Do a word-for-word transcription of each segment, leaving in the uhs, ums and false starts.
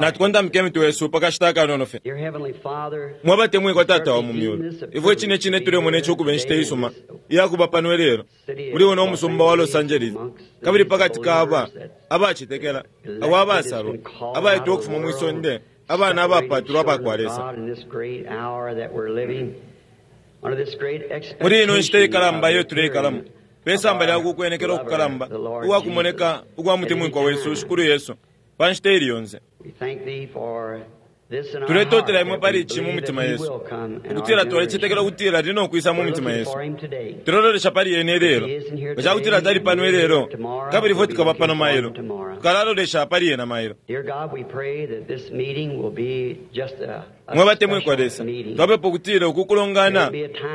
Natukontamike imitwe yesu pakashita akanono fye. Dear Heavenly Father, Mwabatemwikwa Tata wa mu myulu, ifwe cine cine tulemona ici ukuba inshita isuma iyakuba pano ilelo muli uno umusumba wa Los Angeles, kabili pakati ka aba abacetekela, abo abasalwa, abaitwa ukufuma mwi sonde, abana abapatulwa abakwa Lesa. in this great hour that we're living, under this great Muli ino nshita expectation ikalamba of iyo the tuleikalamo, appearing pe samba lya of our kukwenekela ukukalamba beloved, the Lord ukwakumoneka Jesus. ukwa mutemwikwa wesu Shikulu Yesu pa nshita ili yonse. We thank thee for this in our Tuletotela heart imwe that pali we ici mu believe mitima that he yesu, will come in our ukutila twalicetekela generation. ukutila lino kwisa mu We're mitima looking yesu. for him today. Tulololesha pali yene ilelo, nga cakutila tali pano ilelo, kabili ifwe tukaba pano mailo, tukalalolesha pali yena mailo. Dear God, we pray that this meeting will be just a, a Mwe batemwikwa special Lesa, meeting. twapepa ukutila uku kulongana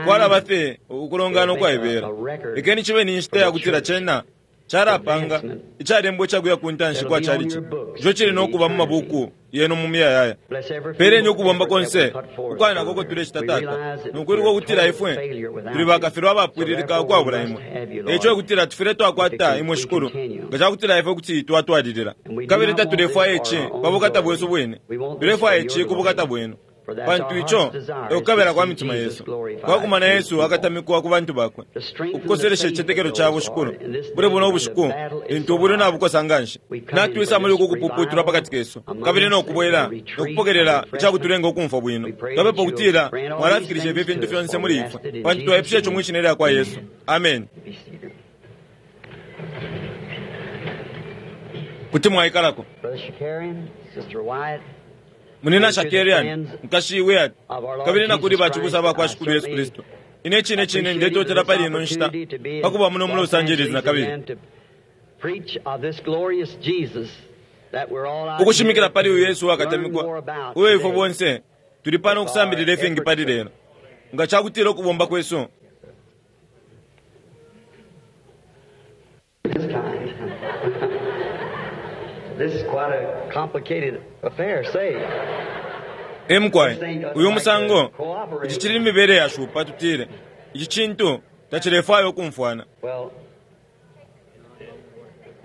kwalaba fye ukulongana ukwaibela. Lekeni cibe ni nshita yakutila cena calapanga icalembwa icakuya ku ntanshi kwa calici, ico cili nokuba mu mabuku yenu mu miyayaya. Bless every Peleni feeble ukubomba effort that konse we put forth, ukwanako Father. tulecita We Tata, realize that nokwiluka we're ukutila total ifwe failure without tuli you. bakafilwa So abapwililika therefore we ukwabula must imwe. have you, Eico Lord, ekutila tufwile twakwata if imwe we Shikulu, continue. nga cakutila ifwe kuti twatwalilila. And we do Kabili not want this tatulefwaya for ici our own pa bukata glory. bwesu bwine, We want this tulefwaya for ici your ku bukata glory. bwenu, For that's pantu our ico heart's desire is ekukabela to kwa see mitima Jesus yesu glorified kwakumana through Yesu people. akatamikwa ku bantu bakwe, To strengthen the ukukoselesha faith icitetekelo of cabo those, Shikulu. Lord, in this Buli day buno when the ubushiku battle is lintu so ubulwi hard. nabukosa nganshi, We come in natwisa for muli this uku kupuputulwa revival pakati kesu, among kabili us no and kubwela the retreat nokupokelela and icakutulenga ukumfwa bwino. We pray Twapepa that you'll ukutila grant all these mwalafikilisha ifi things fintu to us, fyonse for muli we ifwe, ask it in pantu Jesus' twaipusha ico name. mwi shina lya kwa Yesu. Amen. Be seated. Kuti mwaikalako. Brother Shakarian, Sister Wyatt, Munina and to the Shakarian, friends nkashi Wyatt, of our Lord kabili na kuli Jesus bacibusa Christ, bakwa I Shikulu Yesu certainly Kristu. Ine cine cine appreciate ndetotela this pali ino nshita opportunity to be in pakuba muno mu Los Los Angeles Angeles na kabili. again to preach of this glorious Jesus that we're all out Ukushimikila here pali uyu to Yesu learn wakatamikwa, more about uyo ifwe today. bonse tuli pano If our ukusambilila ifingi pali efforts lelo. Nga cakutila ukubomba kwesu this kind. This is quite a complicated affair, say. emukwaye uyu musango, ici cili mibele yashupa tutile, ici cintu tacilefwaya ukumfwana. Well,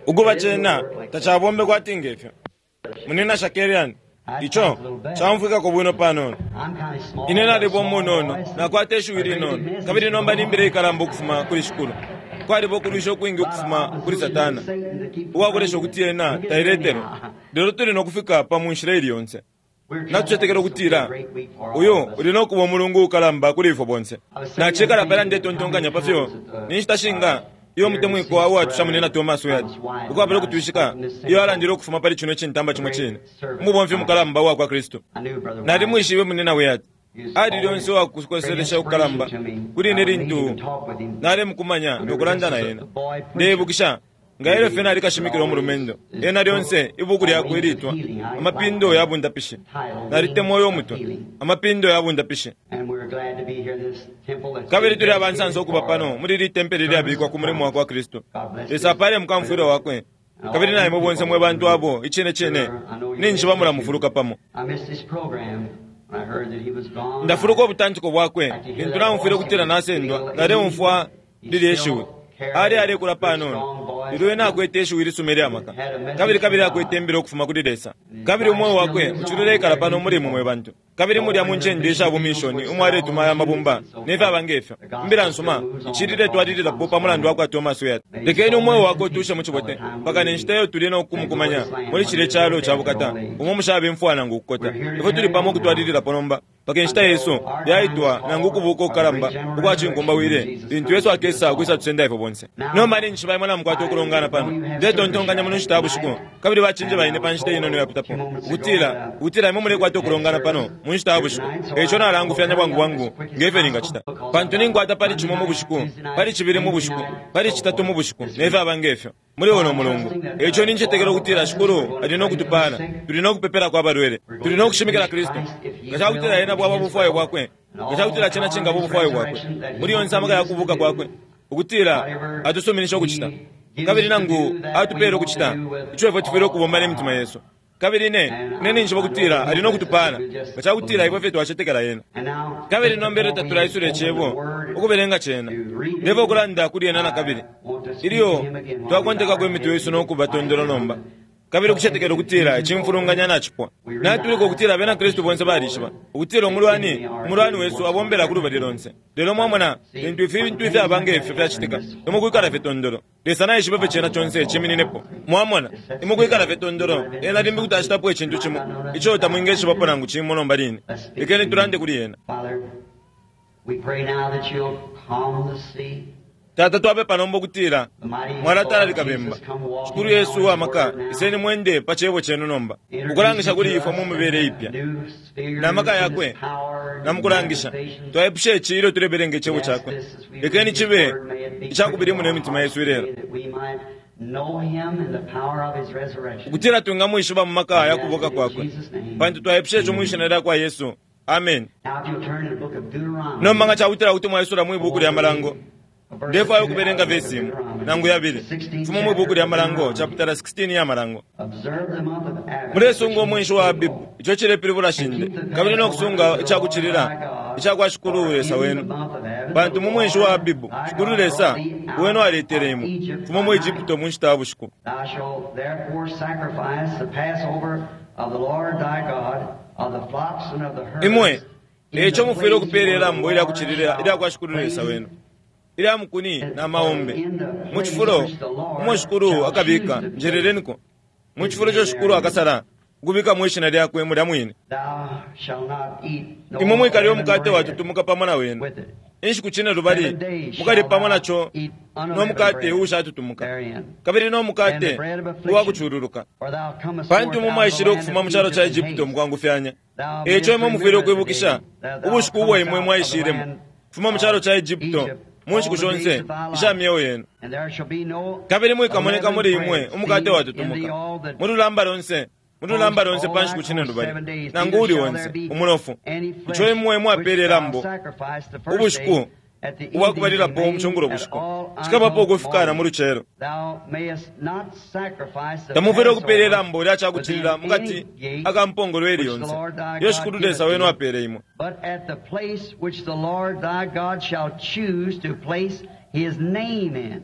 Ukuba cena tacabombe kwati ngefyo. Munina Shakarian, ico camfwikako bwino panono. I'm kind of small. Ine got a nalipo small munono, voice. nakwata ishiwi linono, kabili nomba nimbile ikalamba ukufuma kuli Shikulu. Kwaliba ukulwisha ukwingi A lot of ukufuma kuli opposition to Satana, Satan to keep uwakulesha ukuti ena He gets tailetelwa. anyhow. Lelo tuli nokufika pa mu nshila ili yonse. We're trusting Natucetekela this will be a ukutila great week for all uyu of us. uli nokuba umulungu ukalamba kuli ifwe bonse. Nacikala pala ndetontonkanya pa fyo ni nshita shinga iyo mutemwikwa uwatusha munina Thomas Wyatt, ukwabula ukutwishika iyo alandile ukufuma pali cino cintamba cimo cine, umubomfi mukalamba uwa kwa Kristu. I knew Brother Wyatt. Nalimwishibe munina Wyatt, He was ali always lyonse uwakukoselesha great ukukalamba inspiration to me. kuli I ine would meet him lintu and talk with him. nalemukumanya I remember nokulanda just na as a ena. boy preacher. Ndeibukisha nga ilyo fye nalikashimikila umulumendo, ena lyonse ibuku lyakwe ilitwa Amapindo ya Bundapishi. Nalitemwa uyo mutwe, Amapindo ya Bundapishi. And we're glad to be here in this temple that's Kabili been tuli abansansa dedicated ukuba for pano muli ili tempele lyabikwa ku mulimo wa kwa Kristu. God bless Lesa this apale mukamfwilwa wakwe, and kabili all na you imwe bonse people mwe bantu who abo icine cine sure, I know you ninshi missed bamulamufuluka it. pamo. I missed his program when I heard that he was gone. Ndafuluka I ubutantiko bwakwe like to hear lintu that namufwile voice. He ukutila was getting a nasendwa, little naleumfwa aged. He lilye shiwi. still carried Ali a alekula good panono, strong voice lelo ena akwete ishiwi lisuma ilya maka, had a message kabili from kabili God. akwete imbila ukufuma kuli Lesa, And his kabili life umweo still wakwe lives on uciluleikala there pano in muli imwe people. mwe bantu. Kabili mulya mu All in the ncende mission isha fields bumishoni which umwe all aletuma aya the units mabumba and so ne fyaba forth. ngefyo. The gospel Imbila still nsuma moves on icilile because twalililapo Thomas pa mulandu Wyatt. wakwa Thomas Wyatt. May his Lekeni soul umweo rest wakwe in utushe peace mu all the cibote time mpaka we ne live. nshita iyo tuli no That kumukumanya glorious land muli where cile there is calo no ca death or bukata old age. umo mushaba imfwa nangu ukukota. We're here to Ifwe tuli carry pamo on now ukutwalililapo nomba mpaka inshita yesu until our time is yaitwa nangu called ukubuka for the ukukalamba great general ukwa resurrection when cinkumbawile Jesus lintu comes Yesu to get us akesa ukwisa all. tusenda ifwe bonse. Now, Nomba ninshi baimwe namukwata I ukulongana know pano, you have service ndetontonkanya here muno nshita ya bushiku tonight, kabili bachinje and I baine pa was nshita inono told a yapitapo few moments ago ukutila that ukutila imwe mulekwata you had ukulongana pano service mu nshita ya here bushiku. tonight, so Eico I will nalangufyanya hurry bwangu up as bwangu quick as ngefyo possible ningacita, because I've pantu got ninkwata pali Monday cimo mu night, bushiku, Tuesday night, pali cibili mu Wednesday bushiku, night, pali so citatu mu forth bushiku this ne week. fyaba ngefyo muli uno I'm mulungu. trusting that Eico the nincetekela Lord will ukutila bless us. We're Shikulu going ali to pray no for the kutupala, sick. tuli no kupepelako abalwele, We're tuli going no to kushimikila preach Kristu. Christ if He Nga cakutila will ena and bwaba His bufwayo will bwakwe, and nga cakutila all the cena power of cingaba His ubufwayo bwakwe resurrection that He muli will yonse amaka ya permit us to kubuka do kwakwe, ukutila whatever atusuminisha ukucita, He gives kabili us to nangu do that we atupele want to ukucita do with ico ifwe tufwile all ukubomba our n'emitima heart. yesu. Kabili ne And ne I, ninshi I know bakutila He ali will no bless us if kutupala we just nga cakutila ifwe believe. fye twacetekela ena. And now, Kabili just nombele before we tatulaisula open the icebo Word ukubelenga cena, to read ndeva it, ukulanda kuli ena na I kabili want to speak to ilyo him again while we bow twakontekako our imitwe heads yesu and nokuba quiet tondolo nomba. down. Kabili ukucetekela ukutila icimfulunganya nacipwa. Natulika ukutila abena Kristu bonse balishiba ukutila umulwani umulwani wesu abombela ku lubali lonse. Lelo mwamona lintu ifintu ifyaba ngefyo fyacitika, imwe kwikala fye tondolo. Lesa naishiba fye cena conse cimininepo. Mwamona, imwe kwikala fye tondolo, ena limbi kuti acitapo icintu cimo ico tamwingeshibapo nangu cimo nomba line. Lekeni tulande kuli ena. Father, we pray now that you'll calm the sea. Tata, twapepa nomba ukutila The mighty mwalatalalika Lord bemba. Jesus, come walking Shikulu Yesu now in uwamaka, word now. iseni mwende pa cebo chenu nomba, ukulangisha kuli ifwe mu mibele ipya New spheres na maka in his yakwe power and na mukulangisha. manifestations. Twaipusha ici ilyo tulebelenga icebo chakwe. Lekeni chibe icakubili muno imitima yesu ilelo, That we might know him in the power of his resurrection. ukutila twingamwishiba mu maka ya kubuka kwakwe, pantu twaipusha ico mwishina lya kwa Yesu. Amen. Now if you'll turn to the book of Deuteronomy. Nomba nga cakutila kuti mwaisula mwi buku lya Malango, ndefwayo ukubelenga vesi imo nangu yabili fuma mwi buku lya Malango, chapitala sixteen ya Malango. Observe the month of Abib, Mulesunga umwenshi wa Abibu, ico cilepilibula shinde, kabili nokusunga icakucilila icakwa Shikulu Lesa wenu, pantu mu mwenshi wa Abibu Shikulu Lesa wenu aletele imwe fuma mu Egypto mu nshita ya bushiku. Thou shalt therefore sacrifice the Passover of the Lord thy God, of the flocks and of the herds. Imwe in the eco mufwile place ukupeela where the ilambo Lord ilyakucilila shall ilya Shikulu Lesa place wenu, ilya mukuni na maombe, in the place mu cifulo which the Lord umo Shikulu shall akabika, choose to place. njereleniko mu cifulo ico Shikulu akasala ukubikamo ishina lyakwe mulya mwine. Thou shalt not eat no Imwe mwikalye leavened umukate bread watutumuka pamo na wenu with it. inshiku cine lubali, Seven days mukali shalt pamo thou naco eat no unleavened mukate bread uushatutumuka, therein. kabili no And the mukate bread of affliction, uwakucululuka, for thou comest pantu forth imwe out of the mwaishile land ukufuma of mu calo ca Egypt in Egypto haste. mukwangufyanya. Thou Eco mayest imwe mufwile remember the ukwibukisha day that thou ubushiku ubwo comest imwe out of the mwaishilemo land kufuma mu calo of ca Egypto Egypt mu nshiku all the days shonse of thy isha life. myeo yenu. And there shall be no Kabili mwikamoneka unleavened muli imwe bread umukate seen in thee watutumuka all the mu lulamba lonse, mu lulamba lonse all pa thy nshiku cine coast lubali, seven days, nangu neither uli shall onse there be umunofu. any Ico flesh imwe which mwapeele thou ilambo sacrifice the first ubushiku day at the evening ubwakubalilapo remain mucungulo at bushiku, all cikabapo until ukufika na mu morning. lucelo. Thou mayest not sacrifice the Tamufwile ukupeela Passover ilambo lya cakucilila within mukati any gate akampongolo eli which the yonse Lord thy iyo God Shikulu giveth Lesa wenu thee, apeele imwe. but at the place which the Lord thy God shall choose to place his name in.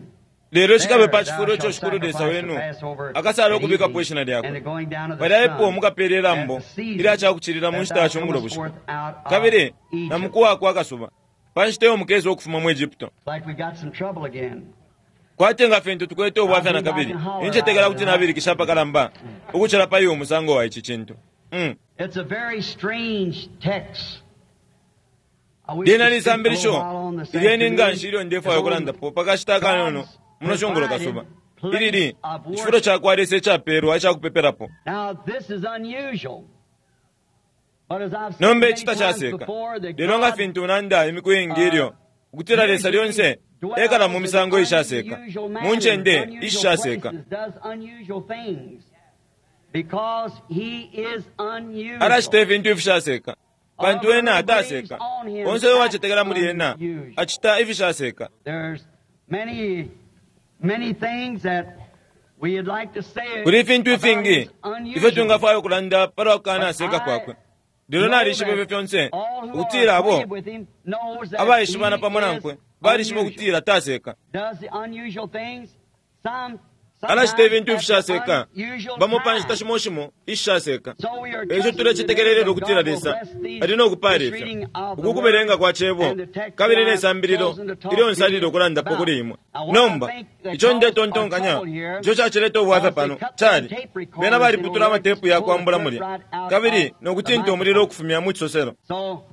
Lelo cikabe There pa thou cifulo ico shalt Shikulu Lesa sacrifice the wenu Passover akasala at ukubikapo evening ishina and the lyakwe. going down of the Palya epo sun mukapeela at ilambo the season ilya cakucilila mu that nshita thou ya cungulo comest bushiku, forth out of kabili na Egypt. mukuwa kwa kasuba pa nshita iyo mukesa ukufuma mu Egypto. Like we got some trouble again. Kwati nga fintu tukwete I ubwafya na believe I kabili, can holler incetekela out kuti nabilikisha apakalamba ukucila pa iwo musango wa ici cintu. Mm. It's a very strange text. I wish Lyena to speak a little lisambilisho while on this ilyeni nga afternoon nshi ilyo ndefwaya is on ukulandapo pakashita akanono God's muno cungulo provided kasuba. place Ilili of icifulo worship. ca kwa Lesa icapelwa icakupepelapo. Now this is unusual. But as I've said Nomba many ici times tacaseka, before, that lelo nga God fintu nanda imiku iingi ilyo uh, ukutila Lesa usually lyonse ekala mu dwells in misango ishaseka, unusual mu manners, ncende unusual ishaseka. places, does unusual things. Because he is Alacita unusual. ifintu ifishaseka, pantu All ena who believes ataseka. on him Onse uyo acts wacetekela muli ena unusual. acita ifishaseka. There's many, many things that we'd like to say Kuli ifintu about ifingi his ifyo unusual. twingafwaya ukulanda palwa But kukanaseka I kwakwe, lelo know nalishiba ifyo that fyonse all who are ukutila abo acquainted with him knows that abaishibana he pamo is nankwe balishiba unusual. ukutila taseka. Does the unusual things some Alacita sometimes ifintu at the ifishaseka unusual bamo pa nshita time. shimo shimo ishishaseka. So we are Eco trusting today tulecetekelelelo that ukutila God will Lesa bless these ali no kupaala this ifyo reading of the uku word kubelenga kwa cebo and the text kabili that ne I've sambililo chosen to talk ilyo to nsalile you ukulandapo about. kuli imwe. Now what I Nomba think that ico caused our ndetontonkanya trouble here ico cacileta ubwafya was they pano cut them cali tape bena recorders in baliputula order to amatepu pull ya the kwambula clip mulya right out kabili of no the kutinta umulilo microphone. ukufumya mu cisoselo. So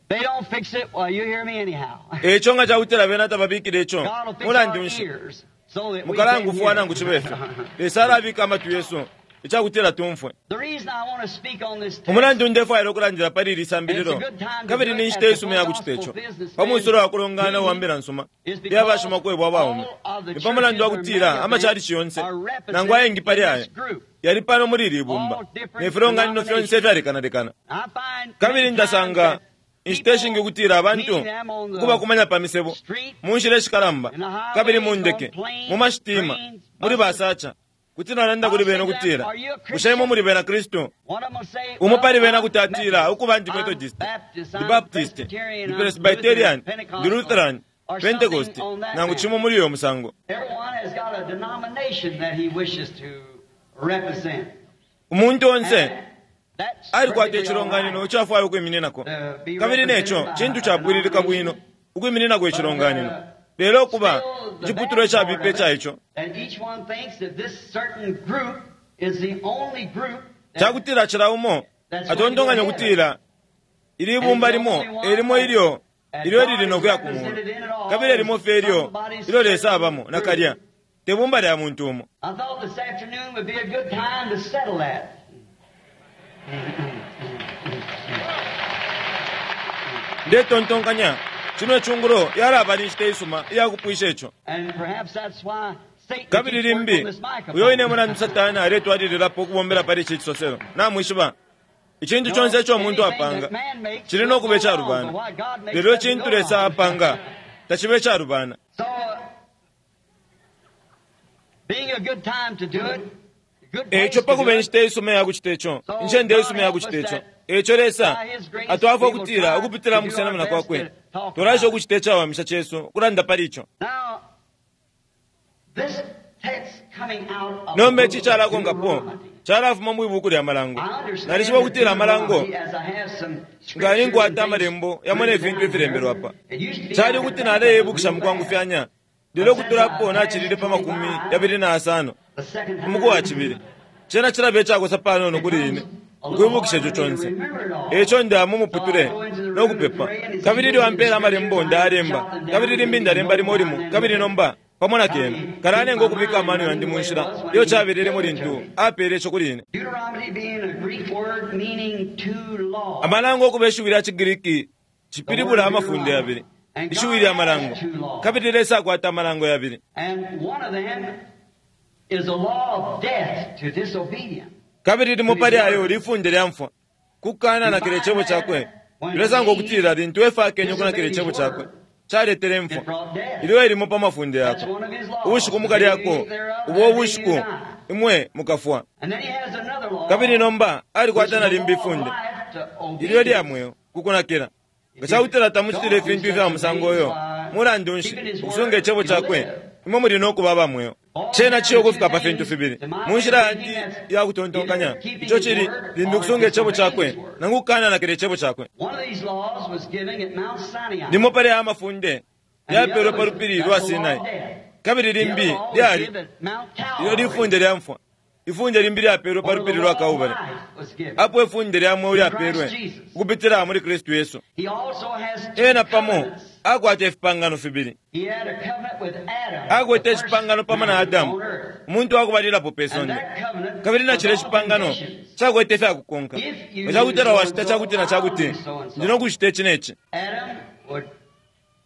they don't fix it, well, you hear me anyhow. Eco nga cakutila bena tababikile ico God will fix mulandu our nshi ears so that we can mukalangufuwa nangu hear. cibe fyo. Lesa alabika amatwi yesu icakutila tumfwe. The reason I want to speak on this text Umulandu ndefwayila ukulandila pali ili and it's a sambililo good time to kabili do ni it nshita at the isuma full ya kucita gospel ico pa businessmen mwisulo wa kulongana meeting wa mbila nsuma is iya because bashimakwebo abaume. all of the Ni pa mulandu wa churches or kutila mega amachalichi events yonse are nangu represented ayengi pali in aya this group, yali pano muli ili ibumba all ne different filonganino fyonse denominations. ifyalekanalekana. I find Kabili many times ndasanga that inshita ishingi people ukutila abantu meeting them on the ukubakumanya pa misebo street, mu nshila ishikalamba in the kabili mu highways, on ndeke mu planes, mashitima trains, muli buses. basacha kuti nalanda I'll kuli say bena to them, ukutila "Are you a bushe imwe Christian?" muli bena Kristu. One of them will say, Umo "Well, pali bena I'm kuti atila Methodist, ukuba ndi I'm Methodist, Baptist, ndi I'm Baptist, Presbyterian, ndi I'm Presbyterian, Lutheran, ndi Pentecostal, Lutheran, or something Pentecost, on that nangu manner." chimo muli uyo musango. Everyone has got a denomination that he wishes to represent. Umuntu onse And that's alikwata perfectly all icilonganino right. ico afwaya ukwimininako, kabili neco cintu capwililika bwino ukwimininako icilonganino, lelo kuba iciputulwa icabipa ica ico And each one thinks that this certain group is the only group that cakutila cila umo atontonkanya ukutila ili ibumba limo elimo ilyo ilyo lili nokuya ku mulu, kabili elimo fye ilyo ilyo Lesa abamo nakalya te bumba lya muntu umo. I thought this afternoon would be a good time to settle that. Ndetontonkanya cino icungulo yalaba ni nshita isuma iyakupwisha ico. And perhaps that's why Satan Kabili keeps working limbi on this microphone. uyo ine mulandu Satani aletwalililapo ukubombela pali ici cisoselo. Namwishiba icintu conse ico umuntu apanga cili nokuba icalubana, lelo icintu Lesa apanga taciba icalubana. So, being a good time to do it, a good place Eco to pa do kuba it, inshita isuma iyakucita ico, incende isuma iyakucita ico, eco Lesa atwafwa ukutila ukupitila mu kusenamina kwakwe tulaesha ukucita icawamisha cesu ukulanda pali ico. Now, this text coming out of Nomba the ici book of calakonkapo Deuteronomy. calafuma mwi buku lya Malango. I understand Nalishiba ukutila Amalango Deuteronomy as I have some nga scriptures ninkwata and amalembo yamo ne fintu ifilembelwa apa. It used to be Cali I could ukuti think naleyebukisha of mu it real fast. kwangufyanya, lelo ukutulapo nacilile pa makumi yabili na asano The second time, umuku wa cibili. Cena cilaba icakosa panono kuli ine ukwibukisha ico conse. Eco ndaya mumuputule no kupepa, kabili ilyo ampela amalembo ndayalemba, kabili limbi ndalemba limo limo, kabili nomba pamo na kena kalanenga ukubika amano yandi mu nshila iyo cabelelemo lintu apele ico kuli ine. Deuteronomy being a Greek word meaning two laws. Amalango okuba ishiwi lya ciGiriki cipilibula amafunde yabili, ishiwi lya malango, kabili Lesa akwata amalango yabili. And one of them is a law of death to disobedience. Kabili limo pali ayo lifunde lya mfwa kukananakila icebo cakwe. Tulesanga ukutila lintu Efa akenye ukunakila icebo cakwe caletele It imfwa brought death. ilyo elimo pa mafunde That's yakwe. one of his laws. Ubushiku mukalyako ubo ubushiku imwe mukafwa. And then he has another law. Kabili nomba which alikwata is the na limbi law of ifunde life to ilyo lya obedience. mweo kukunakila. Nga cakutila tamucitile ifintu ifya musango uyo, mulandu nshi ukusunga icebo cakwe imwe muli nokuba aba mweo. Cena ciyo ukufika pa fintu fibili mu nshila yandi ya kutontonkanya, ico cili limbi ukusunga icebo cakwe nangu kukananakila icebo cakwe. One of these laws was given at Mount Sinai. Limo pali aya mafunde And the yapelwe other pa was- lupili that's lwa the law Sinai, of death. kabili The limbi other law was lyali given at Mount ilyo Calvary. lifunde lya mfwa. Ifunde limbi lyapelwe pa Or the lupili law lwa of Kalbale, life was given. apo ifunde lya mweo lyapelwe ukupitila muli Kristu Yesu. He also has two Ena pamo covenants. akwata ifipangano fibili. He had a covenant with Adam, Akwete the first icipangano pamo na man Adamu, on earth. umuntu wakubalilapo pe And sonde, that covenant kabili na was cile all cipangano conditions. cakwete ifyakukonka. If you Nga cakutila do so wacita and so, cakuti na I'll cakuti, do so and so. ndi nokucita ici neci. Adam would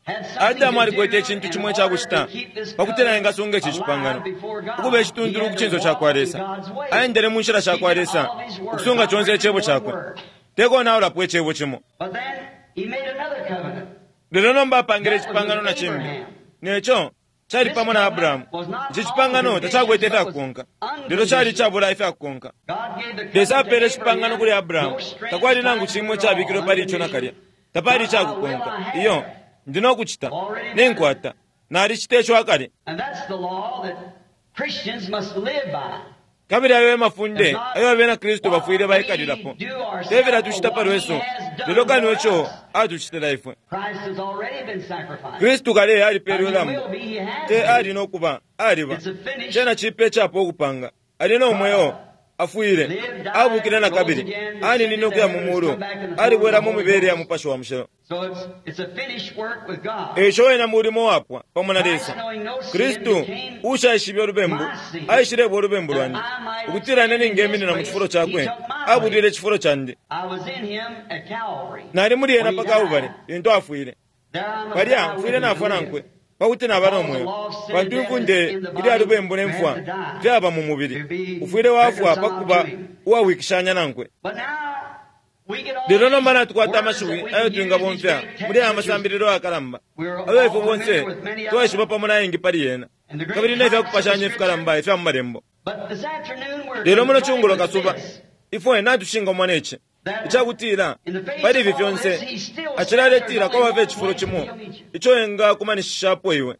had something Adamu to alikwete do icintu in cimo order icakucita to keep this pakutila covenant engasunga ici alive cipangano before God. ukuba He icituntulu had ku to cinso walk ca kwa in Lesa. God's way, Aendele mu nshila sha kwa keeping Lesa all of his words, ukusunga not conse breaking icebo one cakwe, word. tekonaulapo icebo cimo. But then he made another covenant. Lelo nomba apangile That was icipangano with na cimbi, Abraham. neco cali This pamo na covenant Abrahamu. was not Ici all cipangano conditions, tacakwete but was ifyakukonka, lelo cali unconditional. icabula ifyakukonka. God gave the Lesa covenant to apele icipangano kuli Abraham, Abrahamu, no strings takwali nangu tied to cimwe it cabikilwe all, pali ico nakalya, tapali Not I will, icakukonka. I Iyo have. ndi nokucita I've already done it. ninkwata nalicita ico akale. And that's the law that Christians must live by. Kabili ayo e It's mafunde not ayo abena Kristu what bafwile we baikalilapo, do te ourselves, fila but tucita pa what He lwesu, has done lelo kano for ico us. atucitila ifwe. Christ has already been sacrificed. Kristu kale And alipeelwe He lambo, will be, He has te ali been. nokuba aliba. It's a finished Cena cipe icapo ukupanga, ali no mweo, afwile, lived, died, abukile na rose kabili, again, aninine descended to ukuya mu heaven, has mulu, come back in the form of the alibwelamo mu Holy mibele ya Ghost. Mupashi wa Mushilo. So it's, it's a finished work with God. Eco wena mulimo wapwa pamo na Christ, Lesa. knowing no sin, Kristu became ushaishibe ulubembu my sin, aishilebwa ulubembu that lwandi, I might ukutila ine stand in his ningeminina mu place. cifulo He cakwe, took my abulile place. icifulo candi. I was in him at Calvary Nali muli ena when pa he Kalbale died. lintu afwile. There I must Palya die with mfwile him to nafwa live. nankwe pakuti naba no Because the mweo, law of sin and pantu death is ifunde in the ilya body, lubembu ne man mfwa to die, fyaba mu to mubili, be ufwile wafwa pa reconciled kuba to him. uwawikishanya nankwe. But now we get all Lelo nomba these natukwata words that amashiwi we ayo can use, these twingabomfya great muli aya texts, which is masambililo ayakalamba we're ayo ifwe all bonse familiar with many of twaishiba them, pamo na yengi pali yena, and the great kabili ne types of the fyakupashanya scripture. ifikalamba ifya mu malembo. But this afternoon we're Lelo muno confronted cungulo with kasuba this. ifwe natushingamwa neci. Icakutila pali ifi fyonse acilaletila kwaba fye icifulo cimo ico engakumanishishapo iwe.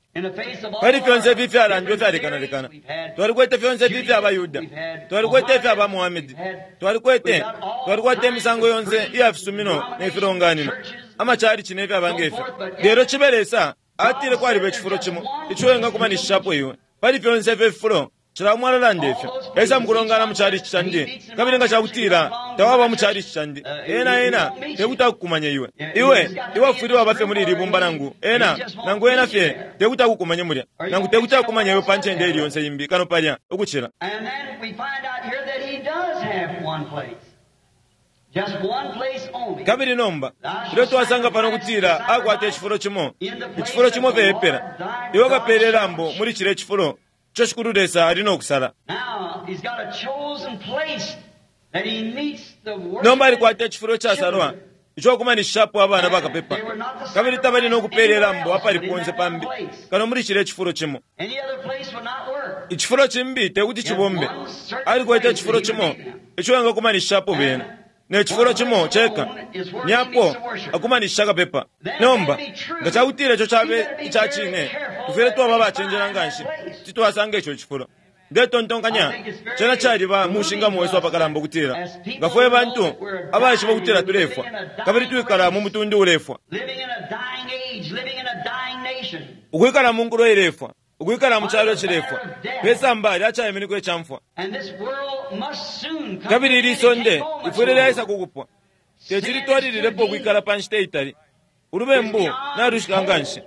Pali fyonse ifi ifyalandwa ifyalekanalekana, twalikwete fyonse ifi ifya baYuda, twalikwete ifya ba Muhamedi, twalikwete twalikwete imisango yonse iya fisumino ne filonganino, amachalichi ne fyaba ngefyo. Lelo cibe Lesa atile kwaliba icifulo cimo ico engakumanishishapo iwe. Pali fyonse ifyo ififulo cila umwe alalanda ifyo esa mukulongana mu chalichi candi, kabili nga cakutila tawaba mu chalichi candi, ena ena tekuti akukumanye iwe. Iwe iwe afwile waba fye muli ili bumba nangu ena nangu ena fye tekuti akukumanye mulya, nangu tekuti akukumanye iwe pa ncende ili yonse imbi kano palya ukucila. And then we find out here that he does have one place. Just one place only. Kabili nomba ilyo twasanga pano kutila akwata icifulo cimo, icifulo cimo fye epela, iwe ukapela ilambo muli cile icifulo ico Shikulu Lesa ali no kusala. Now he's got a chosen place that he meets the Nomba alikwata icifulo icasalwa ico akumanishishapo abana bakapepa, kabili tabali no kupela ilambo apali ponse pambi kano muli cile icifulo cimo. Any other place would not work. Icifulo cimbi tekuti cibombe. Alikwete icifulo cimo ico engakumanishishapo bena, ne cifulo cimo ceka nyapo akumanishisha kapepa. Nomba nga cakutila ico cabe ica cine, tufwile twaba abacenjela nganshi kuti twasanga ico cifulo. Ndetontonkanya cena caliba mushingamo wesu apakalamba ukutila nga fwe bantu abaishiba ukutila tulefwa kabili twikala mu mutundu ulefwa, Living in a dying age, living in a dying nation. ukwikala mu nkulo ilefwa, ukwikala mu calo cilefwa pesamba lyacaiminikwa icamfwa. And this world must soon come Kabili to ili an end. It sonde can't go much ifwile longer. lyaisa kukupwa, tecilitwalililepo ukwikala pa nshita itali. Ulubembu nalushika nganshi,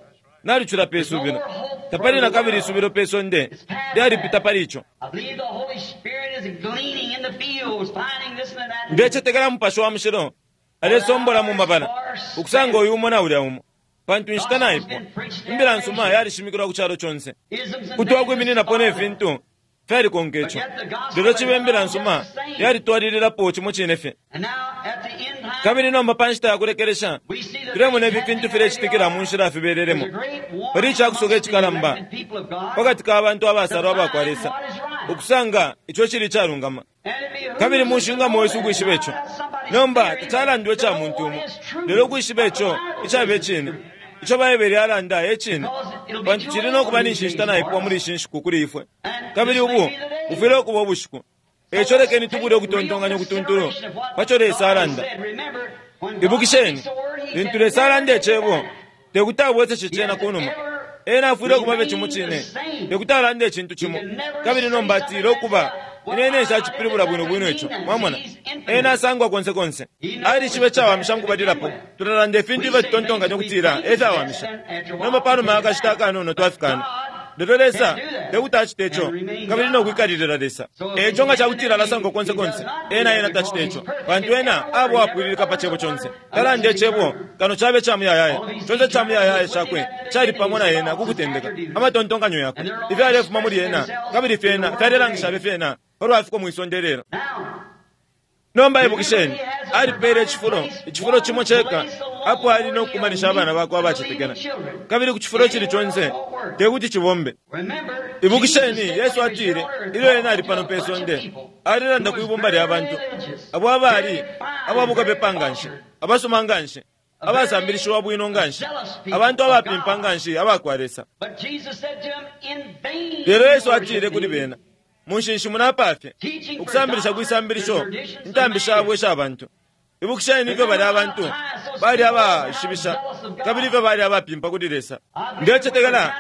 nalucula pe subilo, tapali na kabili isubilo pe sonde lyalipita pali ico. I believe the Holy Spirit is gleaning in the fields, finding this and that. Ndecetekela Mupashi wa Mushilo alesombola mu mabala ukusanga uyu umo na ulya umo, pantu inshita naipwa. Imbila nsuma yalishimikilwa ku calo conse, Isms and kuti wakwimininapo ne fintu fyalikonka ico. Lelo cibe imbila nsuma yalitwalililapo cimo cine fye. And now at the end time, Kabili nomba pa nshita ya kulekelesha we see the tulemona things ifi fintu happening filecitikila mu nshila fibelelemo. Pali icakusoka icikalamba pakati ka bantu abasalwa abakwa Lesa ukusanga ico cili icalungama, kabili mushingamo wesu ukwishiba ico. Nomba tacalandwa ica muntu umo, lelo ukwishiba ico icaba icine, ico Baibele alanda e cine, pantu cili no kuba ninshi inshita naipwa muli ishi nshiku kuli ifwe, kabili ubu bufwile ukuba ubushiku. Eco lekeni tubule ukutontonkanya ukutuntulu paco Lesa alanda. Ibukisheni, lintu Lesa alanda icebo, tekuti abweseshe cena kunuma. Ena afwile ukuba fye cimo cine, tekuti alande icintu cimo kabili nomba atile ukuba ine nshacipilibula bwino bwino ico. Mwamona, ena asangwa konse konse, alishiba icawamisha mukubalilapo. Tulalanda ifintu ifyo tutontonkanya ukutila efyawamisha, nomba panuma yakashita akanono twafikana. Lelo Lesa tekuti acite ico kabili nokwikalilila Lesa. Eco nga cakutila alasangwa konse konse, ena ena tacite ico, pantu ena abo apwililika pa cebo conse. Talanda icebo kano cabe ca muyayaya, conse ca muyayaya cakwe cali pamo na ena kukutendeka. Amatontonkanyo yakwe ifyalefuma muli ena kabili fyena fyalelangisha fyena palwafiko mwisonde lelo. Now, Nomba ibukisheni, alipele icifulo, icifulo cimo ceka apo ali no kukumanisha abana bakwe abacetekela, kabili ku cifulo cili conse tekuti cibombe. remember, Ibukisheni, Jesus said Yesu when he was atile here on earth, ilyo ena ali talking pano to a pe bunch of sonde, people alilanda who kwi was bumba lya very bantu religious, abo abali very fine, ababukapepa very nganshi, cultured, abasoma nganshi, abasambilishiwa bwino nganshi, abantu abapimpa nganshi abakwa Lesa. But Jesus said to him, in vain Lelo you Yesu worship atile kuli me, bena, munshinshi munapafye ukusambilisha kwisambilisho intambi shabo isha bantu. Ibukisheni ifyo bali abantu bali abaishibisha kabili ifyo bali abapimpa kuli Lesa. Ndecetekela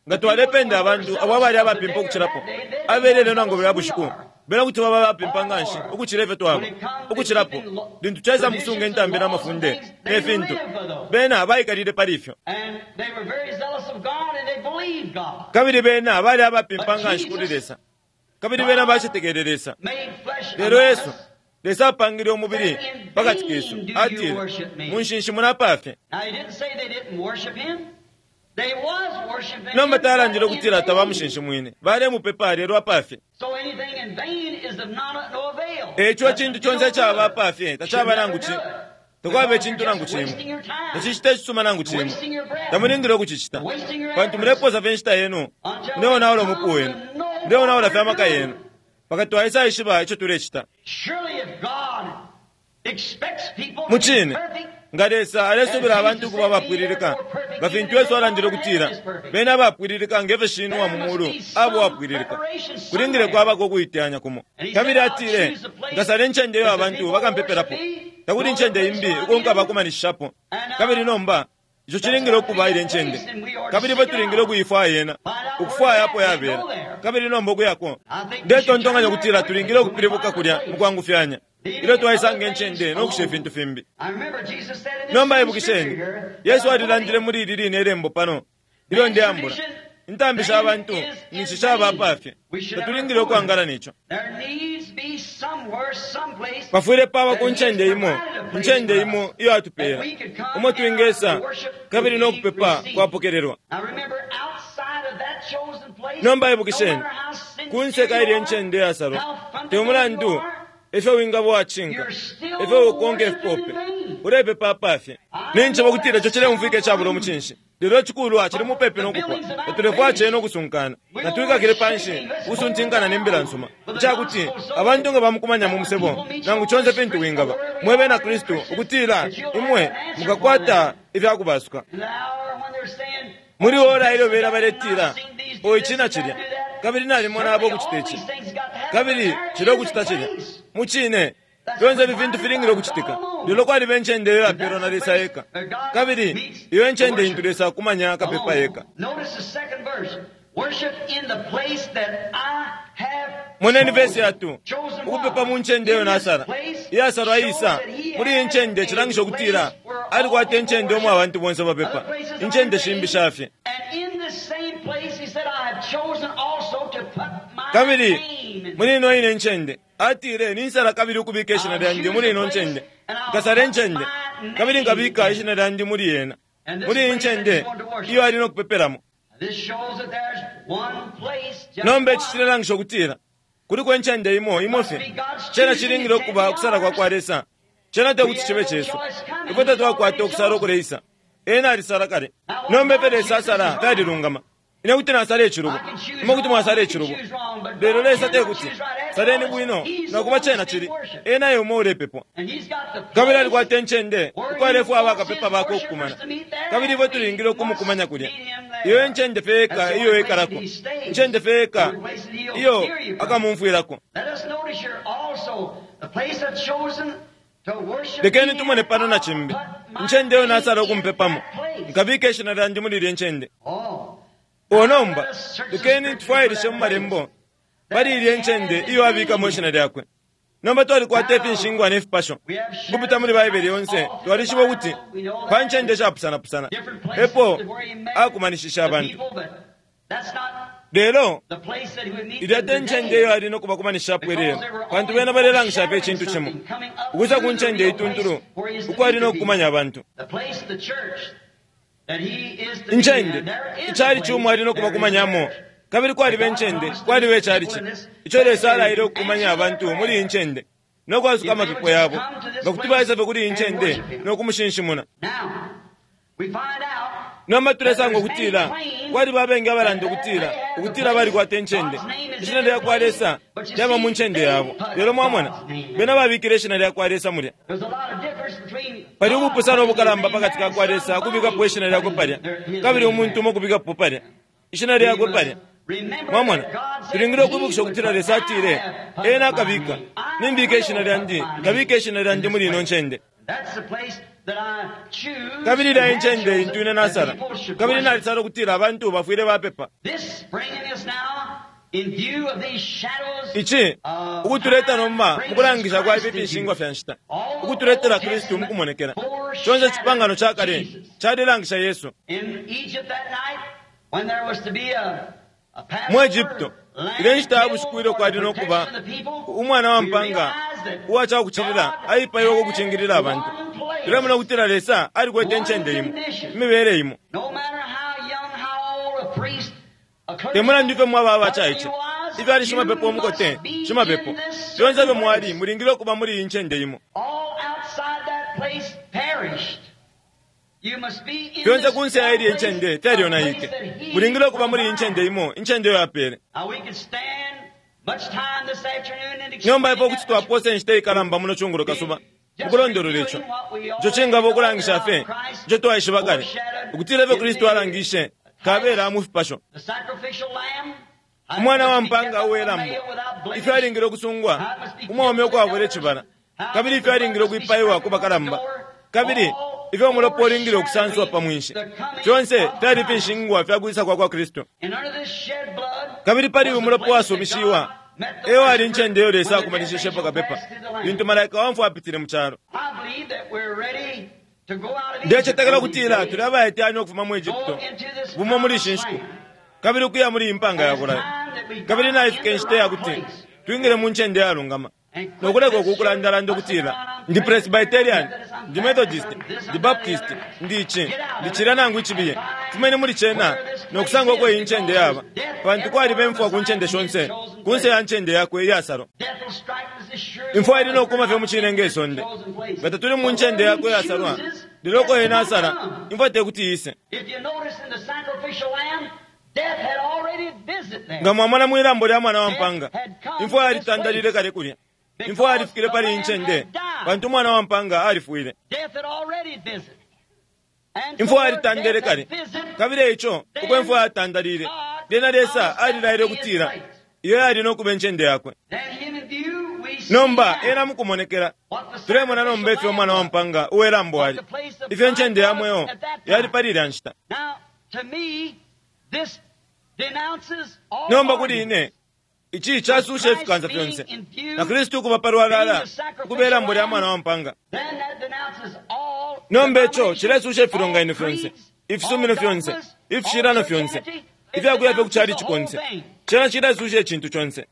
nga twalependa abantu abo abali abapimpa ukucilapo abelele nangu bulya bushiku, bena kuti baba abapimpa nganshi ukucila ifyo twaba ukucilapo lintu caisa mukusunga intambi n'amafunde ne fintu. Bena baikalile pali ifyo, And they were very zealous of God and they believed God. kabili bena bali abapimpa nganshi kuli Lesa, kabili bena bacetekele Lesa. Made flesh Lelo among Yesu us. Lesa apangile umubili pakati kesu, atile munshinshi munapafye. Now he didn't say they didn't worship him. They was worshiping Nomba him, talandile but in ukutila vain. tabamushinshi mwine, balemupepa lelo apafye. So anything in vain is of none, no avail. Eco icintu conse icaba apafye tacaba nangu cimo, takwaba icintu nangu cimo, tacicita icisuma nangu cimo. Tamulingile ukucicita, pantu muleposa fye inshita yenu, muleonaula umupu wenu, muleonaula fye amaka yenu, mpaka twaisa ishiba ico tulecita. Surely if God Mucine nga Lesa alesubila abantu ukuba abapwililika, nga fintu Yesu alandile ukutila bena abapwililika ngefyo Shinwe wa mu mulu abo wapwililika, kulingile kwabako ukuiteyanya kumo. Kabili atile, nkasala incende iyo abantu bakampepelapo, takuli incende imbi uko nkabakumanishishapo. Kabili nomba ico cilingile ukuba ile ncende, kabili ifwe tulingile ukuifwaya yena, ukufwaya apo yabela, kabili nomba ukuyako. Ndetontonkanya ukutila tulingile ukupilibuka kulya mukwangufyanya ilyo twaisanga incende nokusha ifintu fimbi. Nomba ibukisheni, Yesu alilandile muli ili line ilembo pano ilyo ndeambula intambi sha bantu ninshi shaba apafye, tatulingile ukwangala neco. Pafwile paba ku ncende imo, incende imo iyo atupela umo twingesa kabili nokupepa kwapokelelwa. Nomba ibukisheni, kunse ka ilya incende yasalwa, te mulandu ifyo wingaba wacinka, ifyo ukonka ifipope, ulepepa apafye. Ninjeba ukutila ico cileumfwika icabula umucinshi, lelo icikulwa cili mupepi nokupwa. Tatulefwaya cena ukusunkana, natwikakile panshi ukusuntinkana ne mbila nsuma, icakuti abantu nga bamukumanya mu musebo nangu conse fintu wingaba mwe bena Kristu, ukutila imwe mukakwata ifyakubasuka. Muli ora ilyo bena baletila, o ici na cilya, kabili nalimona abo ukucita ici, kabili cila ukucita cilya. Mucine fyonse ifi fintu filingile ukucitika, lelo kwaliba incende iyo yapelwa na Lesa eka, kabili iyo incende intu Lesa akumanya kapepa eka. Moneni vesi yatu, ukupepa mu ncende iyo nasala iyasalwa isa muli iyi ncende cilangisha ukutila alikwata incende omwe abantu bonse bapepa, incende shimbi shafye. Kabili muli ino ine ncende atile, ninsala kabili ukubika ishina lyandi muli ino ncende, nkasala incende kabili nkabika ishina lyandi muli yena, muli iyi ncende iyo ali nokupepelamo. Nomba ici cilelangisha ukutila kuliko incende imo imo fye, cena cilingile ukuba ukusala kwa kwa Lesa. Cena tekuti cibe cesu, ifwe tatwakwata ukusala ukuleisa. Ena alisala kale. Nomba ifyo Lesa asala fyalilungama. Ine kuti nasala icilubo, imwe kuti mwasala icilubo, lelo Lesa tekuti saleni bwino nakuba cena cili ena eumo ulepepwa. Kabili alikwata incende uko alefwaya bakapepa bakwe ukukumana, kabili ifwe tulingile ukumukumanya kulya. Iyo incende fye eka iyo ekalako, incende fye eka iyo akamumfwilako. Lekeni tumone pano na cimbi, incende iyo nasala ukumpepamo, nkabika ishina lyandi muli ilya ncende. O nomba lekeni tufwailishe mu malembo pali ilya ncende iyo abikamo ishina lyakwe. Nomba twalikwata ifinshingwa ne fipasho ukupita muli Baibele yonse. Twalishiba ukuti pa ncende shapusanapusana epo akumanishisha abantu, lelo ilya te ncende iyo ali nokubakumanishishapo ilelo, pantu bena balelangisha fye icintu cimo ukwisa ku ncende ituntulu uko ali nokukumanya abantu. Incende icali cimo ali nokubakumanyamo, kabili kwaliba incende, kwaliba icalici ico Lesa alaile ukukumanya abantu muli iyi ncende nokwasuka amapepo yabo, nga kuti baisa fye kuli iyi ncende nokumushinshimuna. Nomba tulesanga ukutila kwaliba abengi abalanda ukutila ukutila balikwata incende, ishina lya kwa Lesa lyaba mu ncende yabo, lelo mwamona bena babikile ishina lya kwa Lesa mulya. Pali ubupusano ubukalamba pakati ka kwa Lesa ukubikapo ishina lyakwe palya, kabili umuntu umo ukubikapo palya ishina lyakwe palya. Mwamona, tulingile ukwibukisha ukutila Lesa atile ena akabika, nimbika ishina lyandi, nkabika ishina lyandi muli ino ncende. Kabili ilya incende intu ine nasala, kabili nalisala ukutila abantu bafwile bapepa. Ici ukutuleta nomba mukulangisha kwa ifi finshingwa fya nshita, ukutuletela Kristu mukumonekela. Conse icipangano ca kale calilangisha Yesu. Mu Egypto ile nshita ya bushiku ilyo kwali nokuba umwana wa mpanga uwa cakucilila aipaiwe kukucingilila abantu, tulemona ukutila Lesa alikwete incende imo, imibele imo. Te mulandu ifyo mwaba abacaice, ifyo ali shimapepo umukote, shimapepo, fyonse ifyo mwali mulingile ukuba muli iyi ncende imo. Fyonse kunse ya ilya incende fyalyonaike, mulingile ukuba muli iyi ncende imo, incende iyo yapele. Nomba ifwe kuti twaposa inshita ikalamba muno cungulo kasuba Mukulondolola ico ico cingaba ukulangisha fye ico twaishiba kale ukutila ifyo Kristu alangishe kabela mu fipasho. Umwana wa mpanga uwelambo, ifyo alingile ukusungwa umwaume ukwabula icibala, kabili ifyo alingile ukwipaiwa ku bakalamba, kabili ifyo umulopa ulingile ukusanswa pa mwinshi, fyonse fyali finshingwa fya kwisa kwa kwa Kristu. Kabili pali uyu mulopa wasumishiwa eyo ali ncende iyo Lesa akumanishishepo kapepa lintu malaika wa mfwa apitile mu calo. Ndecetekela ukutila tuli abaiteyanya ukufuma mu Egypto bumo muli ishi nshiku, kabili ukuya muli impanga ya bulayo, kabili naifika inshita yakuti twingile mu ncende yalungama nokuleka uku kulandalanda ukutila ndi Presbyterian, ndi Methodist, ndi Baptist, ndi ici, ndi cilya nangu icibiye. Fumeni muli cena nokusanga uko iyi ncende yaba, pantu kwaliba imfwa ku ncende shonse kunse ya ncende yakwe iyasalwa. Imfwa ili nokuma fye mucine nge sonde, nga tatuli mu ncende yakwe iyasalwa, lelo uko ena asala imfwa tekuti ise. Nga mwamona mwilambo lya mwana wa mpanga, imfwa yalitandalile kale kulya. Imfwa yalifikile pali incende pantu umwana wa mpanga alifwile. Imfwa yalitandele kale, kabili ico uko imfwa yatandalile, lyena Lesa alilaile ukutila iyo yali nokuba incende yakwe. Nomba ena mukumonekela tulemona nomba ifyo umwana wa mpanga uwelambo ali, ifyo incende ya mweo yali pali ilya nshita. Nomba kuli ine ici casusha ifikansa fyonse, na Kristu ukuba palwalala ukuba ilambo lya mwana wa mpanga. Nomba ico cilesusha ifilonganino fyonse, ifisumino fyonse, ifishilano fyonse, ifyakuya fye kucali cikonse. Cena cilesusha icintu conse.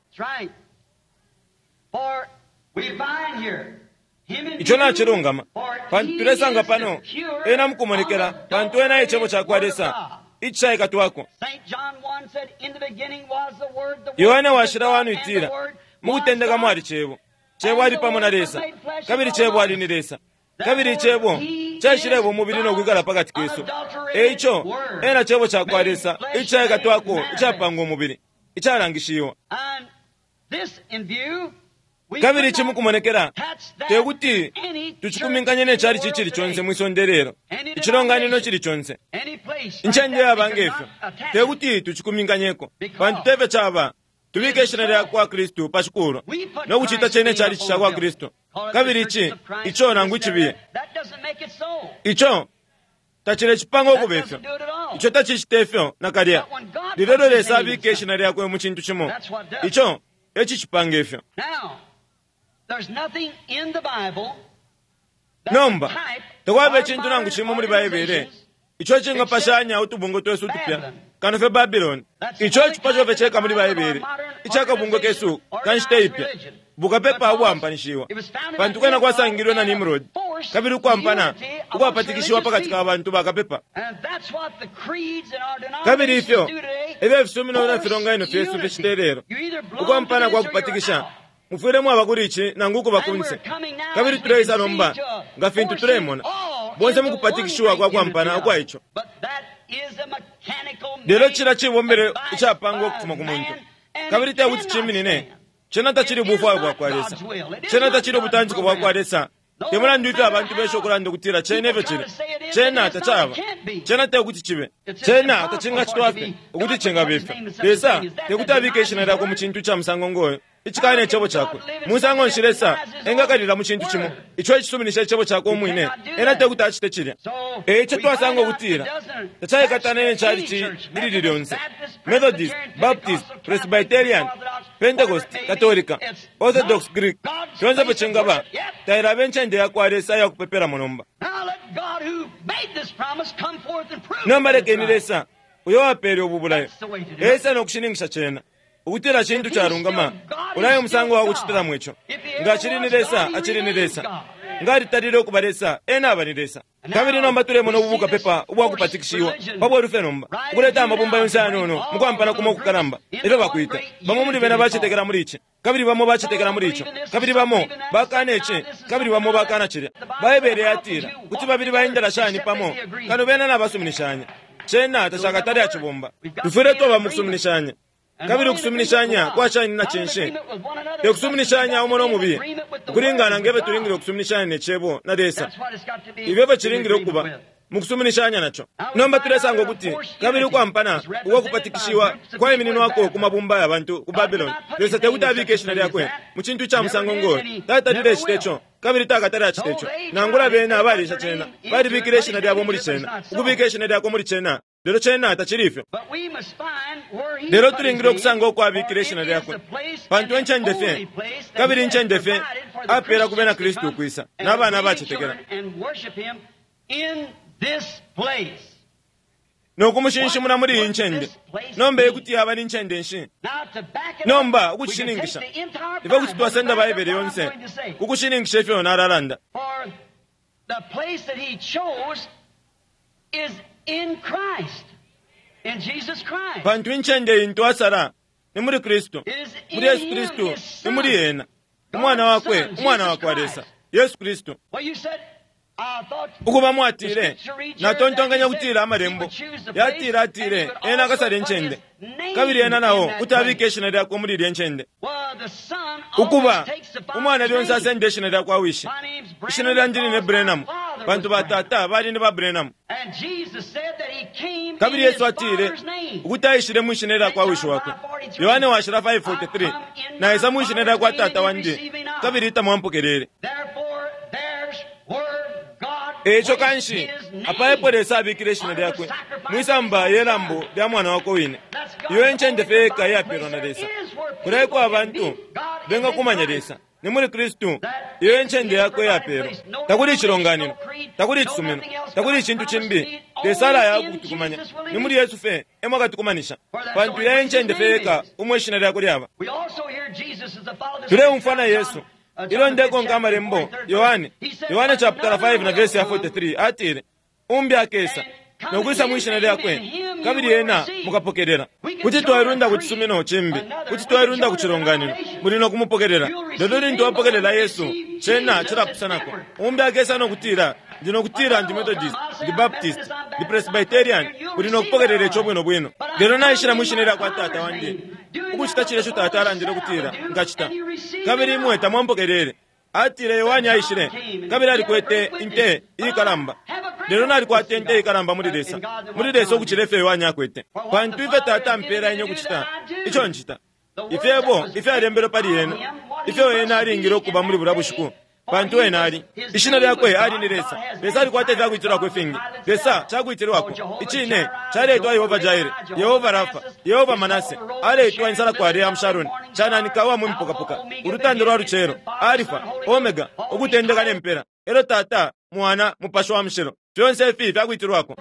Ico nacilungama, pantu tulesanga pano ena mukumonekela, pantu ena icebo cakwa Lesa icisaikatwako. Yohane washila wanu itila mukutendeka mwali cebo, cebo ali pamo na Lesa, kabili cebo ali ni Lesa, kabili icebo caishileba umubili nokwikala pakati kesu. Eico ena cebo cakwa Lesa icisaikatwako, icapanga umubili, icalangishiwa. Kabili ici mukumonekela tekuti tucikuminkanye ne cali cicili conse mwisonde lelo, icilonganino cili conse, incende yaba ngefyo tekuti tucikuminkanyeko, pantu tefyo caba. Tubike ishina lya kwa Kristu pa cikulwa nokucita cene cali ca kwa Kristu, kabili ici ico nangu icibiye ico tacilecipanga ukuba ifyo, ico tacicita ifyo nakalya. Lilelo Lesa abike ishina lyakwe mu cintu cimo, ico ecicipanga ifyo. Nomba takwaba icintu nangu cimo muli Baibele ico cingapashanya utubungwe twesu utupya kano fye Babiloni. Ico icipasho fye ceka muli Baibele icakabungwe kesu kanshita ipya bukapepa ubwampanishiwa, pantu kwena kwasangilwe na Nimrod, kabili ukwampana ukwapatikishiwa pakati ka bantu bakapepa. Kabili ifyo efyo ifisumino na filonganino fyesu ficita lelo, ukwampana kwa kupatikisha. Mufwile mwaba kuli ici nangu ukuba kunse. Kabili tuleisa nomba nga fintu tulemona bonse mukupatikishiwa kwa kwampana ukwa ico. Lelo cila cibombele icapangwa ukufuma ku muntu, kabili tekuti ciminine. Cena tacili ubufwayo bwakwa Lesa, cena tacili ubutantiko bwakwa Lesa. Te mulandu ifyo abantu besha ukulanda ukutila cena efyo cili, cena tacaba, cena tekuti cibe, cena tacingacitwa fye ukuti cingaba ifyo. Lesa tekuti abike ishina lyakwe mu cintu ca musango ngoyo icikana icebo cakwe. Musango nshi Lesa engakalila mu cintu cimo ico icisuminisha icebo cakwe umwine? Ena tekuti acite cilya. Eico twasanga ukutila tacaikatana ne cali lilili lyonse, Methodist, Baptist, Presbyterian, Pentecost, Katolika, Orthodox, Greek, fyonse fyo cingaba tailaba incende yakwa Lesa iyakupepelamo nomba. Nomba lekeni Lesa uyo wapele ubu bulayo ese nokushininkisha cena ukutila cintu calungama, ulayo umusango wa kucitilamo ico. Nga acili ni Lesa, acili ni Lesa. Nga alitalile ukuba Lesa, ena aba ni Lesa. Kabili nomba tulemona ubu bukapepa ubwakupatikishiwa pa bweru fye nomba, ukuleta amabumba yonse ayanono mukwampana kumo ukukalamba efyo bakwita. Bamo muli bena bacetekela muli ici, kabili bamo bacetekela muli ico, kabili bamo bakana ici, kabili bamo bakana cilya. Baibele yatila kuti babili baendela shani pamo kano bena nabasuminishanya? Cena tacakatale acibomba. Tufwile twaba mukusuminishanya. Kabili ukusuminishanya kwashani na cinshi? Te kusuminishanya umo no mubiye, ukulingana ngefyo tulingile ukusuminishanya ne Cebo na Lesa. Ifyo efyo cilingile ukuba mukusuminishanya naco. Nomba tulesanga ukuti kabili ukwampana uko kupatikishiwa kwaimininwako ku mabumba ya bantu ku Babylon. Lesa tekuti abike ishina lyakwe mu cintu ica musango ngoyo. Tatalile cite co, kabili takatale acite co. Nangula bena abalisha cena balibikile ishina lyabo muli cena, ukubika ishina lyakwe muli cena, lelo cena tacili ifyo. Lelo tulingile ukusanga uko abikile ishina lyakwe, pantu encende fye, kabili incende fye apela ku bena Kristu ukwisa n'abana abacetekela nokumushinshimuna muli iyi ncende. Nomba ekuti yaba ni ncende nshi? Nomba ukucishininkisha, ifwe kuti twasenda Baibele yonse kukushininkisha ifyo nalalanda. Pantu incende intu asala ni muli Kristu, muli Yesu Kristu, ni muli ena, umwana wakwe, umwana wakwa Lesa, Yesu Kristu. Ukuba mwatile, natontonkanya kutila amalembo yatile atile ena akasala incende, kabili ena nao kuti abike ishina lyakwe muli ilye ncende. Ukuba umwana lyonse asenda ishina lyakwa wishi. Ishina lyandi line Branham, pantu batata bali ni ba Branham. Kabili Yesu atile ukuti aishile mu ishina lyakwa wishi wakwe. Yohane washila five forty-three, naisa mu ishina lyakwa tata wandi, kabili tamwampokelele. Eco kanshi apaepo Lesa abikile ishina lyakwe mwisamba ye lambo lya mwana wakwe wine. Iyo encende fye yeka iyapelwa na Lesa kulaiko abantu bengakumanya Lesa ni muli Kristu. Iyo encende yakwe iyapelwa. Takuli icilonganino, takuli icisumino, takuli icintu cimbi. Lesa alaya kutukumanya ni muli Yesu fye emo akatukumanisha, pantu iya encende fye yeka umwe ishina lyakwe lyaba. Tuleumfwa na Yesu ilo ndekonka amalembo Yohane Yohane chapter five na verse ya forty-three atile, umbi akesa nokwisa mwishina lyakwe, kabili ena mukapokelela. Kuti twailunda ku cisumino cimbi, kuti twailunda ku cilonganino, muli nokumupokelela. Lelo lintu wapokelela Yesu, cena cilapusanako. Umbi akesa nokutila, ndi nokutila ndi Methodist, ndi Baptist, ndi Presbyterian, muli nokupokelela ico bwino bwino. Lelo naishila mwishina lyakwa tata wandi, ukucita cile ico tata alandile ukutila nkacita, kabili imwe tamwampokelele. Atile Yohane aishile, kabili alikwete inte ikalamba. Lelo nalikwata inte ikalamba muli Lesa, muli Lesa ukucila ifyo Yohane akwete. Pantu ifyo tata ampela ine ukucita, ico ncita. Ifyebo ifyalembelwe pali ena, ifyo ena alingile ukuba muli bulya bushiku, pantu ena ali ishina lyakwe ali ni Lesa. Lesa alikwata ifyakuitilwako ifingi. Lesa cakuitilwako icine caletwa Yehova Jaire, Yehova Rafa, Yehova Manase, aletwa insala kwa Leah Sharon, cananika wa mumpukapuka, ulutando lwa lucelo, Alifa, Omega, ukutendeka ne mpela. Elo tata, mwana, mupashi wa mushilo, fyonse ifi fyakuitilwako.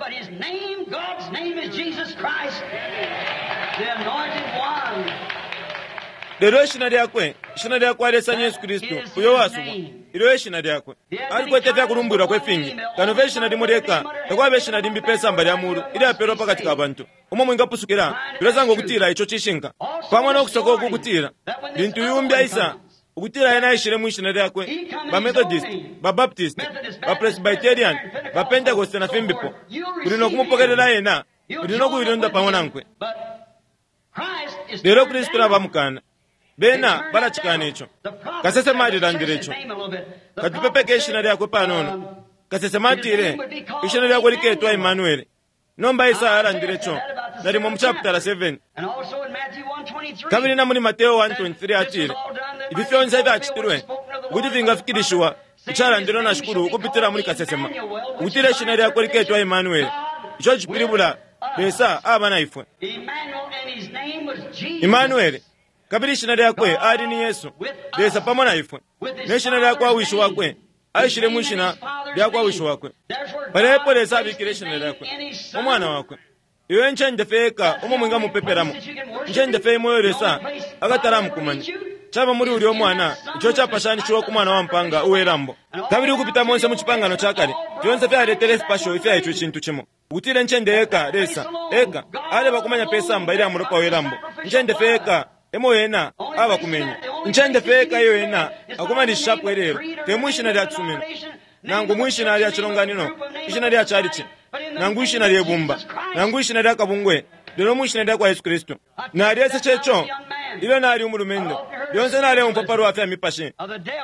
Lelo ishina lyakwe, ishina lyakwa Lesa ni Yesu Kristu, uyo wasubwa. Ilo ishina lyakwe alikwete ifyakulumbwilwako ifingi, kano fye ishina limo lyeka. Takwaba ishina limbi pe samba lya mulu ilyapelwa pakati ka bantu umo mwingapusukila. Tulesanga ukutila ico cishinka pamo nokusoka uku kutila lintu yumbi aisa ukutila ena aishile mwishina lyakwe, ba Methodist, ba Baptist, ba Presbyterian, ba Pentecost na fimbipo, kuli nokumupokelela ena, kuli nokuilunda pamo nankwe. Lelo Kristu nabamukana bena balacikana ico. Kasesema alilandile ico. Katupepeke ishina lyakwe panono. Kasesema atile ishina lyakwe liketwa Emmanuel. Nomba Isaya alandile ico nalimo mu chapter seven. Kabili na muli Mateo one twenty-three atile ifi fyonse ifyacitilwe ukuti fingafikilishiwa icalandilwe na Shikulu ukupitila muli kasesema, ukutila ishina lyakwe liketwa Emmanuel. Ico cipilibula Lesa aba na ifwe. Emmanuel, kabili ishina lyakwe ali ni Yesu, Lesa pamo na ifwe. Ne shina lyakwa wishi wakwe aishile mu shina lyakwa wishi wakwe. Palepo Lesa abikile ishina lyakwe umwana wakwe. Iyo encende fye yeka umo mwingamupepelamo, incende fye imwe Lesa akatalamukumanya caba muli ulya umwana, ico capashanishiwa ku mwana wa mpanga uwe lambo. Kabili ukupita monse mu cipangano ca kale, fyonse fyaletele ifipasho ifya ico cintu cimo, ukutila incende yeka Lesa eka alebakumanya pe samba ilya mulopa we lambo. Incende fye yeka emo ena abakumenya, incende fye eka iyo ena akumanishapo ilelo, te mwishina lya cisumino, nangu mwishina lya cilonganino, ishina lya calici, nangu ishina lye bumba, nangu ishina lya kabungwe, Lelo mwishina lya kwa Yesu Kristu. Nalyeseshe ico ilyo nali umulumendo. Lyonse naleumfwa palwa fya mipashi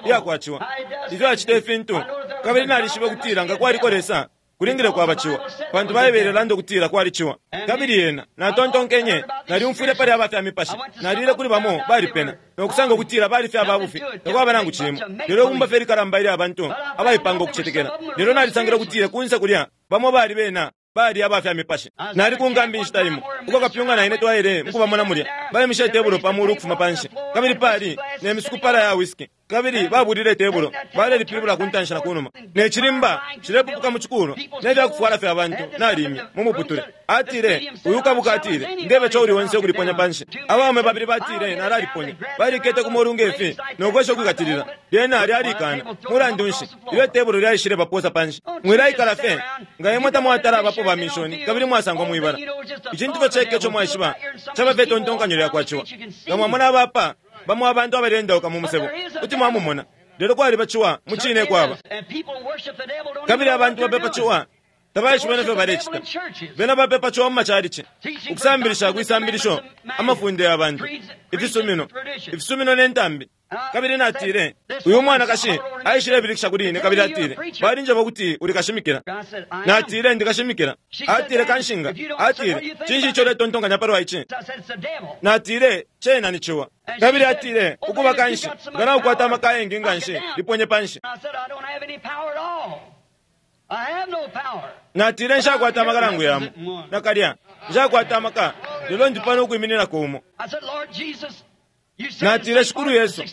iyakwaciwa, ifyo acita ifintu, kabili nalishiba ukutila nga kwaliko Lesa kulingile kwabaciwa, pantu Baibele ilanda ukutila kwaliciwa. Kabili yena natontonkenye nalyumfwile pali aba fya mipashi, nalile kuli bamo balipena nokusanga ukutila bali fye ababufi, takwaba nangu cimo lelo ibumba fye likalamba ilya bantu abaipanga ukucetekela. Lelo nalisangile ukutila kunse kulya bamo bali bena bali aba fya mipashi. Nali ku nkambi inshita imo uko kapyunga na ine twaile mukubamona mulya, baimishe itebulo pa mulu ukufuma panshi, kabili pali ne misukupala ya whisky, kabili babulile itebulo balelipilibula ku ntanshi na kunuma, ne cilimba cilepupuka mu cikulo ne fya kufwala fya bantu. Nalimye mu muputule. Atile uyu kabuka, atile ndebe co uli onse ukuliponya panshi. Abaume babili batile nalaliponya, balikete ku molu ngefi nokwesha ukwikatilila, lyena lyalikana. Mulandu nshi ilyo itebulo lyaishile baposa panshi? Mwilaikala fye nga imwe tamwatala abapo ba mishoni kabili mwasangwa mwibala. Icintu fye ceke ico mwaishiba caba fye tontonkanyo lyakwaciwa. Nga mwamona abapa bamo abantu abalendauka mu musebo, kuti mwamumona, lelo kwaliba ciwa mu cine kwaba. Kabili abantu bapepa ciwa tabaishiba nefyo balecita. Bena bapepa ciwa mu macalici, ukusambilisha kwisambilisho, amafunde ya bantu, ifisumino, ifisumino ne ntambi. Kabili natile uyu mwanakashi aishilebilikisha kuli ine, kabili atile balinjeba ukuti uli kashimikila. Natile ndi kashimikila. Atile kanshinga. Atile cinshi ico uletontonkanya palwa ici? Natile cena ni ciwa. Kabili atile ukuba kanshi nga naukwata amaka ayengi nganshi, liponye panshi. Natile nshakwata amaka nangu yamo nakalya, nshakwata amaka, lelo ndi pano ukwimininako umo. Natile Shikulu Yesu,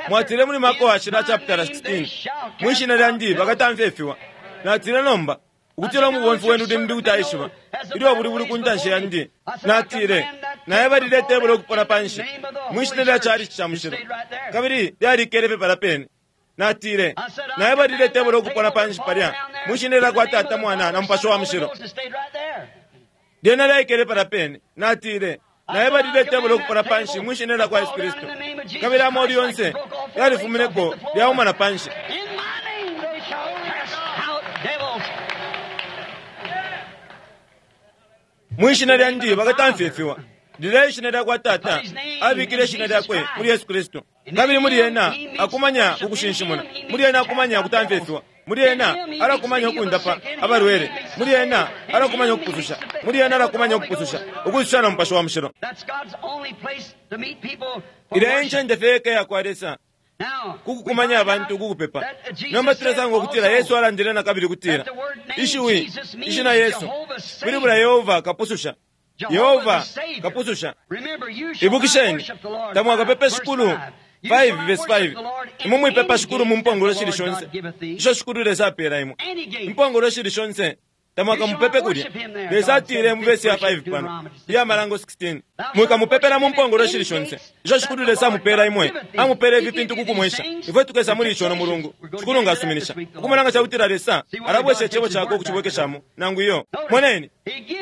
mwatile muli Marko washila chapter sixteen, mwishina lyandi bakatamfya ifiwa. Natile nomba ukutila umubomfi wenu limbi kuti aishiba ilyo buli buli ku ntanshi yandi. Natile naye balile tebulo ukupona panshi mwishina lya chalichi cha mushilo, kabili lyalikele fye pala pene. Natile naye balile tebulo ukupona panshi palya mwishina lya kwa Tata, Mwana na Mupashi wa Mushilo, lyena lyaikele pala pene. Natile naye balile tebulo ukupona panshi mwishina lya kwa Yesu Kristu, kabili amolu yonse yalifumineko lyaumana panshi. Mwishina lyandi bakatamfya ifiwa. Lilya ishina lya kwa Tata abikile ishina lyakwe muli Yesu Kristu, kabili muli ena akumanya ukushinshimuna, muli ena akumanya ukutamfya ifiwa, muli ena alakumanya ukundapa abalwele, muli ena alakumanya ukupususha, muli ena alakumanya ukupususha, ukususha na Mupashi wa Mushilo. Ilya encende fye yeka yakwa Lesa kukukumanya abantu kukupepa. Nomba tulesanga ukutila Yesu alandile na kabili kutila ishiwi ishina Yesu pilibula Yehova kapususha, Yehova kapususha. Ibukisheni tamwakapepe Shikulu five verse five, imwe mwipepa Shikulu mu mpongolo shili shonse isho Shikulu Lesa apela imwe, impongolo shili shonse tamwakamupepe kulya. Lesa atile mu vesi ya five pano iya Malango sixteen, mwikamupepela mu mpongolo shili shonse isho Shikulu Lesa amupela imwe, amupela ifi fintu kukumwesha. Ifwe tukesa muli ico no mulungu Shikulu ngasuminisha ukumona nga cakutila Lesa alabwesha icebo cakwe ukucibwekeshamo nangu iyo. Moneni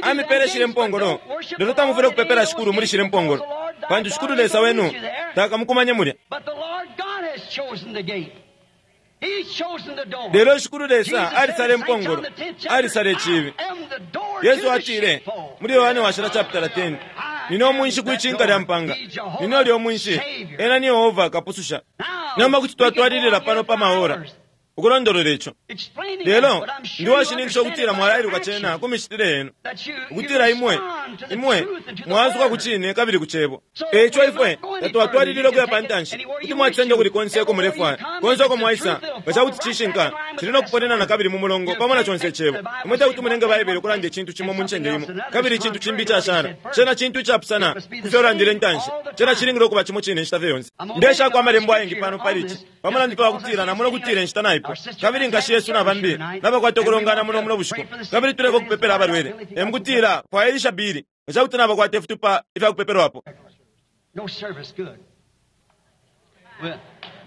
amipele shile mpongolo, lelo tamufwile kupepela Shikulu muli shile mpongolo, pantu Shikulu Lesa wenu takamukumanye mulya. Lelo Shikulu Lesa alisala impongolo, alisala icibi. Yesu atile muli Yohane washila chapter ten, nine umwinshi kwicinka lya mpanga, nine ulya umwinshi, ena ni Yehova kapususha. Nomba kuti twatwalilila pano pa maora ukulondolola ico, lelo ndi washininkisha ukutila mwalailuka cena ku micitile yenu, ukutila imwe imwe mwasuka ku cine kabili ku cebo. Eico ifwe tatwatwalilila ukuya pa ntanshi, kuti mwacisenda kuli konse uko mulefwaya, konse uko mwaisa, nga cakuti cishinka cili no kuponena na kabili mu mulongo pamo na conse icebo. Imwe tekuti mulenge Baibele ukulanda icintu cimo mu ncende imo kabili icintu cimbi icashala, cena cintu icapusana kufyo ulandile intanshi. Cena cilingile ukuba cimo cine inshita fye yonse. Ndeshako amalembo ayengi pano pali ici pamulandu fye wakutila namona ukutila inshita naipo, kabili nkashi Yesu na bambi nabakwata ukulongana muno muno bushiku, kabili tuleka ukupepela abalwele. Emukutila kwailisha bili nga cakuti nabakwata ifitupa ifyakupepelwapo.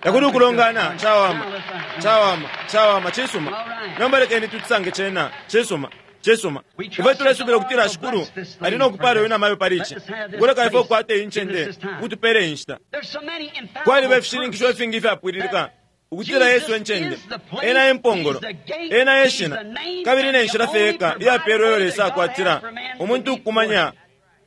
Takuli ukulongana cawama, cawama, cawama, cisuma. Nomba lekeni tucisange cena, cisuma, cisuma. Ifwe tulesubila ukutila Shikulu ali nokupala uyu namayo pali ici, ukuleka ifwe ukukwata iyi ncende ukutupela inshita. Kwaliba ifishininkisho ifingi ifyapwililika ukutila Yesu encende, ena empongolo, ena eshina, kabili ne nshila fye yeka iyapelwa iyo Lesa akwatila umuntu ukukumanya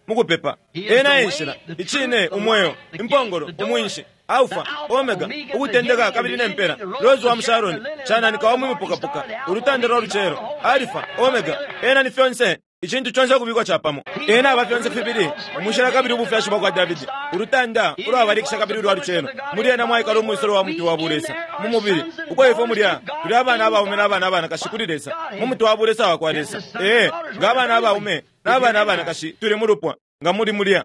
Mukupepa. Ena enshila, icine, umweo, impongolo, umwinshi, Alpha, Omega, ukutendeka kabili nempela, Rose wa Musharoni, chananika wa mwimupukapuka, ulutanda lwa lucelo, Alpha, Omega, ena ni fyonse, icintu chonse kubikwa chapamo. Ena aba fyonse fibili, umushila kabili ubufyashi bwa kwa Davidi, ulutanda ulwabalikisha kabili ulwa lucelo, muli ena mwaikala umwisolo wa muti wa bulesa, mu mubili, uko ifwe mulya, tuli abana abaume n'abana abanakashi kuli Lesa, mu muti wa bulesa wa kwa Lesa. Ee, nga abana abaume n'abana abanakashi tuli mu lupwa, nga muli mulya.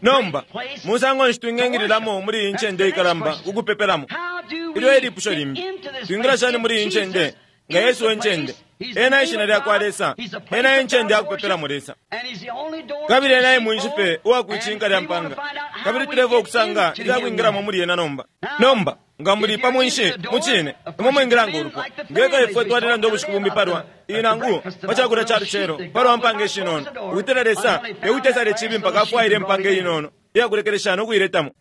Nomba, musango nshi twingengililamo muli iyi ncende ikalamba kukupepelamo? Ilyo ilipusho limbi, twingila shani muli iyi ncende nga Yesu wencende? Ena ishina lya kwa Lesa, ena encende yakupepelamo Lesa. Kabili ena emwinshi fe uwakuicinka lya mpanga. Kabili tuleva okusanga ilyakwingilamo muli ena nomba. Nomba, nga muli pa mwinshi, mucine, imwe mwingila nga ulupwa. Ngeka ifwe twalilanda ubushiku bumbi palwa, inangu, pa chakulya cha lucelo, palwa mpanga ishinono. Ukutila Lesa, tekutesale chibi mpaka afwaile impanga inono, iyakulekelesha nokuiletamo.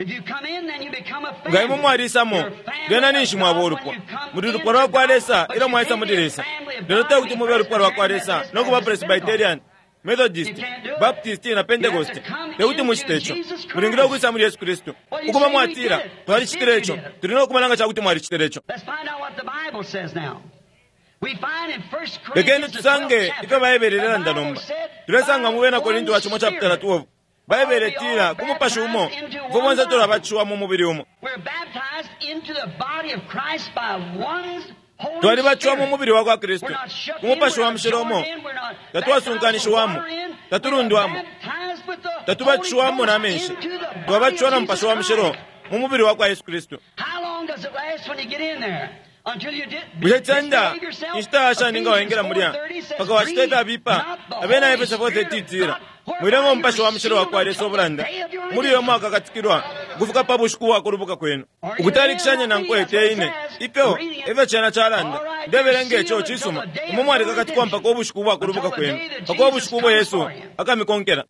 Nga imwe mwalisamo, lyena ninshi mwaba ulupwa. Muli lupwa lwa kwa Lesa, ilyo mwaisa muli Lesa. Lelo tekuti mube ulupwa lwa kwa Lesa, nokuba Presbyterian, Methodist, Baptist na Pentecost. Tekuti muchite icho. Mulingile ukwisa muli Yesu Kristu. Ukuba mwatila, twalicitile icho. Tuli nokumana nga chakuti mwalicitile icho. Lekeni tusange ifyo Baibele ilelanda nomba. Tulesanga mu bena Korinto wa chimo chapter twelve. Baibele itila ku mupashi umo, ifwe bonse tulabatishiwa mu mubili umo. Twalibatishiwa mu mubili wa kwa Kristu, ku mupashi wa mushilo umo, tatwasunkanishiwamo, tatulundwamo, tatubatishiwamo na menshi, twabatishiwa na mupashi wa mushilo mu mubili wa kwa Yesu Kristu. Bushe tsenda inshita yashani nga waingila mulya paka wacita ifyabipa? Abena Efeso four thirty itila, mwilemo umupashi wa mushilo wa kwa Lesa obulanda, muli uyo mwakakatikilwa ukufika pa bushiku bwa kulubuka kwenu. Ukutalikishanya nankwe te ine, ifyo efyo cena calanda. Ndebelenga ico cisuma, imwe mwalikakatikwa mpaka ubushiku bwa kulubuka kwenu, mpaka ubushiku ubo Yesu akamikonkela.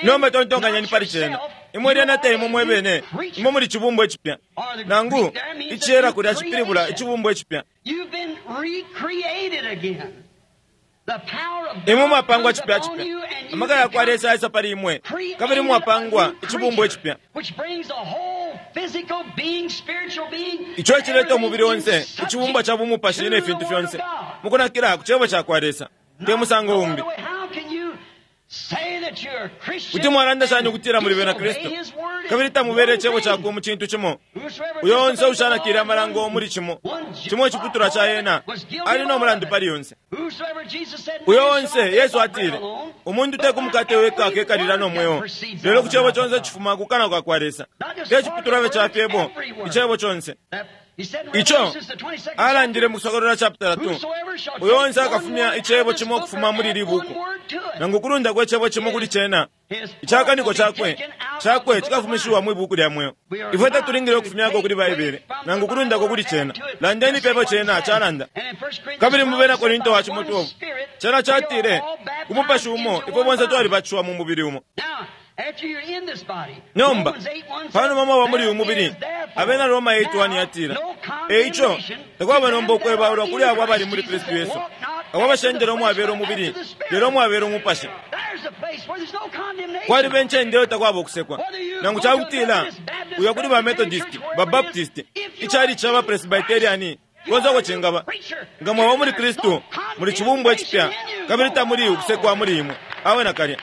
Nomba tontonkanyeni pali cena. Imwe lyena te imwe mwebene, imwe muli chibumbwa icipya. Nangu iciyela kulya cipilibula ichibumbwa icipya. Imwe mwapangwa chipya chipya. Amaka ya kwa Lesa ayisa pali imwe, kabili mwapangwa ichibumbwa icipya. Icho ecileta umubili onse, ichibumbwa cha bumupashi ne fintu fyonse, mukunakila ku cebo cha kwa Lesa, te musango umbi. Kuti mwalanda shani ukutila muli bena Kristu, kabili tamubele icebo chakwe mu cintu cimo? Uyo onse ushanakile amalango muli cimo, cimo iciputulwa cha ena, ali no mulandu pali yonse. Uyo onse, Yesu atile, umuntu te kumukate weka akekalila no mweo, lelo ku cebo conse cifuma ku kanwa ka kwa Lesa. Te ciputulwa fye ca fyebo, icebo conse. Ico alandile mu Kusokolola chapter two, uyo onse akafumya icebo cimo ukufuma muli ili buku, nangu kulundako icebo cimo kuli cena, icakaniko cakwe cakwe cikafumishiwa mwi buku lya mweo. Ifwe tatulingile ukufumyako kuli Baibele, nangu kulundako kuli cena. Landeni fyebo cena calanda. Kabili mu bena Korinto wa cimo twelve, cena catile, ku mupashi umo ifwe bonse twalibatishiwa mu mubili umo. Nomba, panuma mwaba muli uyu mubili, abena Roma eight one yatila, eico takwaba nomba ukwebaulwa kuli abo abali muli Kristu Yesu, abo abashendela umwabela umubili, lelo umwabela umupashi. Kwaliba encende iyo takwaba ukusekwa. Nangu cakutila, uya kuli ba Methodist, ba Baptist, icali ca ba Presbyterian, konse uko cingaba. Nga mwaba muli Kristu, muli chibumbwa icipya, kabili tamuli ukusekwa muli imwe. Awe nakalya.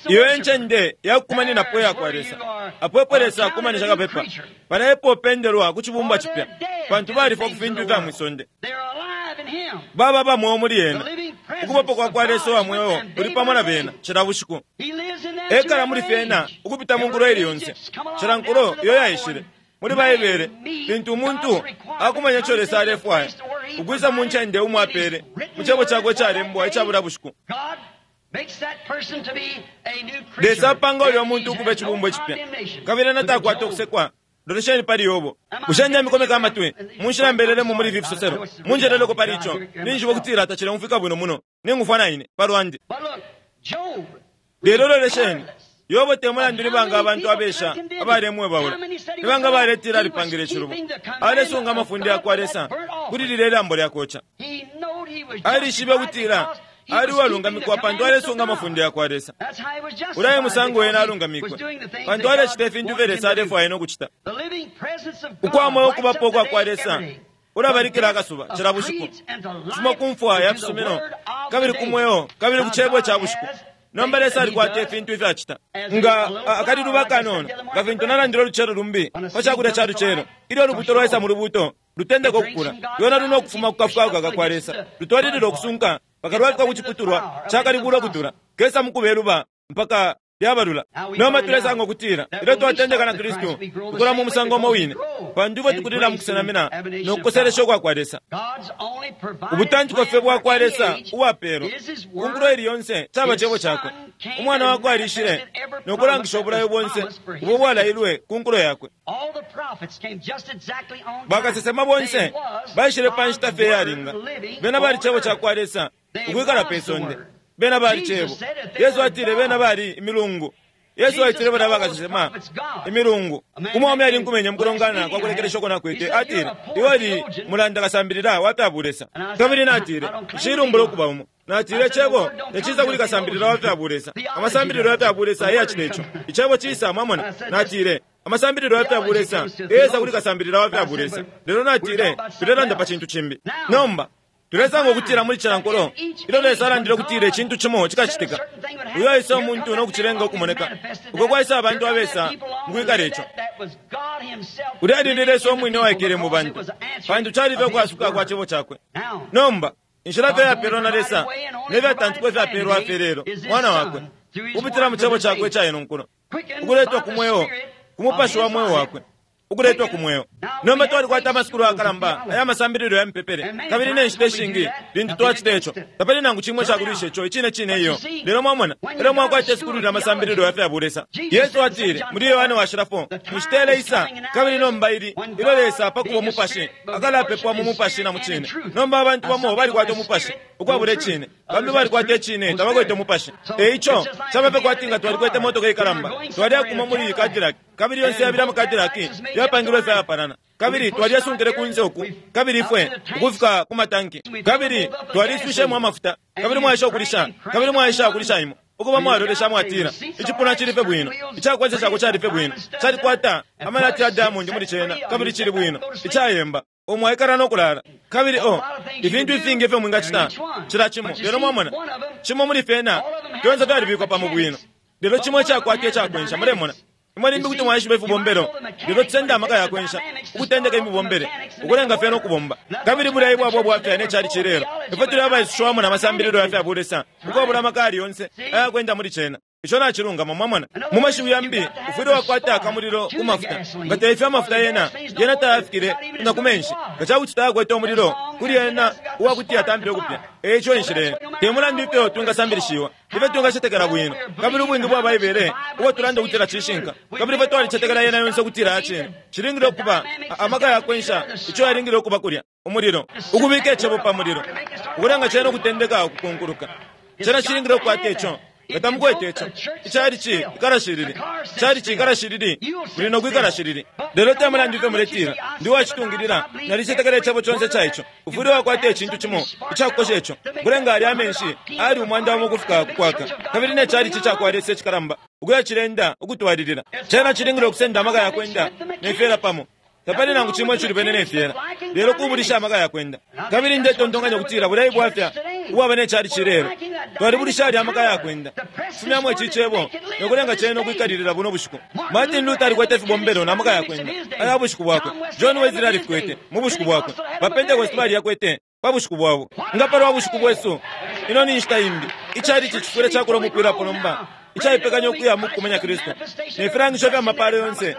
Iyo encende yakukumaninapo ya kwa Lesa. Apo epo Lesa akumanisha kapepa, pala epo opendelwa ku chibumbwa chipya, pantu balifwa ku fintu ifya mwisonde. Baba bamweo muli ena. Ukubapo kwa kwa Lesa wa mweo uli pamo na bena cila bushiku. Ekala muli fyena ukupita mu nkulo ili yonse. Cila nkulo iyo yaishile muli Baibele, lintu umuntu akumanya ico Lesa alefwaya, ukwisa mu ncende umo apele, mu cebo cakwe calembwa icabula bushiku. Lesa apanga ulya muntu ukuba icibumbwa icipya, kabili ena takwata ukusekwa. Lolesheni pali Yobo. Bushe ndemikomeka amatwi munshila mbelelemo muli ifi fisoselo? Munjeleleko pali ico, ninjiba ukutila tacileumfwika bwino muno, ningufwa na ine palwandi. Lelo lolesheni, Yobo te mulandu ni banga abantu abesha abalemwebaula, ni banga baletila alipangile icilubo, alesunga amafunde yakwa Lesa kuli lilya ilambo lyakoca. Alishibe ukutila ali uwalungamikwa pantu alesunga amafunde yakwa Lesa. Ulya e musango ena alungamikwe, pantu alecita ifintu ifyo Lesa alefwaya no kucita. Ukwa mweo ukubapo ukwa kwa Lesa ulabalikila akasuba cila bushiku, kufuma ku mfwa ya fisumino kabili ku mweo kabili ku cebo ca bushiku. Nomba Lesa alikwata ifintu ifyo acita nga akaliluba kanono, nga fintu nalandile ulucelo lumbi pa cakulya ca lucelo. Ilyo ulubuto lwaisa mu lubuto, lutendeka ukukula, lwena luna ukufuma ku kafukafuka ka kwa Lesa, lutwalilila ukusunka mpaka lwafika ku ciputulwa cakalibula ukutula kesa mukubeluba mpaka lyabalula. Nomba tulesanga ukutila ilyo twatendeka na Kristu, tukula mu musango umo wine, pantu ifwe tukulila mu kusenamina no kukoselesha ukwa kwa Lesa. Ubutantiko fye bwa kwa Lesa uwapelwa ku nkulo ili yonse caba cebo cakwe. Umwana wakwe alishile no kulangisha ubulayo bonse ubo bwalailwe ku nkulo yakwe. Bakasesema bonse baishile pa nshita fye iyalinga. Bena bali cebo ca kwa Lesa ukwikala pe sonde. Bena bali cebo. Yesu atile bena bali imilungu. Yesu aitile bana bakasesema imilungu. Umwaume ali nkumenye mukulongana kwa kulekelesha uko nakwete, atile, iwe ali mulanda kasambilila wa bulesa. Kabili natile, nshilumbula ukuba umo. Natile cebo teciza kuli kasambilila wa bulesa. Amasambililo ya bulesa ayacita ico. Icebo cisa, mwamona. Natile amasambililo ya bulesa eyesa kuli kasambilila wa bulesa. Lelo natile tulelanda pa cintu cimbi. Nomba tulesanga ukutila muli cila nkulo ilyo Lesa alandile ukutila icintu cimo cikacitika, uyo aisa umuntu no kucilenga ukumoneka, uko kwaisa abantu abesa mukwikala ico. Ulya alili Lesa umwine waikele mu bantu, pantu calife ukwasuka kwa cebo cakwe. Nomba inshila fye yapelwa na Lesa ne fyatantikwa ifyapelwa fye lelo mwana wakwe kupitila mu cebo cakwe ica ino nkulo, ukuletwa ku mweo ku mupashi wa mweo wakwe, ukuletwa ku mweo. Nomba twalikwata amasukulu akalamba aya masambililo ya mipepele, kabili ne nshita ishingi lintu twacita ico tapali nangu cimwe cakulwisha ico icine cine iyo. Lelo mwamona elyo mwakwata isukulu lya masambililo ya fya bulesa. Yesu atile muli Yohane washila four, inshita ileisa kabili nomba ili ilyo Lesa pakuba umupashi akalapepwa mu mupashi na mu cine. Nomba abantu bamo balikwata umupashi ukwabula icine, bambi balikwata icine tabakwete umupashi. E ico cabape kwati nga twalikwete motoka ikalamba, twaliakuma muli Cadillac, kabili yonse yabili ama Cadillac yapangilwe fyapanana, kabili twaliyasunkile kunze uku, kabili ifwe ukufika ku matanki, kabili twaliswishemo amafuta, kabili mwaisha ukulisha, kabili mwaisha ukulisha imo ukuba mwalolesha mwatila icipuna cilife bwino, icakwanisa cako calife bwino, calikwata amalati ya diamond muli cena, kabili cili bwino icayemba omwaikala no kulala. Kabili o ifintu ifingi ifyo mwingacita cila cimo. Lelo mwamona cimo muli fyena fyonse fyalibikwa pamo bwino, lelo cimo icakwata icakwensha. Mulemona imwe limbi kuti mwaishiba ifibombelo, lelo tusenda amaka yakwensha ukutendeka imibombele ukulenga fyena ukubomba. Kabili bulya ibwabwa bwafya ne cali cilelo, ifwe tuli abaisushwamo na masambililo ya fya bulesa ukwabula amaka ali yonse ayakwenda muli cena. Ico nacilungama. Mwamona, mu mashiwi yambi, ufwile wakwata akamulilo ku mafuta. Nga teifyo amafuta yena yena tayafikile na ku menshi, nga cakuti tayakwete umulilo kuli yena uwakuti yatampile ukupya. Eico inshila te mulandu ifyo twingasambilishiwa, ifyo twingacetekela bwino, kabili ubwingi bwa Baibele ubo tulanda ukutila cishinka, kabili ifyo twalicetekela yena yonse ukutila yacine, cilingile ukuba amaka yakwensha ico yalingile ukuba kulya umulilo, ukubika icebo pa mulilo, ukulenga cena ukutendeka ukukunkuluka. Cena cilingile ukukwata ico. Nga tamukwete ico, icalici ikalashilili, calici ikalashilili, muli no kwikalashilili. Lelo te mulandu ifyo muletila ndi wacitungilila, nalicetekela icebo conse ca ico, ufwile wakwata icintu cimo icakukosha ico, kulenga ali amenshi ali umwanda umo ukufika kukwaka, kabili ne calici cakwa Lesa icikalamba ukuya cilenda ukutwalilila. Cena cilingile ukusenda amaka yakwenda ne fyela pamo. Tapali nangu cimo icilubene ne fyela, lelo kubulisha amaka yakwenda. Kabili ndetontonkanya ukutila bulya ibwafya ubwaba ne calici lelo, twalibulisha ali amaka yakwenda fumyamo ici cebo nokulenga cena ukwikalilila buno bushiku. Martin Luther alikwete ifibombelo na maka yakwenda aya bushiku bwakwe. John Wesley alifikwete mu bushiku bwakwe. Bapentekoste baliyakwete pa bushiku bwabo. Nga palwa bushiku bwesu, ino ni nshita imbi. Icalici cifwile cakula umupwilapo nomba, icaipekanya ukuya mu kukumanya Kristu ne filangisho fya mapalo yonse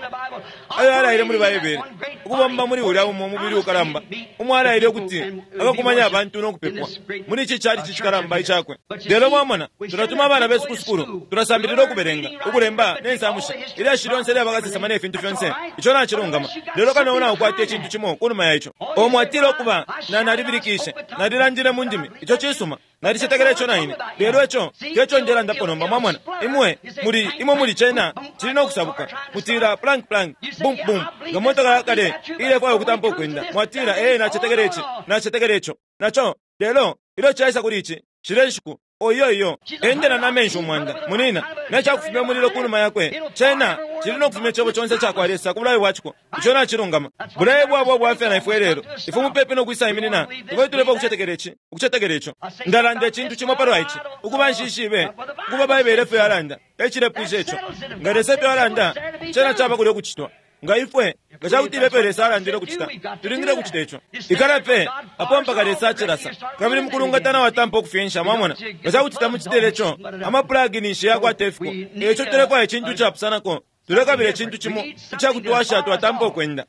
ayo alaile muli Baibele. Ukubomba muli ulya umo mubili ukalamba, umwalaile ukuti akakumanya abantu no kupepwa muli ici chalichi cikalamba icakwe. Lelo mwamona, tulatuma abana besu ku sukulu, tulasambilila ukubelenga, ukulemba ne nsamushi, ilyashi lyonse lyabakasesema ne fintu fyonse. Ico nacilungama, lelo kano naukwata icintu cimo kunuma ya ico. Omwatile okuba na nalibilikishe, nalilandile mu ndimi, ico cisuma, nalicetekela ico naine. Lelo ico teco ndelandapo nomba, mwamona. Imwe muli imwe muli cena cili no kusabuka. Mutila plank plank, bum bum, nga motoka yakale ilefwaya ukutampa ukwenda. Mwatila, ee, nacetekela ici, nacetekela ico naco. Lelo ilyo caisa kuli ici shile nshiku, oyo iyo endela na menshi umwanda munina necakufumya umulilo kunuma yakwe, cena cili no kufumya icebo conse cakwa Lesa ku bulayo bwaciko. Ico nacilungama. Bulayo bwabo bwafya na ifwe lelo. Ifwe mupepi no kwisa iminina, ifwe tulepa ukucetekela ici, ukucetekela ico. Ndalanda icintu cimo palwa ici, ukuba nshishibe ukuba Baibele efyo yalanda, ecilepwisha ico. Nga Lesa efyo alanda, cena caba kulya ukucitwa. Nga ifwe nga cakuti ifwe Lesa alandile ukucita, tulingile kucita ico. Ikala pe apo mpaka Lesa acilasa, kabili mukulungatana watampa ukufyensha, mwamona. Nga cakuti tamucitile ico, amapulagi ninshi yakwata ifiko. Eco tulefwaya icintu capusanako, tulekabila icintu cimo icakutwasha twatampa ukwenda.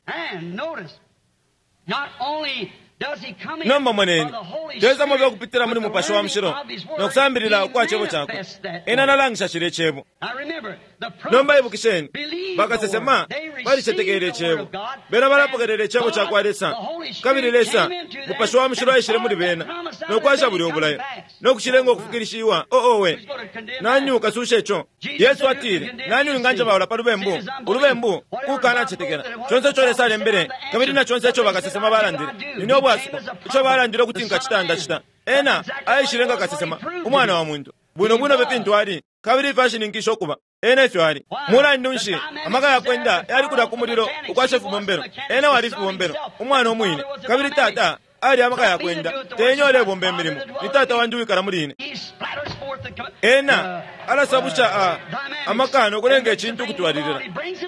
Nomba moneni, teza mobe okupitila muli Mupashi wa Mushilo nokusambilila ukwa cebo cakwe. Ena nalangisha cile cebo. Nomba ibukisheni, bakasesema balicetekele icebo, bena balapokelele icebo cakwa Lesa, kabili Lesa Mupashi wa Mushilo aishile muli bena nokwasha buli obulayo nokushilenga okufikirishiwa. Oowe, nani ukasusha ico? Yesu atile, nani winganjebaula pa lubembu? Ulubembu kukanacetekela. Conse ico Lesa alembele, kabili na conse ico bakasesema balandile, nini obwasuko ico balandile ukuti nkacita ndacita. Ena aishile nga kasesema, umwana wa muntu, bwino bwino befintu ali, kabili ifyo ashininkisha ukuba ena ifyo ali. Mulandu nshi amaka yakwenda yali kulya ku mulilo ukwasha ifibombelo? Ena wali ifibombelo, umwana umwine, kabili tata ali amaka yakwenda. Tenye olebomba emilimo, ni tata wandi wikala muli ine. Ena alasabusha amaka nokulenga icintu ukutwalilila.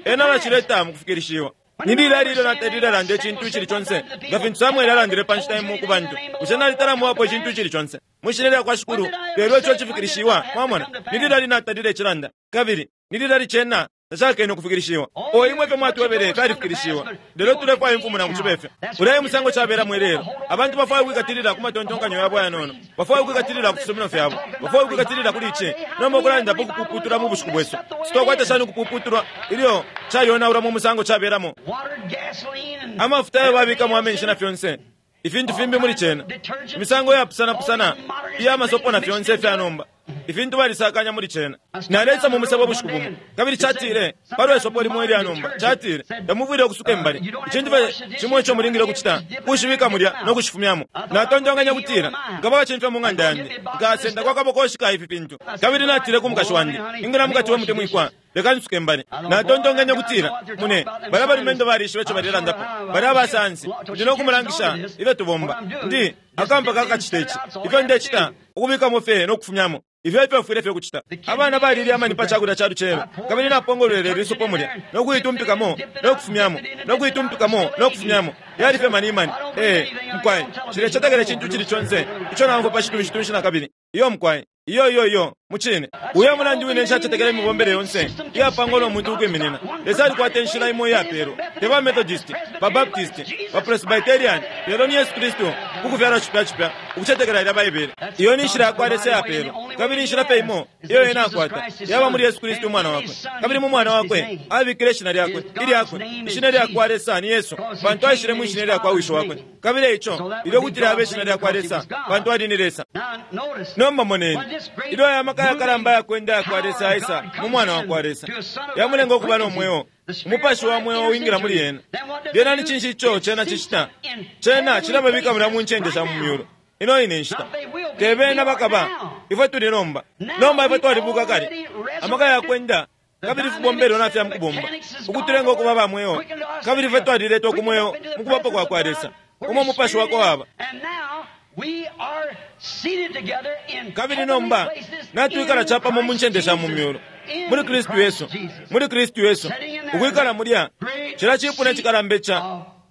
Ena alacileta mukufikirishiwa. Nilila lilo natalile alanda icintu icili conse, nga fintu Samueli alandile pa nshita imo ku bantu. Bushe nalitalamuwapo icintu icili conse mwishina lyakwa Shikulu, lelo ico cifikirishiwa? Mwamona, nilila linatalile icilanda, kabili nilila licena tacakene ukufikirishiwa. O imwe fye mwatwebele fyalifikirishiwa, lelo tulefwaya imfumu nangu cibe fyo. Ulya musango cabelamo ilelo. Abantu bafwaya ukwikatilila ku matontonkanyo yabo ayanono, bafwaya ukwikatilila ku fisumino fyabo, bafwaya ukwikatilila kuli ici. Nomba ukulandapo ukupuputulwa mu bushiku bwesu, sitwakwata shani ukupuputulwa ilyo cayonaula mu musango cabelamo? Amafuta ayo babikamo amenshi na fyonse ifintu fimbi muli cena, imisango yapusanapusana iya masopo na fyonse ifyanomba, ifintu balisakanya muli cena. Nalesa mu musebo bushiku bumo, kabili catile palwa isopo limo ilyanomba, catile tamuvwile ukusuka imbali. Icintu cimo ico mulingile ukucita kushibika mulya no kushifumyamo. Natontonkanya kutila nkaba bacimfya mu ng'anda yandi, nkasenda kwa kabokoshi ka ifi fintu. Kabili natile ku mukashi wandi, ingila mukati we mutemwikwa, leka nsuke imbali. Natontonkanya kutila mune bala balumendo balishiba ico balilandapo, bali abasansi, ndi no kumulangisha ifyo tubomba. Ndi akampa kakacita ici, ifyo ndecita, ukubikamo fye no kufumyamo. Ifyo ifyo fwile fye kucita. Abana balilya amani pa cakulya ca lucelo, kabili napongolwele lisopo mulya no kuitumpikamo no kufumyamo no kuitumpikamo no kufumyamo. Yali fye mani mani. Eh, mkwai, cilecetekela icintu cili conse ico namfwa pa citunshi na kabili. Iyo mkwai, iyo iyo iyo mucine. Uyo mulandu wine nshacetekela imibombele yonse iyapangwa no muntu ukwiminina. Lesa alikwata inshila imo iyapelwa, te ba Methodist, ba Baptist, ba Presbyterian, lelo ni Yesu Kristu kukufyalwa cipya cipya, ukucetekela ilya Baibele. Iyo ni nshila yakwa Lesa iyapelwa, kabili inshila pe imo iyo ena akwata yaba muli Yesu Kristu umwana wakwe. Kabili mu mwana wakwe abikile ishina lyakwe ilyakwe. Ishina lyakwa Lesa ni Yesu, pantu aishile mu ishina lyakwa wisho wakwe. Kabili eico ilyo kutila abe ishina lyakwa Lesa, pantu ali ni Lesa. Nomba moneni ilyo aya maka yakalamba yakwenda yakwa Lesa aisa mu mwana wakwa Lesa, yamulenga okuba no mweo, umupashi wa mweo wingila muli yena. Lyena ni cinshi ico cena cicita? Cena cilababika mulya mu ncende sha mu myulu. Ino ine nshita tebena bakaba, ifwe tuli nomba. Nomba ifwe twalibuka kale, amaka yakwenda kabili fibombelo nafya mukubomba ukutulenga okuba ba mweo, kabili ifwe twaliletwa ku mweo mukubapo kwa kwa Lesa, umo umupashi wakwe waba. Kabili nomba natwikala capamo mu ncende sha mu myulu muli Kristu Yesu, muli Kristu Yesu, ukwikala mulya cila cipuna cikalamba ica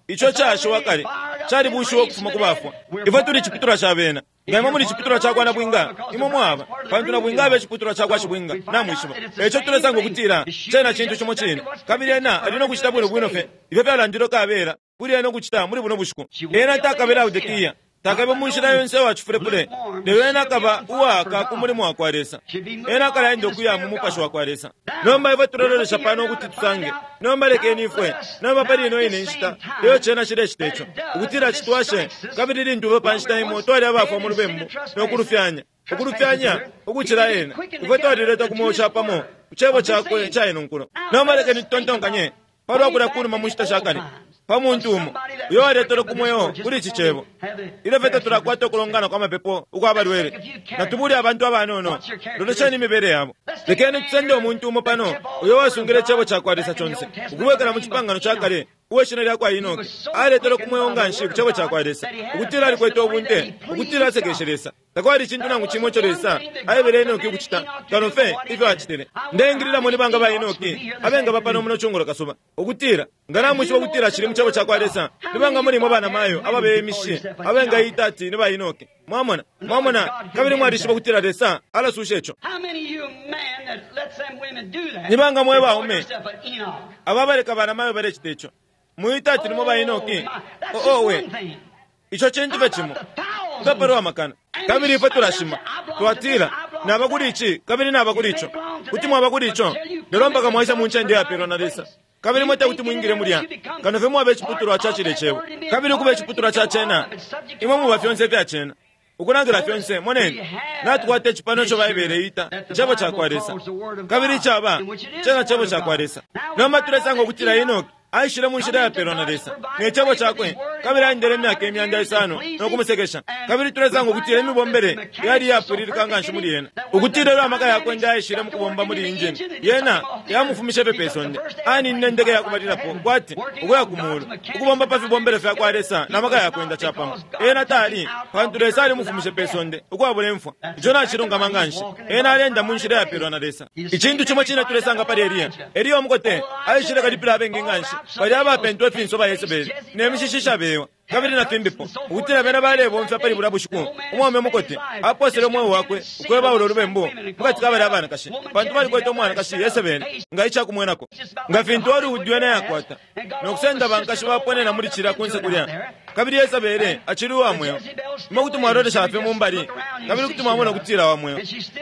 ico cashiwa kale calibushiwa ukufuma ku bafwa. Ifwe tuli ciputulwa ca bena. Nga imwe muli ciputulwa cakwa nabwinga, imwe mwaba, pantu nabwinga abe ciputulwa cakwa shibwinga, namwishiba. Eco tulesanga ukutila cena cintu cimo cine, kabili ena ali no kucita bwino bwino fye ifyo fyalandilwe kabela Kuli ena ukucita muli buno bushiku. Ena takabe Laodikia, takabe mu nshila yonse wachifulepule, lelo ena akaba uwaka ku mulimo wa kwa Lesa. Ena akalaenda ukuya mu mupashi wa kwa Lesa. Nomba ifwe tulololesha pano ukuti tusange. Nomba lekeni ifwe. Nomba pali ino ine nshita, lelo cena chilecita ico ukutila chitwashe, kabili lintu ife pa nshita imo twali abafwa mu lubembu nokulufyanya, ukulufyanya ukucila ena, ifwe twalileta ku mweo capamo ku cebo cakwe ca ino nkulo. Nomba lekeni tutontonkanye palwa kulya kunuma mu nshita sha kale pa muntu umo uyo waletele ku mweo kuli ici cebo. Ilyo fye tatulakwata ukulongana kwa mapepo ukwa balwele, natubule abantu abanono, lolesheni imibele yabo. Lekeni tusende umuntu umo pano uyo wasungile icebo ca kwa Lesa conse ukubwekela mu cipangano ca kale, uwe shina lya kwa Enoki. Aletele ku mweo nga nshi ku cebo ca kwa Lesa, ukutila alikwete ubunte, ukutila asekeshe Lesa. Takwali icintu nangu cimo ico Lesa aebele Enoki ukucita kano fye ifyo acitile. Ndeingililamo ni banga ba Enoki abengaba pano muno cungulo kasuba, ukutila nga namwishiba ukutila cili mu cebo ca kwa Lesa, ni banga mulimo banamayo ababemishe abengaita ati ni ba Enoki. Mwamona, mwamona, kabili mwalishiba ukutila Lesa alasusha ico. Ni banga mwe baume ababaleka banamayo balecita ico, muita ati nimo ba Enoki. Owe, ico cintu fye cimo ngapalwa amakana. Kabili ifwe tulashima twatila naba kuli ici kabili naba kuli ico, kuti mwaba kuli ico, lelo mpaka mwaisa mu ncende yapelwa na Lesa. Kabili mwete kuti mwingile mulya kano fye mwaba iciputulwa ca cile cebo, kabili ukuba iciputulwa ca cena, imwe muba fyonse ifya cena, ukulangila fyonse. Moneni, natukwata icipano ico Baibele ita icebo ca kwa Lesa, kabili icaba cena cebo ca kwa Lesa. Nomba tulesanga ukutila Enoki aishile mu nshila yapelwa na Lesa ne cebo cakwe, kabili aendele imyaka imyanda isano nokumusekesha. Kabili tulesanga ukutila imibombele yali yapwililika nga nshi muli yena, ukutila ilyo amaka yakwe nde aishile mu kubomba muli injini yena yamufumishe fye pe sonde. Aninine ndeke yakubalilapo kwati ukuya ku mulu, ukubomba pa fibombelo fya kwa Lesa na maka yakwenda capamo. Ena tali pantu Lesa alimufumishe pe sonde ukwabula imfwa. Ico nacilungama nga nshi. Ena alenda mu nshila yapelwa na Lesa. Icintu cimo cine tulesanga pali Eliya. Eliya omukote aishile kalipila abengi nga nshi, bali abapentwa ifinso ba Yesebeli ne mishishi ishabewa kabili na fimbipo, ukutila bena balebomfya pali bulya bushiku. Umwaume mukote aposele umweo wakwe ukwebaula ulubembu mukati ka bali abanakashi, pantu balikwete umwanakashi Yesebeli nga icakumwenako, nga fintu Hollywood yena yakwata nokusenda bankashi baponena muli cila kunse kulya. Kabili Yesebeli acili uwa mweo. Imwe kuti mwalolesha fye mumbali kabili kuti mwamona ukutila wa mweo,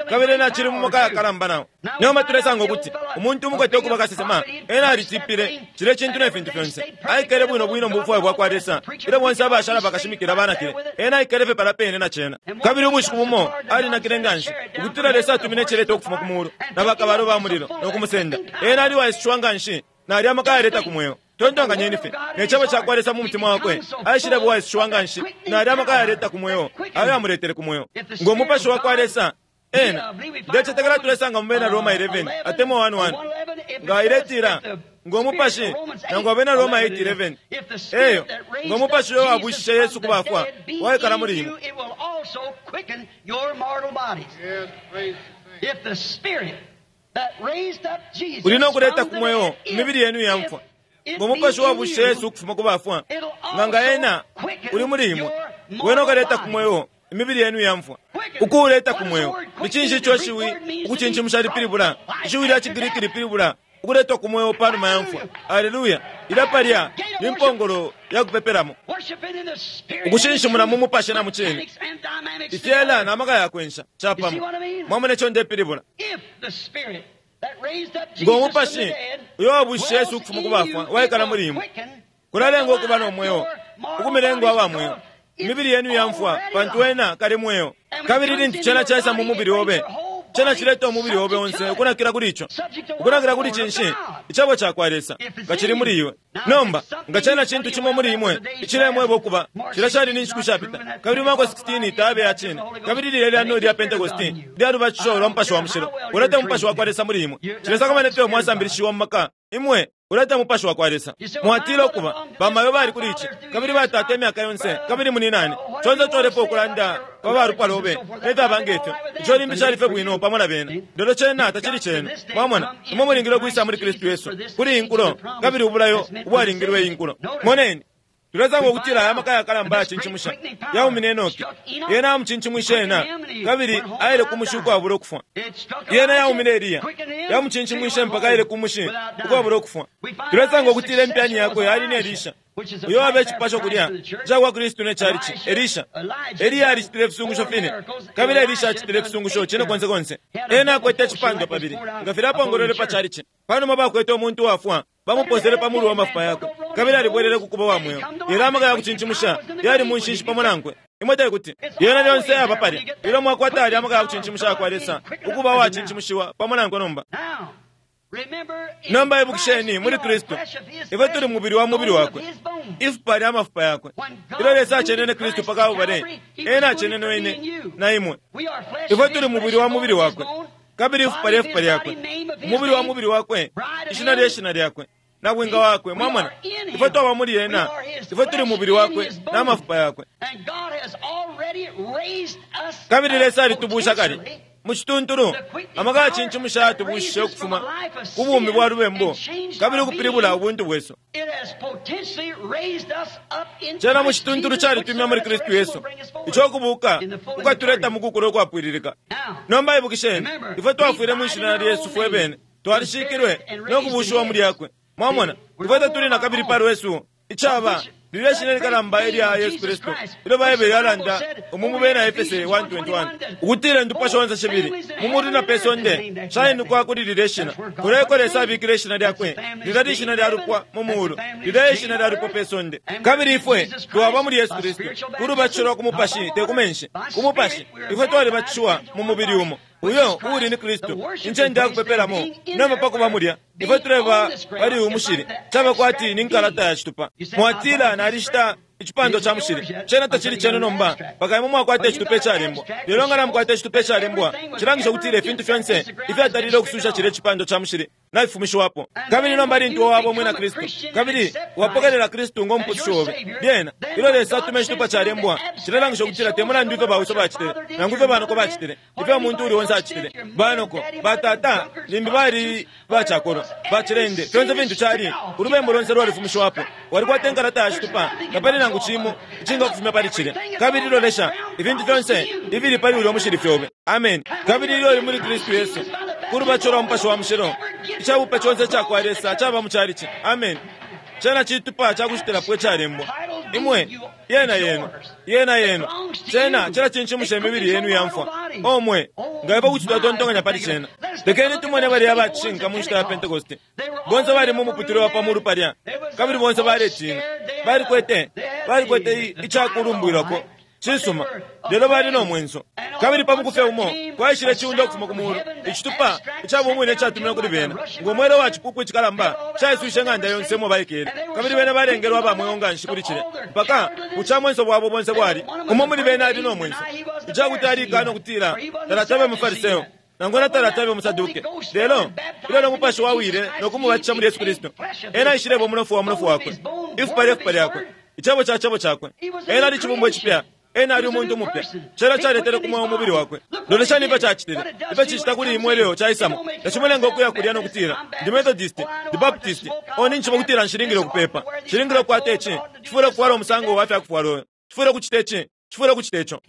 kabili ena acili mu maka yakalamba nao. Nomba tulesanga ukuti umuntu umukote ukuba kasesema, ena alitipile cile cintu ne fintu fyonse, aikele bwino bwino mu bufwayo bwa kwa Lesa. Ilyo bonse abashala bakashimikila banakile, ena aikele fye pala pene na cena. Kabili ubushiku bumo alinakile nga nshi ukutila Lesa atumine iceleta ukufuma ku mulu na bakabalo ba mulilo nokumusenda. Ena aliwaisishwa nga nshi nali amaka yaleta ku mweo. Tontonkanyeni fye ne cebo ca kwa Lesa mu mutima wakwe, aishile buwaisishwa nga nshi nali amaka yaleta ku mweo ayo amuletele ku mweo ngo mupashi wa kwa Lesa. Ena ndecetekela tulesanga mu bena Roma eleven atemwa one one nga iletila ngo mupashi, nangu abena Roma eight eleven eyo ngo mupashi uyo wabushishe Yesu ku bafwa waikala muli imwe. Uli nokuleta ku mweo imibili yenu yamfwa ngo mupashi wabushishe Yesu ukufuma ku bafwa, nga nga ena uli muli imwe, wena ukaleta ku mweo imibili yenu yamfwa. Ukuuleta ku mweo ni cinshi ico shiwi ukucinchimusha lipilibula? Ishiwi lya Cigiriki lipilibula ukuletwa ku mweo panuma ya mfwa. Aleluya! Ilya palya ni mpongolo ya kupepelamo, ukushinshimuna mu mupashi na mu cine, ifyela na maka yakwensha capamo. Mwamona ico ndepilibula? Ngo mupashi uyo wabushishe Yesu ukufuma ku bafwa waikala muli imwe, kulalenga ukuba no mweo, ukumilenga aba mweo imibili yenu yamfwa, pantu wena kali mweo. Kabili lintu cena caisa mu mubili obe, cena cileta umubili obe onse ukunakila kuli ico. Ukunakila kuli cinshi? Icebo ca kwa Lesa nga cili muli iwe. Nomba nga cena cintu cimo muli imwe icilemweba ukuba cila cali ni nshiku shapita, kabili Marko sixteen tabe ya cine, kabili lilya lyano lya Pentekosti lyalubatisho lwa mupashi wa mushilo, uleta umupashi wa kwa Lesa muli imwe. Cilesakamana ifyo mwasambilishiwa mu maka imwe uleta umupashi wa kwa Lesa. Mwatila ukuba bamayo bali kuli ici kabili batata imyaka yonse kabili muninani conse colepo ukulanda pa balupwa lobe nefyaba ngefyo. Ico limbi cali fye bwino pamo na bena, lelo cena tacili cenu. Mwamona, imwe mulingile ukwisa muli Kristu Yesu kuli inkulo, kabili ubulayo ubwalingilwe inkulo. Moneni, tulesanga ukutila aya maka yakalamba yacinchimusha yaumine Enoki. Yena amucinchimwishe ena, kabili aile ku mushi ukwabula ukufwa. Yena yaumine Eliya, yamucinchimwishe mpaka aile ku mushi ukwabula ukufwa. Tulesanga ukutila impyani yakwe yali ni Elisha, Uyo abe icipasho kulya cakwa Kristu ne chalichi, Elisha. Eliya alicitile ifisungusho fine, kabili Elisha acitile ifisungusho cine konse konse. Ena akwete icipandwa pabili nga filya apongolwele pa chalichi. Panuma bakwete umuntu wafwa, bamuposele pa mulu wa mafupa yakwe, kabili alibwelele ku kuba wa mweo. Lelo amaka ya kucincimusha yali mu nshinshi pamo nankwe. Imwe tekuti yena lyonse yaba palya. Ilyo mwakwata alya amaka ya kucincimusha kwa Lesa, ukuba wacincimushiwa pamo nankwe nomba. Nomba ibukisheni, muli Kristu ifwe tuli mubili wa mubili wakwe, ifupa lya mafupa yakwe. Ilyo Lesa acenene Kristu pa Kalbale, ena acenene wene na imwe. Ifwe tuli mubili wa mubili wakwe, kabili ifupa lya ifupa lyakwe, umubili wa mubili wakwe, ishina lye shina lyakwe, na bwinga wakwe. Mwamona, ifwe twaba muli ena, ifwe tuli mubili wakwe na mafupa yakwe. Kabili Lesa alitubusha kale mucituntulu, amaka yacincimusha yatubushishe ukufuma ku bumi bwa lubembu kabili ukupilibula ubuntu bwesu. Cena mucituntulu calitumya muli Kristu Yesu, ico kubuka kukatuleta mukukula ukwapwililika. Nomba ibukisheni, ifwe twafwile mwishina lya Yesu fwe bene, twalishikilwe no kubushiwa muli yakwe. Mwamona, ifwe tatuli na kabili pa lwesu, icaba lilya shina likalamba ilya Yesu Kristu ilyo Baibele yalanda umu mu bena Efese one twenty-one ukutila indupwa shonse shibili mu mulu na pe sonde shainukwa kuli lilya shina. Kuleko Lesa abikile ishina lyakwe, lilya lishina lya lupwa mu mulu, lilya ishina lya lupwa pe sonde. Kabili ifwe twaba muli Yesu Kristu ku lubatisho lwa ku mupashi, te ku menshi, ku mupashi. Ifwe twalibatishiwa mu mubili umo, uyo uuli ni Kristu, incende ya kupepelamo. Nomba pakuba mulya, ifwe tuleba pali uyu mushili, caba kwati ni nkalata ya citupa. Mwatila, nalishita icipando ca mushili. Cena tacili cenu nomba, mpaka imwe mwakwata icitupa icalembwa. Lelo nga namukwata icitupa icalembwa, cilangisha ukutila ifintu fyonse ifyatalile ukususha cilya icipando ca mushili nafifumishiwapo. Kabili nomba lintu waba umwina Kristu, kabili wapokelela Kristu ngo mupusushi obe, lyena ilyo Lesa atuma icitupa calembwa, cilelangisha ukutila te mulandu ifyo bauso bacitile, nangu ifyo banoko bacitile, ifyo umuntu uli onse acitile. Banoko, batata, limbi bali bacakolwa, bacilende, fyonse fintu cali, ulubembu lonse lwalifumishiwapo. Walikwata inkalata ya citupa, tapali nangu cimo icinga kufumya pali cilya. Kabili lolesha, ifintu fyonse ifili pali ulya mushili fyobe. Amen. Kabili ilyo uli muli Kristu Yesu, ku lubatisho lwa Mupashi wa Mushilo, icabupe conse cakwa Lesa caba mu chalichi. Amen. Cena citupa cakushitilapo icalembwa. Imwe, yena yenu, yena yenu. Cena cila cincimusha imibili yenu yamfwa. Omwe, nga ipo kuti twatontonkanya pali cena. Lekeni tumone balya abacishinka mu nshita ya Pentekoste. Bonse bali mu muputule wa pamulu palya, kabili bonse baletina. Balikwete, balikwete icakulumbwilako cisuma, lelo bali no mwenso. Kabili pa mukufe umo kwaishile ciunda ukufuma ku mulu, icitupa icabumwine icatumine kuli bena, ngo mwele wa cipupu icikalamba caiswishe ng'anda yonse mo baikele. Kabili bena balengelwa aba mweo nganshi kuli cilya, mpaka bucamwenso bwabo bonse bwali umo muli bena ali no mwenso, icakuti alikana ukutila talatabe mufariseo nangona talatabe musaduke. Lelo ilyo no mupashi wawile no kumubatisha muli Yesu Kristu, ena aishileba umunofu wa munofu wakwe, ifupa lye fupa lyakwe, icebo ca cebo cakwe. Ena ali cibumbwa icipya, ena ali umuntu mupya. Cena caletele ku mweo umubili wakwe. Loleshani ifyo cacitile, ifyo cicita kuli imwe leo caisamo. Tacimulenga ukuya kulya no kutila ndi Methodist, ndi Baptist, o ninjiba ukutila nshilingile ukupepa, nshilingile ukukwata ici, cifwile ukufwala umusango wa fyakufwala oyo, cifwile ukucita ici, cifwile ukucita ico.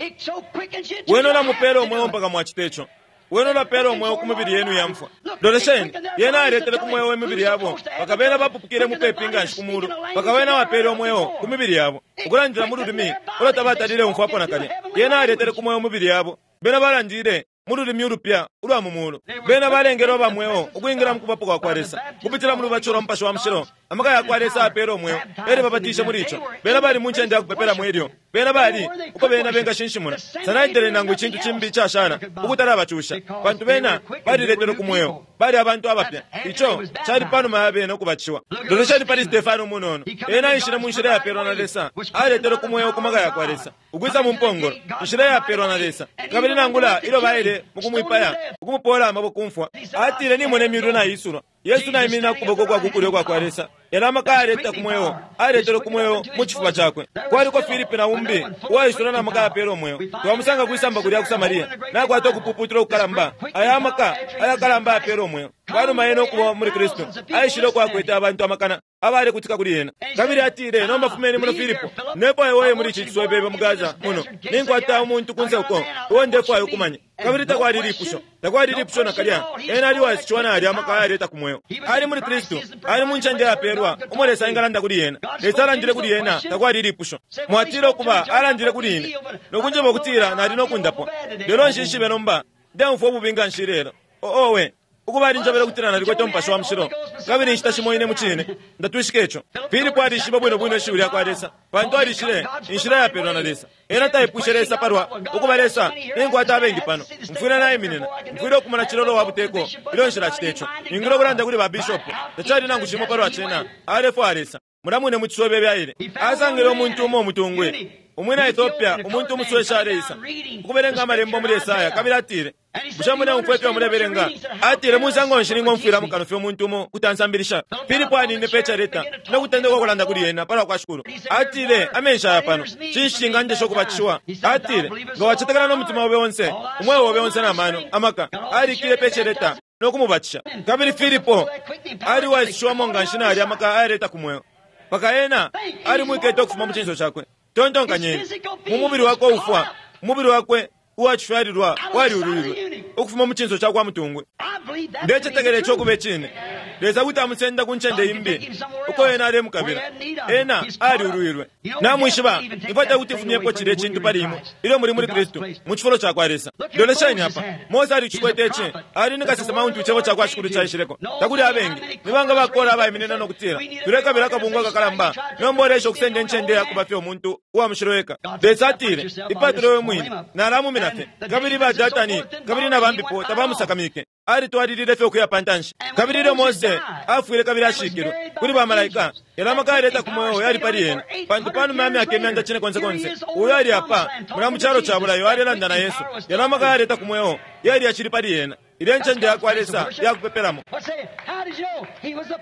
Wene ulamupela umweo mpaka mwacita ico. Wene ulapela umweo ku mibili yenu yamfwa. Lolesheni, yena aletele ku mweo imibili yabo, mpaka bena bapupukile mupepi nganshi ku mulu, mpaka wena wapele umweo ku mibili yabo, ukulandila mu lulimi ulo tabatalile umfwapo nakalya. Yena aletele ku mweo mibili yabo, bena balandile mu lulimi ulupya ulwa mu mulu. Bena balengelwa aba mweo ukwingila mu kubapo kwa kwa Lesa kupitila mu lubatisho lwa Mupashi wa Mushilo. Amaka ya kwa Lesa apele umweo, elyo babatishe muli ico. Bena bali mu ncende ya kupepelamo elyo bena bali uko bena bengashinshimuna. Sanaitele nangu icintu cimbi icashala ukutalabacusha, pantu bena baliletelwe ku mweo, bali abantu abapya. Ico cali panuma ya bena ukubatishiwa. Lolesheni pali Stefano umunono, ena aishile mu nshila yapelwa na Lesa, aletelwe ku mweo ku maka ya kwa Lesa, ukwisa mu mpongolo, inshila yapelwa na Lesa. Kabili nangula ilyo baile mukumwipaya, ukumupola amaboko kumfwa, atile nimone imyulu naisulwa, Yesu naiminina ku kuboko kwa kukulyo kwa kwa Lesa. Yala amaka aleta ku mweo, aletele ku mweo mu cifuba cakwe. Kwaliko Filipi na umbi uwaisula na maka yapela umweo. Twamusanga kwisamba kulya ku Samaria, nakwata ukupuputula ukukalamba. Aya amaka ayakalamba yapela umweo. Panuma ena ukuba muli Kristu, aishile ukwakwete abantu amakana abalekutika kuli ena. Kabili atile, nomba fumeni muno Filipo, ndefwaya oye muli ici ciswebebe mu Gaza muno, ninkwata umuntu kunse uko uo ndefwaya ukumanya. Kabili takwali lipusho, takwali lipusho nakalya. Ena ali waishiwa na ali amaka ayaleta ku mweo. Ali muli Kristu, ali mu ncende yapelwa umo Lesa engalanda kuli ena. Lesa alandile kuli ena, takwali lipusho. Mwatile ukuba alandile kuli ine nokunjeba ukutila nali nokundapwa, lelo nshishibe nomba ndemfwa ububi nga nshi lelo. Owe, ukuba alinjebele ukutila nalikwete umupashi wa mushilo, kabili inshita shimo ine mucine ndatwishika ico. Filipo alishiba bwino bwino ishiwi lyakwa Lesa, pantu alishile inshila yapelwa na Lesa. Ena taipwishe Lesa palwa ukuba Lesa ninkwata abengi pano, mfwile naiminina, mfwile ukumona cilolo wa buteko ilyo nshilacita ico, ningile ukulanda kuli ba bishopu. Tacali nangu cimo palwa cena, alefwaya Lesa. Mulamwine mu ciswebebe aile asangile umuntu umo umutungwi umwina Ethiopia, umuntu umuswesha aleisa ukubelenga amalembo muli Esaya. Kabili atile, bushe muleumfwa ifyo mulebelenga? Atile, musango nshi ningomfwila mukano fye umuntu umo kuti ansambilisha? Filipo anine pe careta no kutendeka ukulanda kuli ena palwa kwa Shikulu. Atile, amenshi aya pano, cinshi cingandesha ukubatishiwa? Atile, nga wacetekela no mutima obe onse, umweo obe onse na mano amaka. Alikile pe careta no kumubatisha. Kabili Filipo ali waishiwamo nga nshi nali amaka ayaleta ku mweo, paka ena alimwikete ukufuma mu cinso cakwe. Tontonkanyeni, mu mubili wakwe ufwa, umubili wakwe uwacifyalilwa waliulwilwe ukufuma mu cinso cakwa mutungwe. Ndecetekela ico kuba icine. Lesa kuti amusenda ku ncende imbi uko ena alemukabila. Ena aliulwilwe. Namwishiba ifwe tekuti fumyepo cilya icintu pali imwe ilyo muli muli Kristu mu cifulo cakwa Lesa. Lolesheni apa, Mose alicikwete ici, ali ni kasesema untu icebo cakwa Shikulu caishileko. Takuli abengi nibanga bakola abaiminina no kutila tulekabila akabungwe akakalamba, nomba olesha ukusenda incende yakuba fye umuntu uwa mushilo eka. Lesa atile, ipatule we mwine, nalamumina fye. Kabili ba Datani kabili na bambipo tabamusakamike, alitwalilile fye ukuya pantanshi. Kabili ilyo Mose afwile kabili ashikilwe kuli ba malaika, yala amaka ayaleta ku mweo yali pali ena, pantu panuma ya myaka imyanda cine konse konse uyo ali apa mula mu calo ca bulayo alelanda na Yesu. Yala amaka ayaleta ku mweo yali yacili pali ena. Ilya ncende yakwa Lesa yakupepelamo.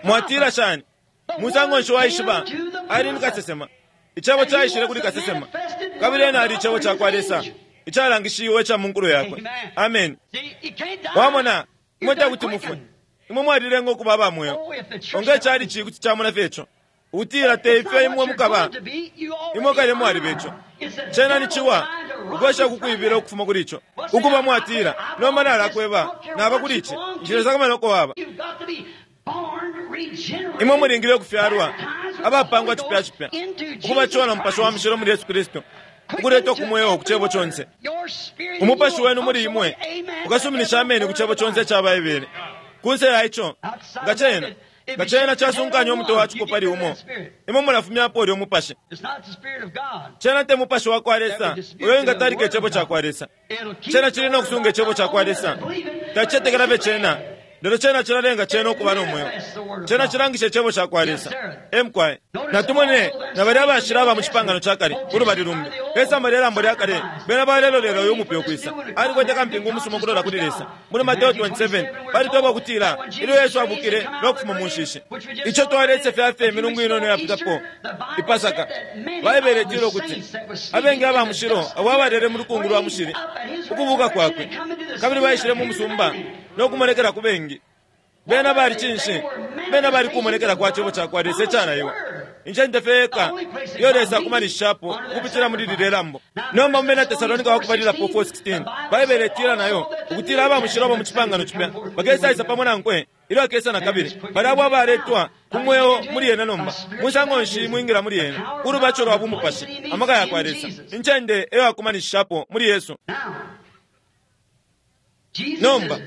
Mwatila shani? Musango nshi waishiba? Ali ni kasesema. Icebo caishile kuli kasesema, kabili ena ali icebo cakwa Lesa icalangishiwe ica munkulo yakwe. Amen. Wamona, imwe tekuti mufwe, imwe mwalilenga ukuba aba mweo. Onge cali ci kuti camona fye ico ukutila te ifyo imwe mukaba, imwe kale mwaliba ico. Cena ni ciwa ukwesha kukwibila ukufuma kuli ico. Ukuba mwatila, nomba nalakweba naba kuli ici, nshilesa uko waba. Imwe mulingile ukufyalwa abapangwa cipya cipya, ukubatishiwa na Mupashi wa Mushilo muli Yesu Kristu, ukuleta ukumweo ku cebo conse. Umupashi wenu muli imwe ukasuminisha ameni ku cebo conse ica Baibele. Kunse ya ico, nga cena nga cena casunkanya umutwe wa ciko pali umo, imwe mulafumyapo ulya umupashi. Cena te mupashi wa kwa Lesa uyo ingatalika icebo ca kwa Lesa. Cena cili no kusunga icebo ca kwa Lesa. Tacicetekela fye cena, lelo cena cilalenga cena ukuba no mweo. Cena cilangisha icebo ca kwa Lesa. Emukwaye natumone na balya abashila aba mu cipangano ca kale ulubali lumbi pesamba lye lambo lya kale, bena balelolelo uyu umupe ukwisa. Alikwete kampingu umusuma ukulola kuli Lesa. Muli Mateo twenty-seven palitweba ukutila ilyo Yesu abukile no kufuma mu nshishi, ico twalesefya fye imilungu inono yapitapo ipasaka. Baibele itila ukuti abengi aba mushilo abo abalele mu lukungu lwa mushili ukubuka kwakwe, kabili baishile mu musumba no kumonekela ku bengi. Bena bali cinshi? Bena bali kumonekela kwa cebo cakwa Lesa icalaiwa. Incende fye eka iyo Lesa akumanishapo ukupitila muli lilye lambo. Nomba mu bena Tesalonika wakubalilapo four sixteen, Baibele itila nayo ukutila aba mushilo abo mu cipangano cipya bakesaisa pamo nankwe ilyo akesa na kabili. Bali abo abaletwa ku mweo muli ena nomba. Musango nshi mwingila muli ena? Ulubaco lwa bumupashi, amaka yakwa Lesa, incende eyo akumanishapo muli Yesu. Nomba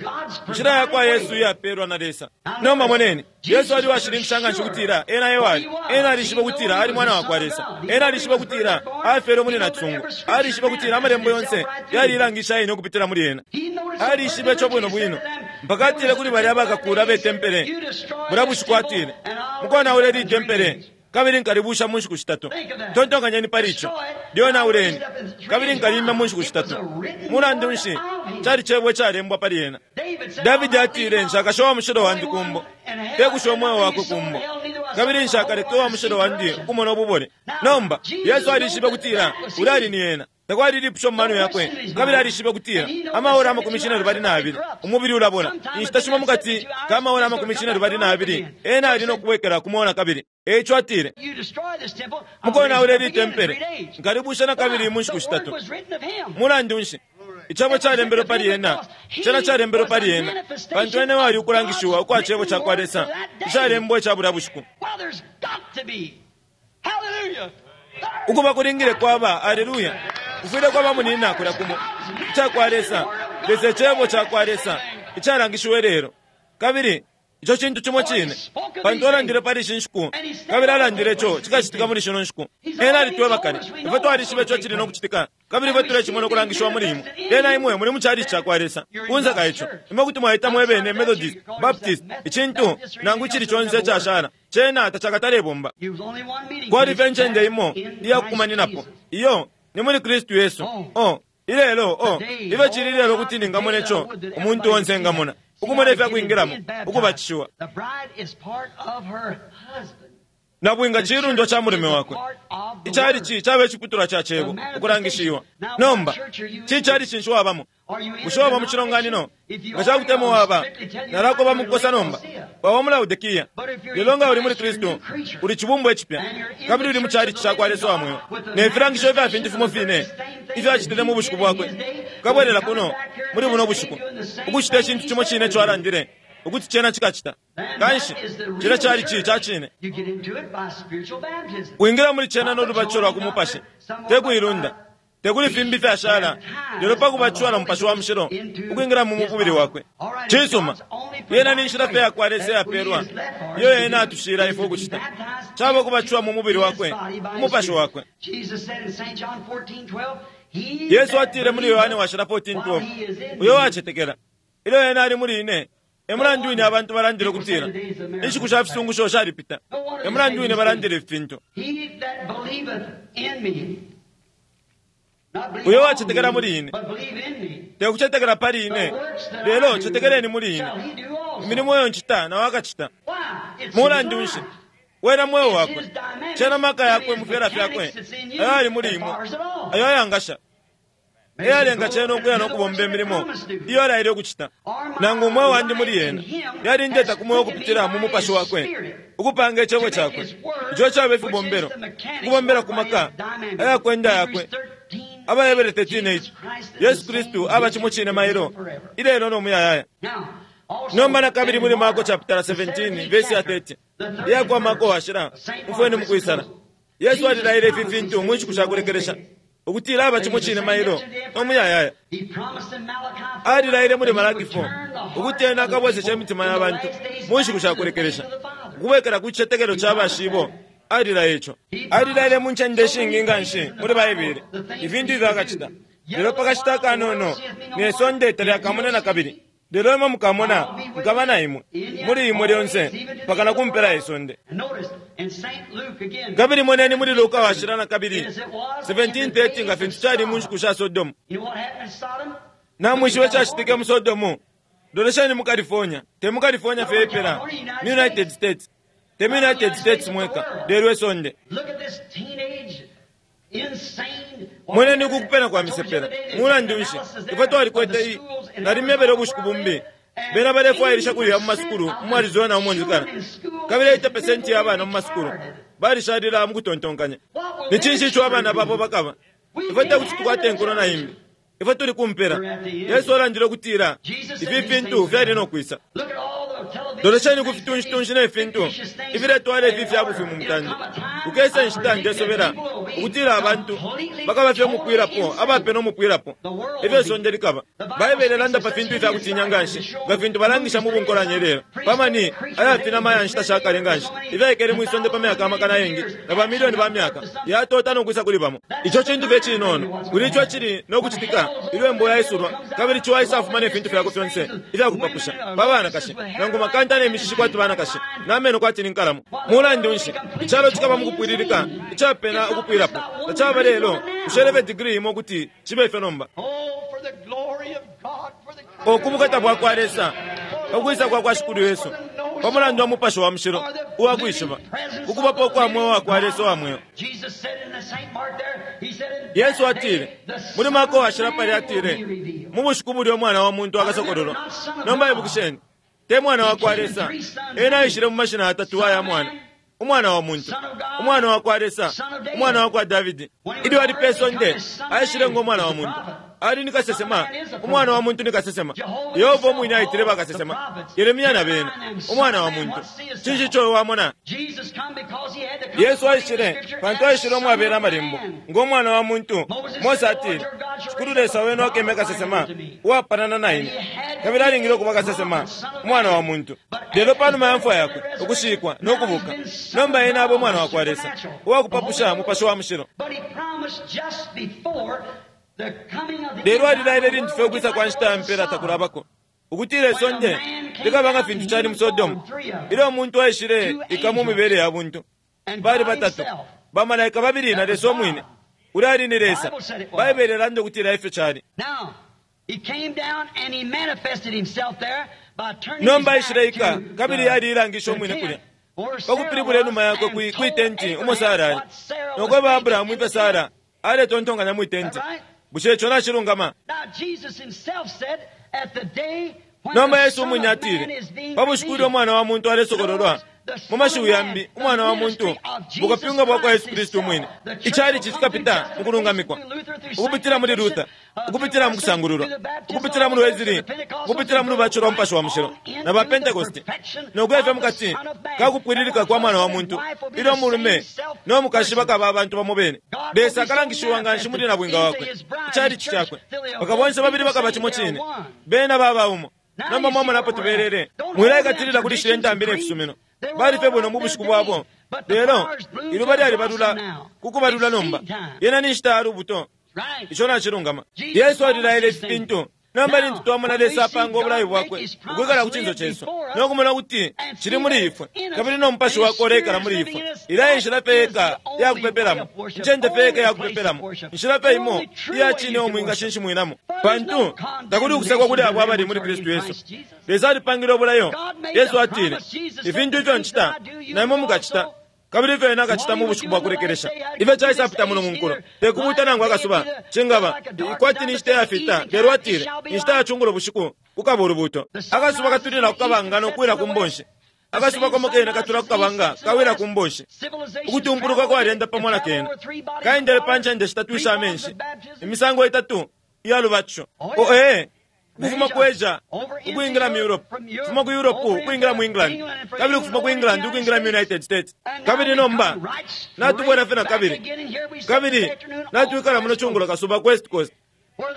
inshila yakwa Yesu iyapelwa na Lesa. Nomba moneni, Yesu ali washininkisha nga nshi ukutila ena ewali. Ena alishiba ukutila ali mwana wakwa Lesa. Ena alishiba ukutila afyelwe muli nacisungu. Alishiba ukutila amalembo yonse yalilangisha ine ukupitila muli ena. Alishiba ico bwino bwino mpaka atile kuli balya abakakula be tempele bulya bushiku, atile, mukonaule li tempele kabili nkalibusha mu nshiku shitatu. Tontonkanyeni pali ico. Lyonauleni kabili nkalimya mu nshiku shitatu. Mulandu nshi? Cali cebo icalembwa pali ena. Davidi atile, nshakasha wa mushilo wandi kumbo, tekusha umweo wakwe kumbo, kabili nshakaleke wa mushilo wandi ukumona ububole. Nomba Yesu alishibe kutila ulya ali ni ena. Takwali ilipusho mu mano yakwe, kabili alishibe kutila amaora amakumi cine lubali na abili umubili ulabola. Inshita shimo mukati ka maora amakumi cine lubali na abili ena ali no kubwekela kumona kabili. Eico atile, mukonaula ili tempele, nkalibusha na kabili mu nshiku shitatu. Mulandu nshi? Icebo calembelwe pali ena, cena calembelwe pali ena, pantu ena wali ukulangishiwa ukwa cebo cakwa Lesa icalembwa ica bulya bushiku. Ukuba kulingile kwaba, aleluya, kufwile kwaba munina kulya kumo icakwa Lesa, Lesa icebo cakwa Lesa icalangishiwe lelo. Kabili ico cintu cimo cine, pantu alandile pali ishi nshiku, kabili alandile ico cikacitika muli shino nshiku. Ena alitweba kale, ifwe twalishiba ico cili no kucitika, kabili ifwe tulecimona ukulangishiwa muli imwe. Ena imwe muli mu chalichi cakwa Lesa. Kunze ka ico, imwe kuti mwaita mwebene Methodist, Baptist, icintu nangu icili conse icashala, cena tacakatalebomba. Kwali fye ncende imo iyakukumaninapo, iyo ni muli Kristu Yesu. Oh, ilelo, oh, ife cili ilelo kuti ningamona ico umuntu onse engamona, ukumona ifya kwingilamo, ukubatishiwa. Nabwinga cilundwa ca mulume wakwe. Icalichi caba iciputulwa ca cebo ukulangishiwa. Nomba cicalichi nshi wabamo? Bushe waba mu cilonganino? Nga cakutemwa waba, nalakoba mukukosa nomba, waba mu Laodikiya. Lelo nga uli muli Kristu, uli cibumbwa icipya, kabili uli mu calichi cakwa Lesa wa mweo, ne filangisho ifya fintu fimo fine ifyo acitile mu bushiku bwakwe. Ukabwelela kuno muli buno bushiku ukucita icintu cimo cine ico alandile ukuti cena cikacita. Kanshi cila calichi ca cine. Kwingila muli cena no lubatisho lwa ku mupashi, te kuilunda, te kuli fimbi fyashala, lelo pa kubatishiwa na Mupashi wa Mushilo ukwingila mu mubili wakwe. Cisuma, yena ni nshila fye yakwa Lesa iyapelwa iyo ena atushila ifwe ukucita, caba kubatishiwa mu mubili wakwe, umupashi wakwe. Yesu atile muli Yohane washila fourteen twelve, uyo wacetekela ilyo ena ali muli ine. Emulandu wine abantu balandile ukutila inshiku sha fisungusho shalipita. Emulandu wine balandile ifintu. Uyo wacetekela muli ine, te kucetekela pali ine, lelo cetekeleni muli ine. Imilimo iyo ncita nawe akacita. Mulandu nshi? Wena mweo wakwe, cena maka yakwe mu fyela fyakwe ayo ali muli imwe, ayo ayangasha eyalenga cena ukuya no kubomba imilimo iyo alaile ukucita. Nangu umweo wandi muli yena yalindeta ku mweo ukupitila mu mupashi wakwe, ukupanga icebo cakwe, ico caba ifibombelo, ukubombela ku maka ayakwenda yakwe. Abahebere thirteen eight, Yesu Kristu aba cimo cine mailo, ilelo no muyayaya. Nomba na kabili muli Marko chapter seventeen verse ya thirty, iyakwa Marko washila mufweni mukwisala, Yesu alilaile ifi fintu mu nshiku shakulekelesha ukutila aba cimo cine mailo no muyayaya. Alilaile muli Malaki four ukuti ena akabwesesha imitima ya bantu mu nshiku shakulekelesha, ukubwekela ku cicetekelo ca bashibo. Alilaile ico. Alilaile mu ncende ishingi nga nshi muli Baibele ifintu ifyo akacita. Lelo pakashita akanono ne sonde talyakamone na kabili, lelo imwe mukamona, nkaba na imwe muli imwe lyonse mpaka na kumpela isonde. Kabili moneni muli Luka washila na kabili seventeen thirty, nga fintu cali mu nshiku sha Sodomu. Namwishiwe cacitike mu Sodomu. Lolesheni mu California, te mu California fye ipela, mu United States, te mu United States mweka, lelo isonde. Moneni ukukupena kwa misepela. Mulandu nshi? Ifwe twalikwete nalimyebele ubushiku bumbi, bena balefwailisha kulya mu masukulu mu Arizona umo njikala, kabili eighty percent ya bana mu masukulu balishalila mu kutontonkanya. Ni cinshi ico abana babo bakaba? Ifwe tekuti tukwate inkulo na imbi. Ifwe tuli kumpela. Yesu alandile ukutila ifi fintu fyali no kwisa. Lolesheni ku fitunshi ne fintu ifiletwala ifi fya bufi mu mutande. Ukesa inshita ndesobela ukutila abantu bakaba fye umupwilapo, abapena umupwilapo, ifyo isonde likaba. Baibele ilanda pa fintu ifya kutinya nga nshi, nga fintu balangisha mu bunkolanya lelo pamani ayafinama ya nshita shakale nga nshi, ifyaikele mwi sonde pa myaka amakana ayengi na bamilioni ba myaka, yatota no kwisa kuli bamo. Ico cintu fye cinono kuli ico cili no kucitika ilyo embo yaisulwa, kabili ciwa isafuma ne fintu fyako fyonse ifyakupapusha pa banakashi, nangu makanta ne mishishi kwati banakashi, na meno kwati ni nkalamo. Mulandu nshi icalo cikaba mukupwililika, icapena ukupwilapo? Tacaba lelo usheleve degree imo kuti cibe fye nomba. Okubukata bwakwa Lesa, ukwisa kwa kwa Shikulu Yesu, Pa mulandu wa Mupashi wa Mushilo uwa kwishiba, ukubapo kwa mweo wa kwa Lesa wa mweo. Yesu atile, muli Marko washila pali atile, mu bushiku bulya Umwana wa muntu akasokololwa. Nomba ibukisheni, te Mwana wa kwa Lesa, ena aishile mu mashina atatu aya mwana. Umwana wa muntu, Umwana wa kwa Lesa, Umwana wa kwa Davidi. Ilyo ali pe sonde, aishile ngo mwana wa muntu. Ali ni kasesema, Umwana wa muntu ni kasesema. Yehova umwine aitile bakasesema, Yeremia na bena, Umwana wa muntu. Cinshi ico wamona? Yesu aishile, pantu aishile umwabela amalembo, ngo mwana wa muntu. Mose atile, Shikulu Lesa wenu akeme kasesema, uwapanana na ine. Kabili alingile ukuba kasesema, umwana wa muntu. Lelo panuma ya mfwa yakwe, ukushikwa no kubuka, nomba ena aba Umwana wa kwa Lesa, uwakupapusha Mupashi wa Mushilo. Lelo alilaile lintu fye ukwisa kwa nshita ya mpela takulabako, ukutila isonde likaba nga fintu cali mu Sodomu, ilyo umuntu aishile ika mu mibele ya buntu. Bali batatu, bamalaika babili na Lesa umwine. Uli ali ni Lesa. Baibele ilanda ukutila ifyo cali. Nomba aishile ika, kabili yaliilangisha umwine kulya pakupilibula inuma yakwe kwi tenti umo Sara ali, nokweba Abrahamu ifyo Sara aletontonkanya mwi tenti. Bushe ico nacilungama? Nomba Yesu umwine atile, pa bushiku ilyo Umwana wa muntu alesokololwa, mu mashiwi yambi, Umwana wa muntu, bukapyunga bwa kwa Yesu Kristu umwine. Icali cikapita mu kulungamikwa, ukupitila muli Luther, ukupitila mu kusangululwa, ukupitila muli Wesley, ukupitila mu lubatisho lwa Mupashi wa Mushilo na ba Pentecost, no kuya fye mukati ka kupwililika kwa Mwana wa muntu, ilyo mulume no mukashi bakaba abantu bamo bene. Lesa akalangishiwa nga nshi muli nabwinga wakwe, icali cakwe. Baka bonse babili bakaba cimo cine, bena baba umo. Nomba mwamona apo tubelele, mwilaikatilila kuli shile ntambi ne fisumino. Bali fye bwino mu bushiku bwabo, lelo iluba lyalibalula kukubalula nomba. Yena ni nshita ya lubuto. Ico nacilungama. Yesu alilaile ifi fintu. Nomba lintu twamona Lesa apanga obulayi bwakwe ukwikala ku cinso cesu, no kumona kuti cili muli ifwe, kabili no Mupashi wakwe ulekala muli ifwe. Ila inshila fye yeka ya kupepelamo, incende fye yeka ya kupepelamo, inshila fye imo iya cine omwingashinshimwinamo, pantu takuli ukusekwa kuli abo abali muli Kristu Yesu. Lesa alipangile obulayo. Yesu atile, ifintu ifyo ncita na imwe mukacita, kabili ifyo ena akacita mu bushiku bwa kulekelesha. Ifyo caisapita muno mu nkulo, tekubuta nangu akasuba cingaba kwati ni nshita yafita. Lelo atile, inshita ya cungulo bushiku kukaba ulubuto. Akasuba katulila kukabanga no kuwila ku mbonshi. Akasuba komo kene katula kukabanga kawila ku mbonshi. Ukutumpuluka kwalyenda pamo na kene, kaendele pa ncende shitatu isha amenshi, imisango itatu iya lubatisho. O ee, ukufuma ku Asia ukwingila mu Europe, kufuma ku Europe ukwingila mu England, kabili ukufuma ku England ukwingila mu United States. Kabili nomba natubwela fye na kabili, kabili natwikala muno cungulo kasuba ku West Coast,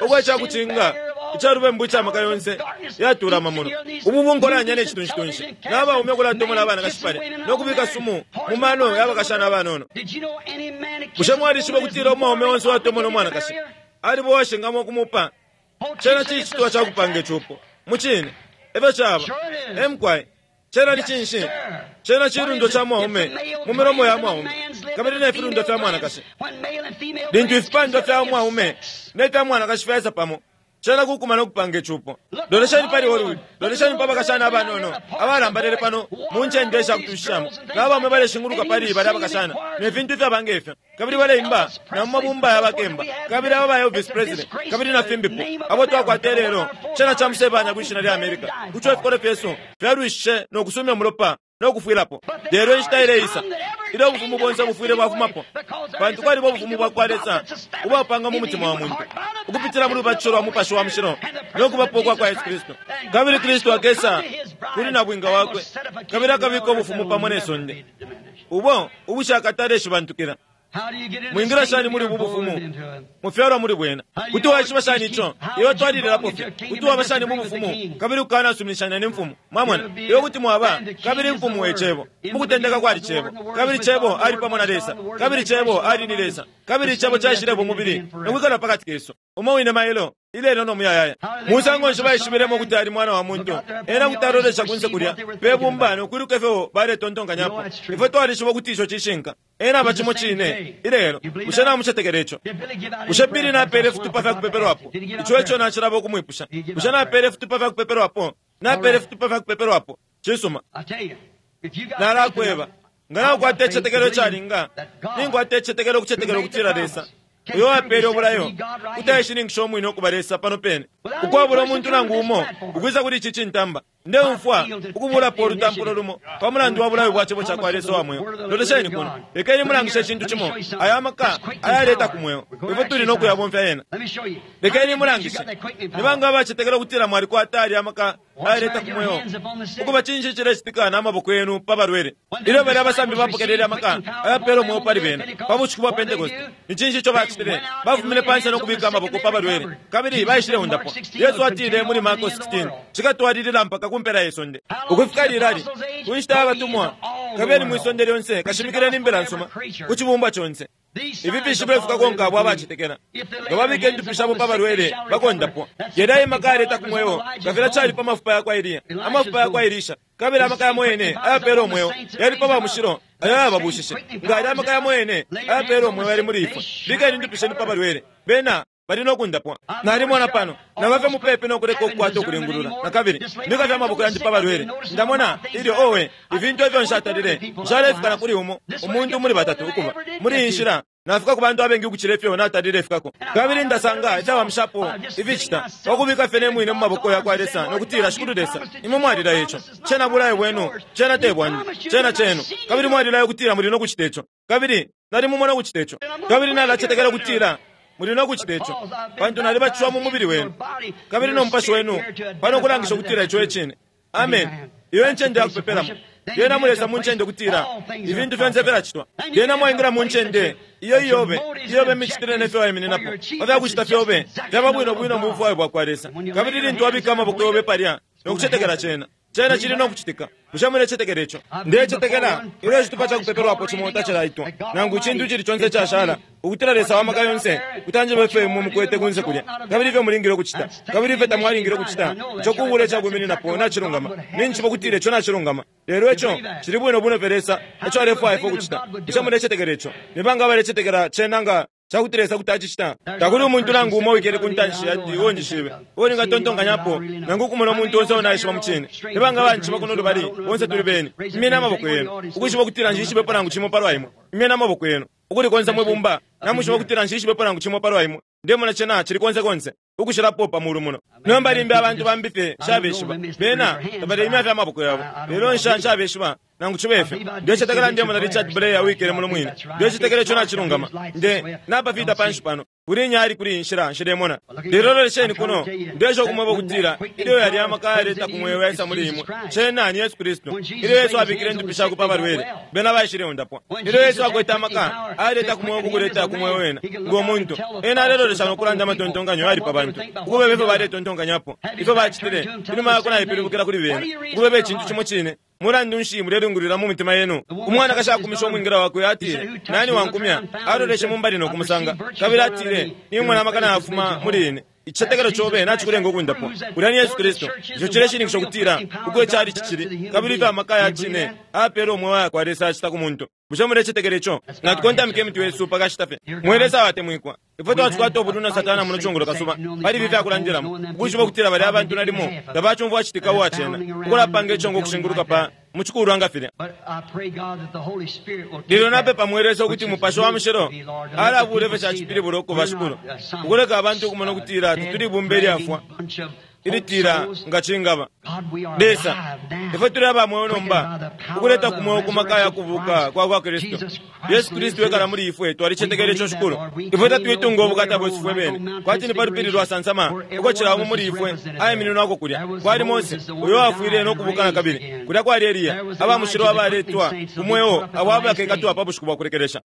ukwa cakucinga icalubembu icamaka yonse yatulama muno. Ubu bunkolanya ne citunshi-tunshi, n'abaume ukulatomona abanakashi pale no kubika sumu mu mano y'abakashana abanono. Bushe mwalishiba ukutila umwaume onse uwatomona umwanakashi alibo washingamo ukumupa? Cena cicitwa cakupanga icupo mucine efyo caba. Emkwai cena ni cinshi? Cena cilundo ca mwaume mu milomo ya mwaume, kabili ne filundo fya mwanakashi. Lintu ifipandwa fya mwaume ne fya mwanakashi fyaisa pamo, cena kukumana ukupanga icupo. Lolesheni pali Hollywood, lolesheni pa bakashana abanono abalambalele pano mu ncende ishakutushishamo, n'abaume baleshinguluka pali bali abakashana ne fintu ifyaba ngefyo, kabili baleimba na mu mabumba ya bakemba, kabili aba ba Elvis Presley, kabili na fimbipo abo twakwata lelo. Cena camusebanya kwishina lya America, kuco ifikolo fyesu fyalwishe no kusumya umulopa no kufwilapo. Lelo inshita ileisa ilyo ubufumu bonse bufwile bwafumapo, pantu kwaliba ubufumu bwa kwa Lesa ubwapanga mu mutima wa muntu ukupitila mu lubatisho lwa Mupashi wa Mushilo no kubapo kwa kwa Yesu Kristu. Kabili Kristu akesa kuli nabwinga wakwe, kabili akabika ubufumu pamo ne sonde ubo ubushakatale shibantukila. Mwingira shani muli ubu bufumu? Mufyalwa muli bwena. Kuti waishiba shani ico? Iwe twalililapo fye. Kuti waba shani mu bufumu kabili ukanasuminishanya ne mfumu? Mwamona, iwe kuti mwaba kabili mfumu we cebo. Mukutendeka kwali cebo, kabili cebo ali pamo na Lesa, kabili cebo ali ni Lesa, kabili icebo caishilepo mubili nokwikala pakati kesu. Umo wine mailo ilelo no muyayaya. Musango nshi baishibilemo kuti ali Mwana wa muntu? Ena kuti alolesha kunse kulya pe bumba nokwiluka ifyo baletontonkanyapo. Ifwe twalishiba ukuti ico cishinka. Ena aba cimo cine ilelo. Bushe namucetekela ico? Bushe Bili napele ifitupa fya kupepelwapo? Ico eco nacilaba ukumwipusha. Bushe napele ifitupa fya kupepelwapo? Napele fitupa fya kupepelwapo. Cisuma. Nalakweba nga nakukwata icicetekelo icalinga, ninkwata icicetekelo ukucetekela ukutila Lesa uyo wapele obulayo kuti aishininkisha umwine ukuba Lesa pano pene, ukwabula umuntu nangu umo ukwisa kuli ici cintamba. Ndeumfwa ukubulapo olutampulo lumo pa mulandu wa bulayo bwa cebo cakwa Lesa wa mweo. Lolesheni kuno, lekeni mulangishe icintu cimo, aya maka ayaleta ku mweo, ifwe tuli no kuyabomfya yena. Lekeni mulangishe. Ni banga abacetekela ukutila mwalikwata alya amaka ayaleta ku mweo? Ukuba cinshi cilecitika n'amaboko yenu pa balwele? Ilyo bali abasambi bapokelele amaka ayapela umweo pali bena pa bushiku bwa Pentekoste, ni cinshi ico bacitile? Bafumine pansi no kubika amaboko pa balwele, kabili baishile undapwa. Yesu atile muli Marko sixteen, cikatwalilila mpaka ku mpela ye sonde. Ukufika lilali ku nshita y'abatumwa, kabili mwi sonde lyonse kashimikileni imbila nsuma ku cibumbwa conse. Ifi fishibilo fikakonka abo abacetekela. Nga babika indupi shabo pa balwele, bakondapwa. Yena imaka aleta ku mweo, nga filya cali pa mafupa yakwa Eliya, amafupa yakwa Elisha, kabili amaka yamo yene ayapela umweo yali pa bamushilo ayo ayababushishe. Nga ali amaka yamo yene ayapela umweo yali muli ifwe, bikeni indupi shenu pa balwele, bena bali no kundapwa. Nalimona pano nabafye mupepi no kuleka ukukwata ukulingulula nakabili, mbikafye amaboko yandi pa balwele, ndamona ilyo owe ifintu ifyo nshatalile nshalefika na kuli umo umuntu muli batatu ukuba muli iyi nshila. Nafika ku bantu abengi ukucila ifyo natalile ifikako, kabili ndasanga icawamishapo ificita pakubika fye ne mwine mu maboko yakwa Lesa nokutila, Shikulu Lesa, imwe mwalila ico, cena bulayo bwenu, cena te bwandi, cena cenu, kabili mwalilayo ukutila muli no kucita ico, kabili nalimumona ukucita ico, kabili nalacetekela ukutila muli no kucita ico, pantu nalibatishiwa mu mubili wenu kabili no mupashi wenu pano kulangisha ukutila ico ecine. Amen. Iyo encende yakupepelamo. Lyena mulesa mu ncende ukutila ifintu fyonse filacitwa. Lyena mwaingila mu ncende iyo iyobe iyobe imicitile nefyo waimininapo pa fyakucita fyobe fyaba bwino bwino mu bufwayo bwakwa Lesa, kabili lintu wabika amaboko yobe palya nokucetekela cena, cena cili no kucitika. Bushe mulecetekela ico? Ndecetekela ilyo icitupa cakupepelwapo cimo tacilaitwa nangu icintu icili conse icashala, ukutila Lesa wa maka yonse kutanjeba ifyo imwe mukwete kunse kulya, kabili ifyo mulingile ukucita, kabili ifyo tamwalingile ukucita. Ico kubula icakwimininapo nacilungama. Ninjishiba ukutila ico nacilungama, lelo ico cili bwino bwino fye Lesa eco alefwaya ifwe ukucita. Bushe mulecetekela ico? Ni banga abalecetekela cena nga cakuti Lesa kuti acicita? Takuli umuntu nangu umo wikele ku ntanshi yandi uo njishibe uo ningatontonkanyapo, nangu ukumona umuntu onse uo naishiba mu cine. Ni banga abanjishiba kuno lubali? Bonse tuli beni. Imyeni amaboko yenu ukwishiba ukutila nshishibepo nangu cimo palwa imwe. Imyeni amaboko yenu ukuli konse mwi bumba, namwishiba ukutila nshishibepo nangu cimo palwa imwe. Ndemona cena cili konse konse ukucilapo pa mulu muno. Nomba limbi abantu bambi fye nshabeshiba, bena tabaleimya fye amaboko yabo, lelo nsha nshabeshiba nangu cibe fyo. Ndecetekela ndemona Richard Blair wikele muno mwine. Ndecetekela ico nacilungama. Nde napafita panshi pano kuli nyali kuli inshila nshilemona, lelo lolesheni kuno. Ndesha ukumweba ukutila ilyo yali amaka ayaleta ku mweo yaisa muli imwe, cena ni Yesu Kristu. Ilyo Yesu abikile indupi shakwe pa balwele, bena baishile undapwa. Ilyo Yesu akwete amaka ayaleta ku mweo kukuleta ku mweo wena ngo muntu, ena alelolesha no kulanda amatontonkanyo yali pa bantu, ukubeba ifyo baletontonkanyapo, ifyo bacitile inuma yako naipilibukila kuli bena, ukubeba icintu cimo cine. Mulandu nshi mulelungulula mu mitima yenu? Umwanakashi akumisha umwingila wakwe, atile, nani wankumya? Aloleshe mumbali no kumusanga, kabili atile, nimona amaka nayafuma muli ine. Icicetekelo cobe nacikulenga ukundapwa. Ulya ni Yesu Kristu. Ico cileshininkisha ukutila uko icali cicili, kabili ifyo amaka ya cine apela umweo yakwa Lesa acita ku muntu. Bushe mulecetekela ico? Natukontamike imitwe yesu pakashita fye. Mwe Lesa abatemwikwa, ifwe twacikwata ubulwi na Satana muno cungulo kasuba pali ifi fyakulandilamo, ukwishiba ukutila balya abantu nalimo tabacumfwa citika uwacena ukulapanga icongo ukushinguluka pa mucikulwa nga filya. Lelo napepa mwe Lesa ukuti Mupashi wa Mushilo alabula ifyo cacipilibula ukuba Shikulu, ukuleka abantu ukumona ukutila tetuli ibumba ilyafwa ilitila nga cingaba. Lesa, ifwe tuli aba mweo nomba, ukuleta ku mweo ku maka ya kubuka kwa kwa Kristu. Yesu Kristu ekala muli ifwe. Twalicetekela ico, Shikulu. Ifwe tatwitunga ubukata bwesu fwe bene, kwati ni pa lupili lwa sansama uko cila umo muli ifwe aimininwako. Kulya kwali Mose uyo wafwile no kubuka na kabili. Kulya kwali Eliya, abamushilo abaletwa ku mweo abo abakekatwa pa bushiku bwa kulekelesha.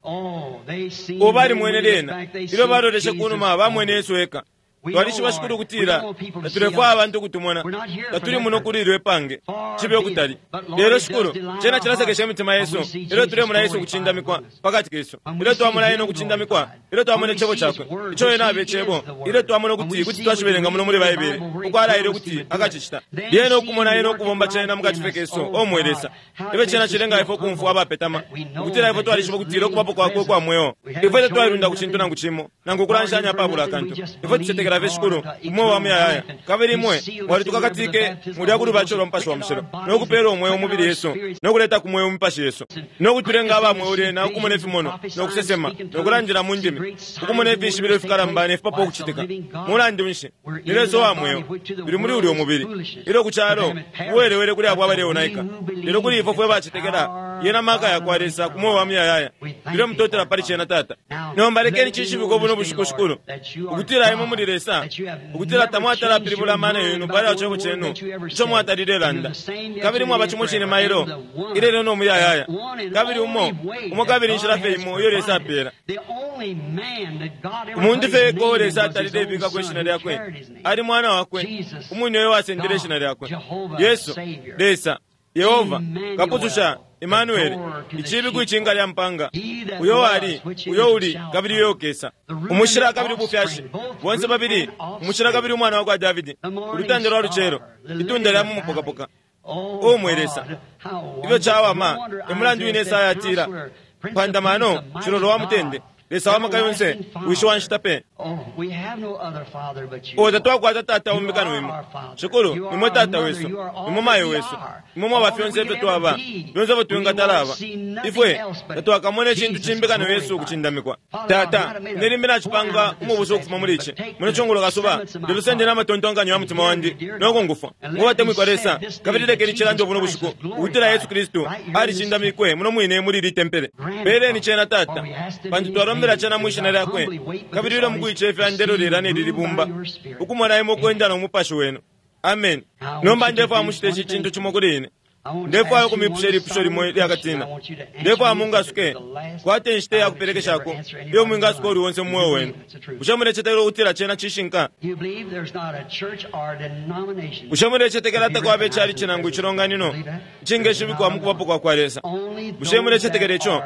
Ubo balimwene lyena. Ilyo baloleshe kunuma, bamwene Yesu eka. Twalishiba, Shikulu, ukutila tatulefwaya abantu ukutumona. Tatuli muno kuli ilyo ipange, cibe ukutali. Lelo, Shikulu, cena cilasekesha imitima yesu ilyo tulemona Yesu ukucindamikwa pakati kesu, ilyo twamona Ena ukucindamikwa, ilyo twamona icebo cakwe ico Ena abe icebo, ilyo twamona ukuti kuti twashibelenga muno muli Baibele uko alaile ukuti akacicita, lyena ukumona Ena ukubomba cena mukati fye kesu. O mwe Lesa, ifyo cena cilenga ifwe ukumfwa abapetama, ukutila ifwe twalishiba ukutila ukubapo kwakwe ukwa mweo. Ifwe tatwailunda ku cintu nangu cimo nangu ukulanshanya pabula akantu. Ifwe tucetekela Twalomba fye Shikulu umweo wa muyayaya, kabili imwe mwalitukakatike mulya kulubatisho lwa Mupashi wa Mushilo, no kupela umweo mubili yesu, no kuleta ku mweo mipashi yesu, no kutulenga aba mweo lyena ukumona ifimono, no kusesema, no kulandila mu ndimi, ukumona ifishibilo ifikalamba ne fipapo ukucitika. Mulandu nshi? Ni Lesa wa mweo, tuli muli ulyo mubili. Ilyo ku calo uwelewele kuli abo abaleonaika, lelo kuli ifwe fwe bacetekela yena maka yakwa Lesa ku mweo wa muyayaya. Tulemutotela pali cena, Tata. Nomba lekeni cishibikwe buno bushiku, Shikulu, ukutila imwe muli Lesa, ukutila tamwatalapilibula amano yenu pali cebo cenu ico mwatalile landa, kabili mwaba cimo cine mailo, ilelo no muyayaya, kabili umo umo kabili inshila fye imo iyo Lesa apela. Umuntu fye eko Lesa atalile ibikako ishina lyakwe ali mwana wakwe, umwine uyo wasendele ishina lyakwe, Yesu, Lesa, Yehova, Kapususha, Emmanuel, icibi kwicinga lya mpanga, uyo wali, uyo uli, kabili uyo ukesa, umushila kabili ubufyashi, bonse babili, umushila kabili umwana wakwa Davidi, ulutanda lwa lucelo, itunda lya mumupokapoka. O mwe Lesa, ifyo cawama! Emulandu wine Esaya atila, mpandamano, cilolo wa mutende, Lesa wa maka yonse, wishi wa nshita pe. O tatwakwata tata umbi kano imwe. Shikulu, nimwe tata wesu, nimwe mayo wesu, nimwe mwaba fyonse ifyo twaba, fyonse ifyo twingatalaba. Ifwe tatwakamona icintu cimbi kano Yesu ukucindamikwa. Tata, ine limbi nacipanga umubuso ukufuma muli ici. Muno cungulo kasuba, lelo sende n'amatontonkanyo ya mutima wandi, nokungufwa. Ngobatemwikwa Lesa, kabili lekeni cilande buno bushiku, ukutila Yesu Kristu alicindamikwe muno mwine muli ili tempele. Peleni cena, Tata, pantu twalombela cena mwishina lyakwe, kabili ilyo mukuicefya ndelolela nelili bumba, ukumona imwe ukwenda no mupashi wenu. Amen. Nomba ndefwaya mucite ici cintu cimo kuli ine. Ndefwaya ukumipusha ilipusho limo lyakatina. Ndefwaya mungasuke kwate inshita yakupelekeshako iyo mwingasuka uli onse mu mweo wenu. Bushe mulecetekela ukutila cena cishinka? Bushe mulecetekela takwaba icali cinangu icilonganino icingeshibikwa mu kubapo kwa kwa Lesa? Bushe mulecetekela ico?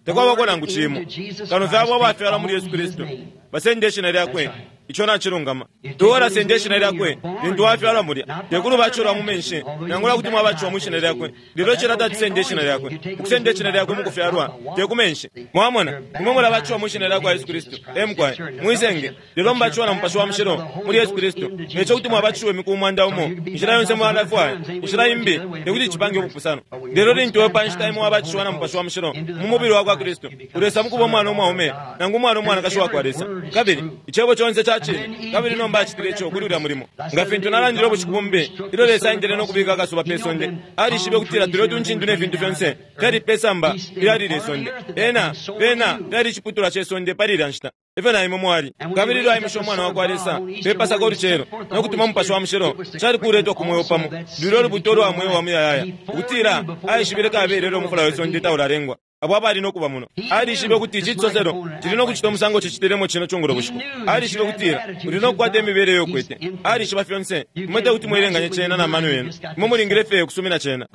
Takwabako nangu cimo kano fye abo abafyalwa muli Yesu Kristu basende ishina lyakwe. Ico nacilungama. Tuola sende ishina lyakwe lintu wafyalwa mulya, tekulu baculwa mu menshi, nangula kuti mwabaciwa mu ishina lyakwe, lelo cila tatisende ishina lyakwe. Ukusenda ishina lyakwe mukufyalwa te ku menshi. Mwamona, imwe mulabaciwa mu ishina lyakwa Yesu Kristu, emukwaye mwisenge, lelo mubaciwa na Mupashi wa Mushilo muli Yesu Kristu. Neco kuti mwabaciwa imiku umwanda umo, inshila yonse mwalafwaya, inshila imbi tekuti cipange ubupusano. Lelo lintu we pa nshita imwe wabaciwa na Mupashi wa Mushilo mu mubili wakwa Kristu, ulesa mukuba umwana umwaume nangu umwana umwanakashi wakwa Lesa, kabili icebo conse ca cine. Kabili nomba acitile ico kuli ulya mulimo. Nga fintu nalandile ubushiku bumbi, ilyo Lesa aendele no kubika akasuba pe sonde, alishibe ukutila tulyo tuncindu ne fintu fyonse fyali pe samba ilyalile isonde. Ena pena fyali iciputulwa ce sonde pali ilya nshita, ifyo na imwe mwali. Kabili ilyo aimishe umwana wakwa Lesa pe Pasaka ulucelo no kutuma Mupashi wa Mushilo, cali kuletwa ku mweo pamo lulyo ulubuto lwa mweo wa muyayaya, ukutila aishibile kabele ilyo umufula we sonde taulalengwa abo abali no kuba muno. Alishibe ukuti ici cisoselo cili no kucita umusango cicitilemo cino cungulo bushiku. Alishibe ukutila uli no kukwata imibele iyo ukwete. Alishiba fyonse. Imwe tekuti mwelenganye cena na mano yenu, imwe mulingile fye ukusumina cena.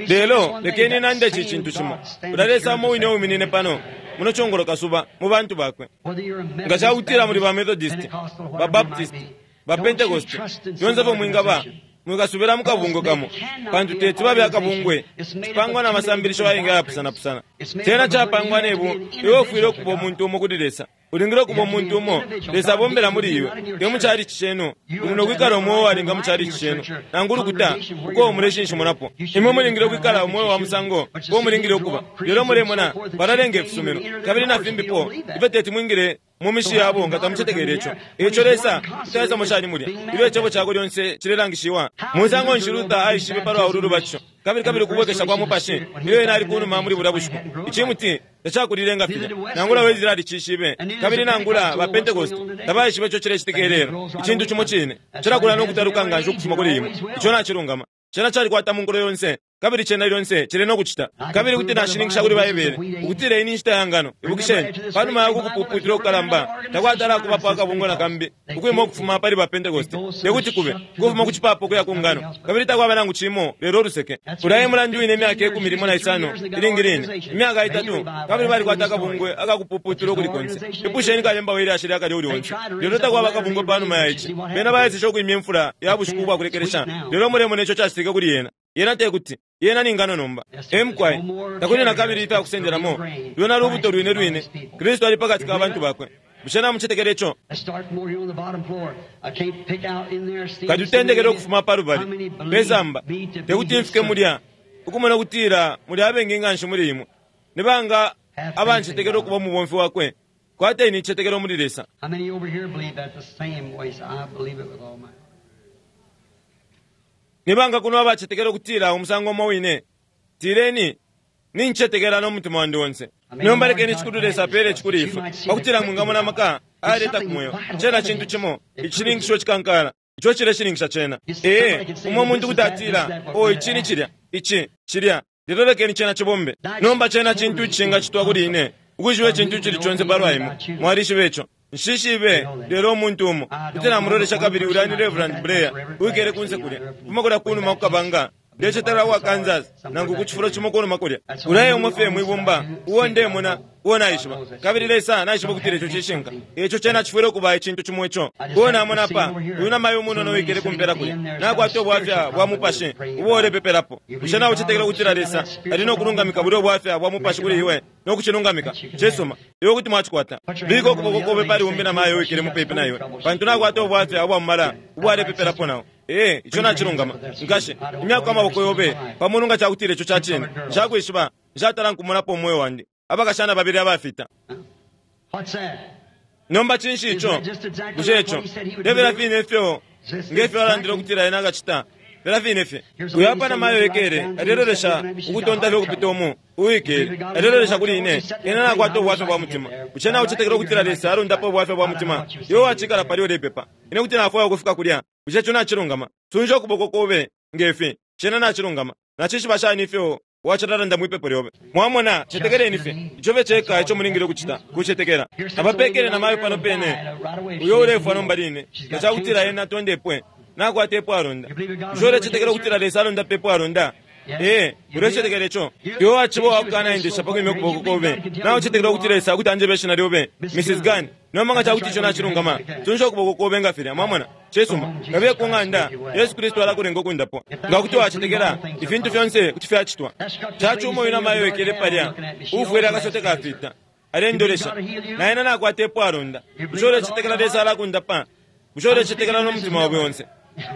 Lelo lekeni nande ici cintu cimo: ulya Lesa umo wine uwiminine pano muno cungulo kasuba mu bantu bakwe, nga cakutila muli ba Methodist, ba Baptist, ba Pentecost, fyonse fyo mwingaba, mwikasubila mukabungwe kamo, pantu teti babe akabungwe cipangwa na masambilisho ayengi ayapusanapusana. Cena capangwa nebu iwe ufwile ukuba umuntu umo kuli Lesa. Ulingile ukuba umuntu umo Lesa abombela muli iwe, te mu chalichi cenu. Uli no kwikala umweo walinga mu chalichi cenu nangu ulukuta uko muleshinshimunapo. Imwe mulingile ukwikala umweo wa musango uko mulingile ukuba. Lelo mulemona balalenga ifisumino kabili na fimbipo ifyo teti mwingile mu mishi yabo nga tamucetekele ico. Ico Lesa kutaisa mushani mulya ilyo icebo cakwe lyonse cilelangishiwa. Musango nshi Luther aishibe palwa ulu lubatisho kabili kabili ukubwekesha kwa mupashi ilyo ena ali kunuma muli bulya bushiku? Icimuti tacakulile nga filya. Nangula Wesley alicishibe, kabili nangula ba Pentecost tabaishibe ico cilecitika ilelo. Icintu cimo cine cilakula no kutaluka nganshi ukufuma kuli imwe. Ico nacilungama. Cena calikwata mu nkulo yonse, kabili cena lyonse cili no kucita. Kabili kuti nashininkisha kuli Baibele ukutila ini nshita ya ngano. Ibukisheni, panuma ya kukupuputila ukukalamba takwatala kubapo akabungwe na kambi ukwima ukufuma pali ba Pentecost, tekuti kube ukufuma ku cipapo ukuya ku ngano, kabili takwaba nangu cimo lelo uluseke. Ulya e mulandu wine imyaka ikumi limo na isano ilingi line imyaka itatu, kabili balikwata akabungwe akakupuputila ukuli konse. Ipusheni kalemba we lyashi lyakale uli onse. Lelo takwaba akabungwe panuma ya ici. Bena baeseshe ukwimya imfula ya bushiku ubwakulekelesha, lelo mulemona ico cacitike kuli yena. Yena tekuti yena ni ngano nomba. Emukwaye takuli na kabili ifya kusendelamo. Lwena lubuto lwine lwine. Kristu ali pakati ka bantu bakwe. Bushe namucetekela ico? Let's start more here on the bottom floor. I can't pick out in there. See Katutendekele ukufuma pa How lubali many believe pesamba me to be tekuti his mfike servant? mulya ukumona kutila muli abengi nga nshi muli imwe nibanga abancetekela ukuba umubomfi wakwe kwateni icetekelo muli Lesa. How many over here believe that the same way? I believe it with all my heart. Nibanga kuno abacetekela ukutila umusango umo wine tileni nincetekela n'omutima wandi wonse. Nomba lekeni cikulu Lesa apele cikulu ifwe pakutila mwingamona amaka ayaleta ku moyo cena cintu cimo icishininkisho cikankala ico cileshininkisha cena. Ee, umo muntu kuti atila o ici ni cilya ici cilya lelo lekeni cena cibombe. Nomba cena cintu icingacitwa kuli ine ukwishiba icintu icili conse palwa imwe mwalishiba ico. Nshishibe lelo umuntu umo kuti namulolesha kabili ulya ni Reverend Blair uwikele kunse kulya kuma kulya kunuma kukabanga ndecetela wa Kansas nangu ku cifulo cimo kunuma kulya ulaye umwe fye mwibumba uwo ndemona uwo naishiba kabili Lesa naishiba ukutila ico cishinka ico cena cifwile ukuba icintu cimo ico uwo namona pa uyu namayo umunono uwikele kumpela kulya nakwata ubwafya bwa mupashi ubo ulepepelapo. Bushe nawe ucetekela ukutila Lesa ali nokulungamika bulya ubwafya bwa mupashi kuli iwe nokucilungamika cisuma iwe kuti mwacikwata. Bika ukuboko kobe pali umbi namayo uwikele mupepi na iwe pantu nakwata ubwafya ubwa mumala ubwo alepepelapo nawo. Ee, ico nacilungama nkashe imyaka amaboko yobe pamulu nga cakutila ico cacine nshakwishiba nshatala nkumonapo umwoyo wandi abakashana babili abafita. What's that? Nomba cinshi ico? Bushe ico tebela fine ifyo ngefyo alandile ukutila ena akacita fela fine fye. Uyu apa namayo wikele alelolesha ukutonta fye ukupita umu uwikele alelolesha kuli ine ena nakwata ubwafya bwa mutima. Bushe nawe ucetekela ukutila Lesa alundapo ubwafya bwa mutima? Iwe wacikala pali ulepepa ine kuti nafwaya ukufika kulya. Bushe ico nacilungama? Sunja ukuboko kobe ngefi cena nacilungama. Nacishiba shani ifyo wacilalanda mwipepo lyobe? Mwamona cetekeleni fye ico fye ceka ico mulingile ukucita kucetekela. Abapekele namayo pano pene uyo ulefwa nomba line nga cakutila ena tondepwe nakwata epo alonda. Bushe ulecetekela ukutila Lesa alonda pepo alonda? Ee, ulecetekela ico? Iwe waciba wakukanaendesha pakwimya ukuboko kobe nawe ucetekela ukutila Lesa akuti anjebe ishina lyobe Missus Gunn. Nomba nga cakuti ico nacilungama sunja ukuboko kobe nga filya. Mwamona cisuma kabiye ku ng'anda Yesu Kristu alakulenga ukundapwa nga kuti wacetekela ifintu fyonse kuti fyacitwa. Cacuma uyu namayo wikele palya uufwele akasote kafita alendolesha naena nakwata epo alonda. Bushe ulecetekela Lesa alakundapa? Bushe ulecetekela n'omutima wawe onse?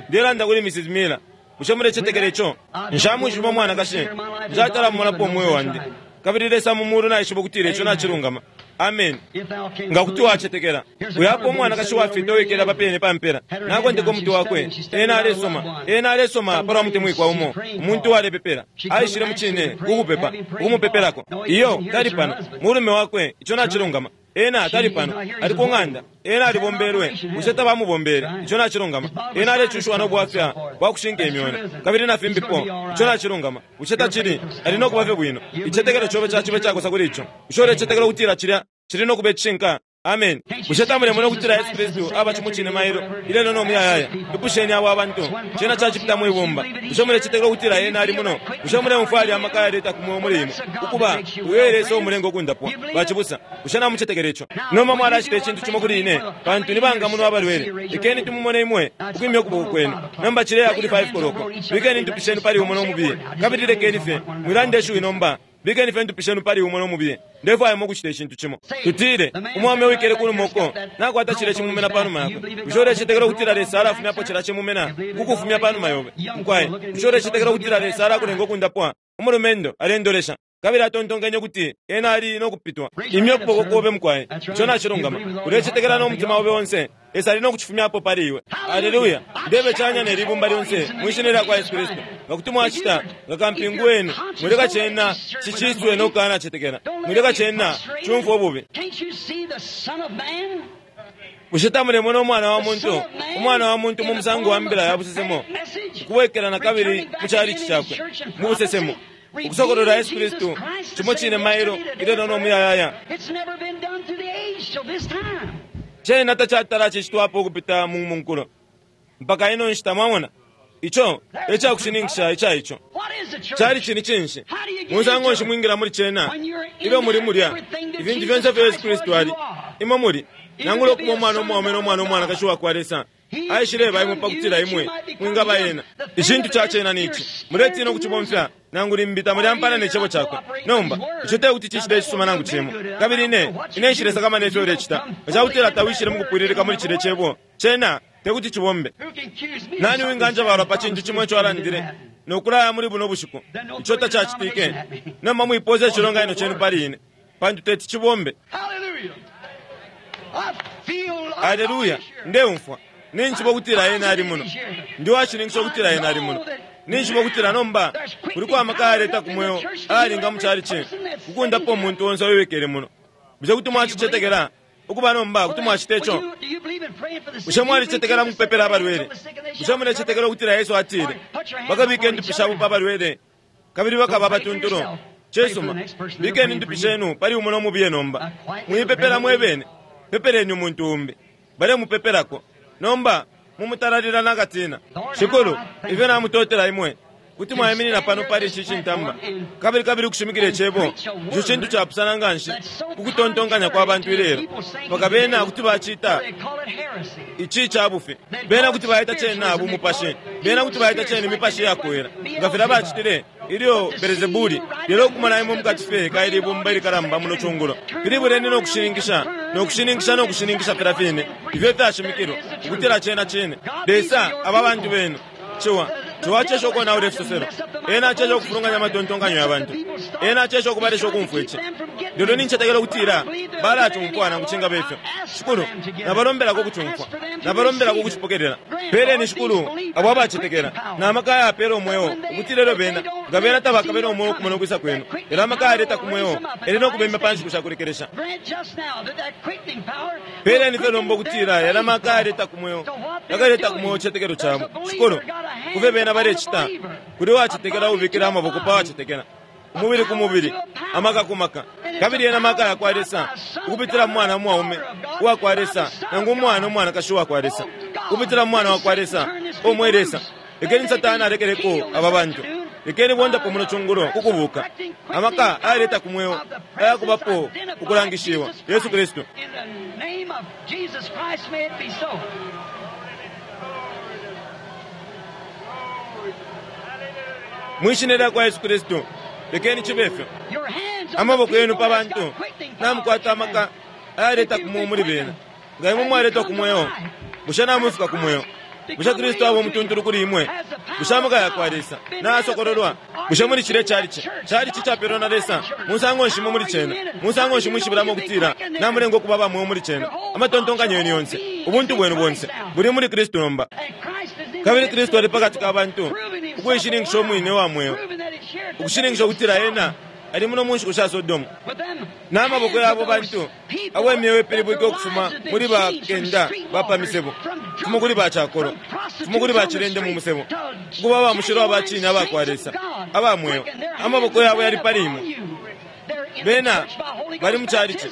Ndelanda kuli Missus Miller. Bushe mulecetekela ico? Nshamwishiba umwanakashi nshatala mumonapo umwoyo wandi kabili Lesa mu mulu naishiba ukutila ico nacilungama. Amen. If thou canst Nga kuti believe. wacetekela. Uyapo umwanakashi wafita uwikele apapene pampela nakwendeka umuti wakwe ena alesoma ena alesoma palwa mutemwikwa umo umuntu uwalepepela aishile mucine kukupepa ukumupepelako. Iyo tali pano mulume wakwe ico nacilungama. Ena tali pano ali ku ng'anda ena alibombelwe bushe tabamubombele ico nacilungama. Ena alecushiwa n'obwafya bwa kushinka imyona kabili na fimbipo ico nacilungama. Bushe tacili ali nokuba fye bwino? Icetekelo cobe cacibe cakosa kuli ico. Bushe ulecetekela ukutila cilya cili nokuba icishinka? Amen. Bushe tamulemona ukutila Yesu Kristu aba cimucine mailo ilelo nomuyayaya? Ipusheni abo abantu cena cacipita mwibumba. Bushe mulecetekela ukutila ena ali muno? Bushe mulemumfwa ali amaka ayaleta ku moyo muli imwe ukuba uyo Lesa umulenga ukundapwa? Bacibusa, bushe namucetekela ico? Nomba mwalacita icintu cimo kuli ine pantu nibanga muno abalwele. Lekeni tumumone imwe ukwimya ukuboko kwenu. Nomba cileya kuli five koloko. Bikeni intupi shenu pali umo n'omubiye kabili lekeni fye mwilande ishiwi nomba. Bikeni fye intupi shenu pali umo n'omubiye. Ndefwaya ukucita icintu cimo. Tutile umwaume wikele kunuma uko nakwata cile cimumena panuma yakwe. Bushe ulecetekela ukutila Lesa alafumyapo cila cimumena kukufumya panuma yobe? Mukwaye, bushe ulecetekela ukutila Lesa alakulenga ukundapwa? Umulumendo alendolesha kabili atontonkenye kuti ena ali nokupitwa. Imya ukuboko kobe mukwaye ico nacilungama. Ulecetekela n'omutima obe onse Lesa ali nokucifumyapo pali iwe. Aleluya. Ndebe canya nelibumba lyonse mwishina lya kwa Yesu Kristu nga kuti mwacita nga kampingu wenu mwileka cena ciciswe nokukanacetekela mwileka cena cumfwa ububi. Can't you see the Son of Man? Bushe tamulemona umwana wa muntu umwana wa muntu mu musango wa mbila ya busesemo ukubwekela na kabili mu calici cakwe mu busesemo ukusokolola Yesu Kristu cimo cine mailo ilelo nomuyayaya. It's never been done through the age till this time. Cena tacatala cicitwapo ukupita mu munkulo mpaka ino nshita. Mwamona ico ecakushininkisha ica ico What is the church? cali cini cinshi musango nshi mwingila muli cena ilyo muli mulya ifintu fyonse fyo Yesu Kristu ali imwe muli nangula ukuba umwana umwaume n'omwana umwanakashi wakwa Lesa Aishileba imwe pakutila imwe mwingaba ena. Icintu ca cena ni ici, muletina ukucibomfya nangu limbi tamulyampana ne cebo cakwe. Nomba ico tekuti cicite icisuma nangu cimo. Kabili ine ine nshilesakamana ifyo ulecita, nga cakutila tawishile mukupwililika muli cilya cebo, cena tekuti cibombe. Nani winganjabalwa pa cintu cimo ico alandile nokulaya muli buno bushiku ico tacacitike? Nomba mwipoza icilonganino cenu pali ine, pantu teti cibombe. Aleluya! Ndeumfwa ninjiba ukutila ena ali muno. Ndi washininkisha ukutila ena ali muno. Ninjiba ukutila nomba kuliko amaka ayaleta ku mweo ayalinga mu chalichi kukundapo umuntu onse uwikele muno. Bushe kuti mwacicetekela ukuba nomba kuti mwacita ico? Bushe mwalicetekela mukupepela abalwele? Bushe mulecetekela ukutila Yesu atile bakabika indupi shabo pa balwele kabili bakaba abatuntulu? Cisuma, bikeni indupi shenu pali umo nomubiye nomba. Mwipepela mwebene, pepeleni umuntu umbi balemupepelako. Nomba mumutalalila nakatina. Shikulu, ifyo namutotela imwe kuti mwaiminina pano pali ici cintamba kabili kabili ukushimikila icebo. Ico cintu capusana nganshi kukutontonkanya kwa bantu ilelo, mpaka bena kuti bacita ici cabufi, bena kuti baita cena bumupashi, bena kuti baita cena imipashi yakwela nga filya bacitile ilyo Belzebuli. Lelo ukumona imwe mukati fye kaili ibumba ilikalamba muno cungulo, pilibuleni nokushininkisha nokushininkisha nokushininkisha filya fine ifyo fyashimikilwa ukutila cena cine. Lesa aba bantu benu ciwa ciwa acesha ukonaula ifisoselo, ena acesha ukufulunganya amatontonkanyo ya bantu, ena acesha ukubalesha ukumfwa ici. Lelo nincetekela ukutila balacumfwa nangu cingaba ifyo. Shikulu, nabalombelako ukucumfwa, nabalombelako ukucipokelela. Peleni Shikulu abo abacetekela na maka ayapela umweo ukutila elyo bena nga bena tabakabela umweo ukumona ukwisa kwenu, lelo amaka ayaleta ku mweo ele nokubemya pa nshiku shakulekelesha. Peleni fye nomba ukutila yala maka ayaleta ku mweo yakaleta ku mweo icicetekelo cabo. Shikulu, kufe bena balecita kuli wacetekela ubikila amaboko pa wacetekela, umubili ku mubili, amaka ku maka. Kabili ena maka yakwa Lesa ukupitila mu mwana mwaume uwakwa Lesa nangu umwana umwanakashi uwakwa Lesa, ukupitila mu mwana wakwa Lesa omwe Lesa. Lekeni Satana alekeleko aba bantu, lekeni bondapo muno cungulo kukubuka amaka ayaleta ku mweo ayakubapo ukulangishiwa Yesu Kristu. Mwishina lyakwa Yesu Kristu, lekeni cibe ifyo. Amaboko yenu pa bantu namukwata amaka ayaleta ku mweo muli bena. Nga imwe mwaletwa ku mweo, bushe namwifika ku mweo? Bushe Kristu aba umutuntulu kuli imwe? Bushe amaka yakwa Lesa nayasokololwa? Bushe muli cilya chalichi chalichi capelwa na Lesa? Musango nshi mwe muli cena? Musango nshi mwishibulamo ukutila namulenga ukuba ba mweo muli cena? Amatontonkanyo yenu yonse, ubuntu bwenu bonse buli muli Kristu nomba. Kabili Kristu ali pakati ka bantu ukuishininkisha umwine wa mweo, ukushininkisha ukutila ena ali muno mu nshiku sha Sodomu. N'amaboko yabo bantu abo imyeo ipilibwike ukufuma muli bakenda ba misebo, kufuma kuli bacakolo, kufuma kuli bacilende mu musebo, ukuba ba mushilo abacine abakwa Lesa aba mweo. Amaboko yabo yali pali imwe. Bena bali mu chalichi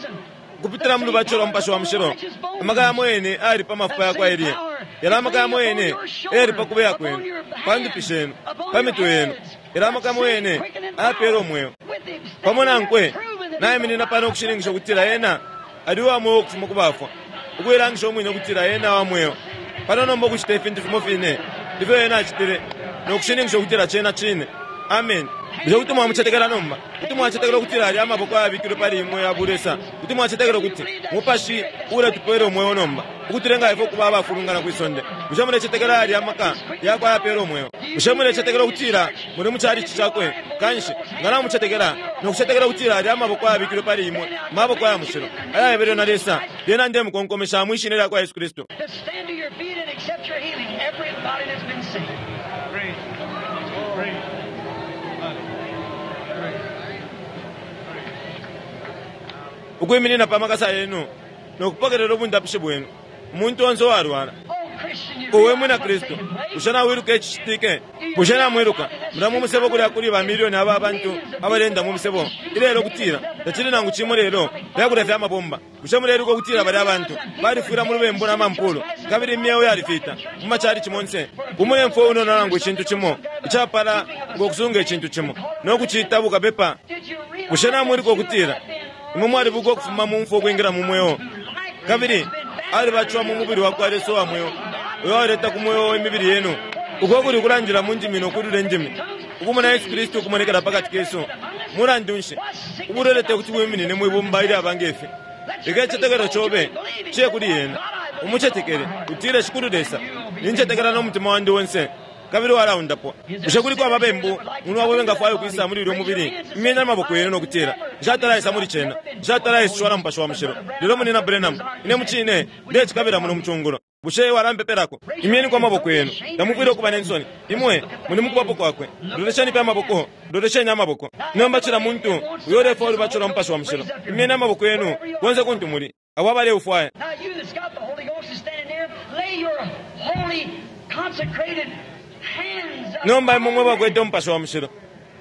kupitila mu lubatisho lwa Mupashi wa Mushilo. Amaka yamo yene ayali pa mafupa yakwa Eliya, yala amaka yamo yene eyali pa kubeya kwenu, pa ndupi shenu, pa mitwe yenu, yala amaka yamo yene ayapela umweo. Pamo nankwe naiminina pano ukushininkisha ukutila ena ali uwa mweo ukufuma ku bafwa, ukuilangisha umwine ukutila ena wa mweo. Pano nomba ukucita ifintu fimo fine ifyo ena acitile nokushininkisha ukutila cena cine. Amen. Bushe kuti mwamucetekela nomba? Kuti mwacetekela ukutila ali amaboko ayabikilwe pali imwe ya bulesa? Kuti mwacetekela ukuti Mupashi uletupela umweo nomba ukutulenga ifwe ukuba abafulungana kwi sonde? Bushe mulecetekela ali amaka yakwe ayapela umweo? Bushe mulecetekela ukutila muli mu chalichi cakwe? Kanshi nga namucetekela nokucetekela ukutila ali amaboko ayabikilwe pali imwe, maboko aya mushilo ayayebelwe na Lesa, lyena ndemukonkomesha mwishina lyakwa Yesu Kristu. Ukwiminina pa makasa yenu nokupokelela ubundapishi bwenu, umuntu onse uwalwala. Uwe mwina Kristu, bushe nawiluka icicitike? Bushe namwiluka mula mu musebo kulya kuli bamilioni aba abantu abalenda mu musebo ilelo kutila tacili nangu cimo lelo lyakulya fya mabomba? Bushe muleluka ukutila bali abantu balifwila mu lubembu na mampulo kabili imyeo yalifita mu machalichi monse? Umulemfo unono nangu icintu cimo icapala ngokusunga icintu cimo nokucita bukapepa. Bushe namwiluka ukutila imwe mwalibuka ukufuma mu mfwa ukwingira mu mweo, kabili alibacwa mu mubili wakwa Lesa wa mweo Uyo waleta ku mweo imibili yenu, uko kuli kulandila mu ndimi no kulula indimi, ukumona Yesu Kristu ukumonekela pakati kesu. Mulandu nshi ubulwele tekuti bwiminine mwibumba ilyaba ngefi? Leka icicetekelo cobe ciye kuli Ena. Umucetekele, utile, Shikulu Lesa, nincetekela no mutima wandi onse, kabili walaundapwa. Bushe kuliko ababembu muno abo bengafwaya ukwisa muli ulyo mubili? Imyeni amaboko yenu no kutila, Nshatala muli cena, nshatala iswa na Mupashi wa Mushilo. Lelo Munina Branham, ine mucine ndecikabila muno mucungulo. Bushe walampepelako? Imyeni kwa amaboko yenu. Tamufwile ukuba nensoni. Imwe muli mukubapo kwakwe. Lolesheni pe amaboko, lolesheni amaboko. Nomba cila muntu uyo ulefwaya ulubatisho lwa Mupashi wa Mushilo, imyeni amaboko yenu konse kuntu muli, abo abaleufwaya. Now you that's got the Holy Ghost is standing there, lay your holy consecrated hands Nomba imwe mwe bakwete Umupashi wa Mushilo,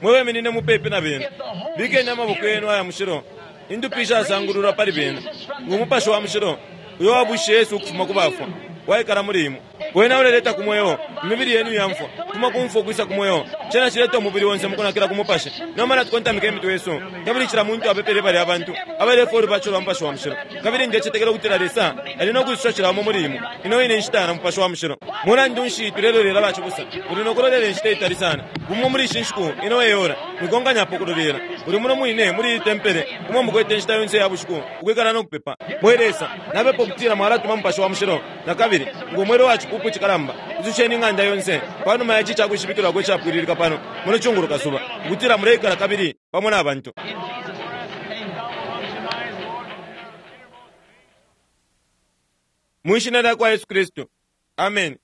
mwe beminine mupepi na bena, bikeni amaboko yenu aya mushilo, indupi ishasangululwa pali bena. Ngo Mupashi wa Mushilo uyo wabushe Yesu ukufuma ku bafwa waikala muli imwe, wena uleleta ku mweo imibili yenu yamfwa, kuma kumfwa ukwisa ku mweo. Cena cileta umubili onse mukunakila ku Mupashi. Nomba natukontamika imitwe yesu, kabili cila muntu apepele bali abantu abalefwa ulubatisho lwa Mupashi wa Mushilo. Kabili ndecetekela ukutila Lesa ali no kwisusha cila umo muli imwe ino ine nshita na Mupashi wa Mushilo. Mulandu nshi tulelolela, bacibusa? Uli no kulolela inshita itali sana. Bumo muli ishi nshiku ino eyora mwikonkanyapo kulolela. Uli muno mwine muli iyi tempele umo mukwete inshita yonse ya bushiku ukwikala no kupepa. Mwe Lesa, napepa ukutila mwalatuma Mupashi wa Mushilo nakabili ngo mwelo wa cipupu cikalamba. Isusheni ing'anda yonse panuma ya ici cakwishibikilwako icapwililika pano muno cungulo kasuba, ukutila muleikala kabili pamo na bantu. Mwishina lya kwa Yesu Kristu, amen.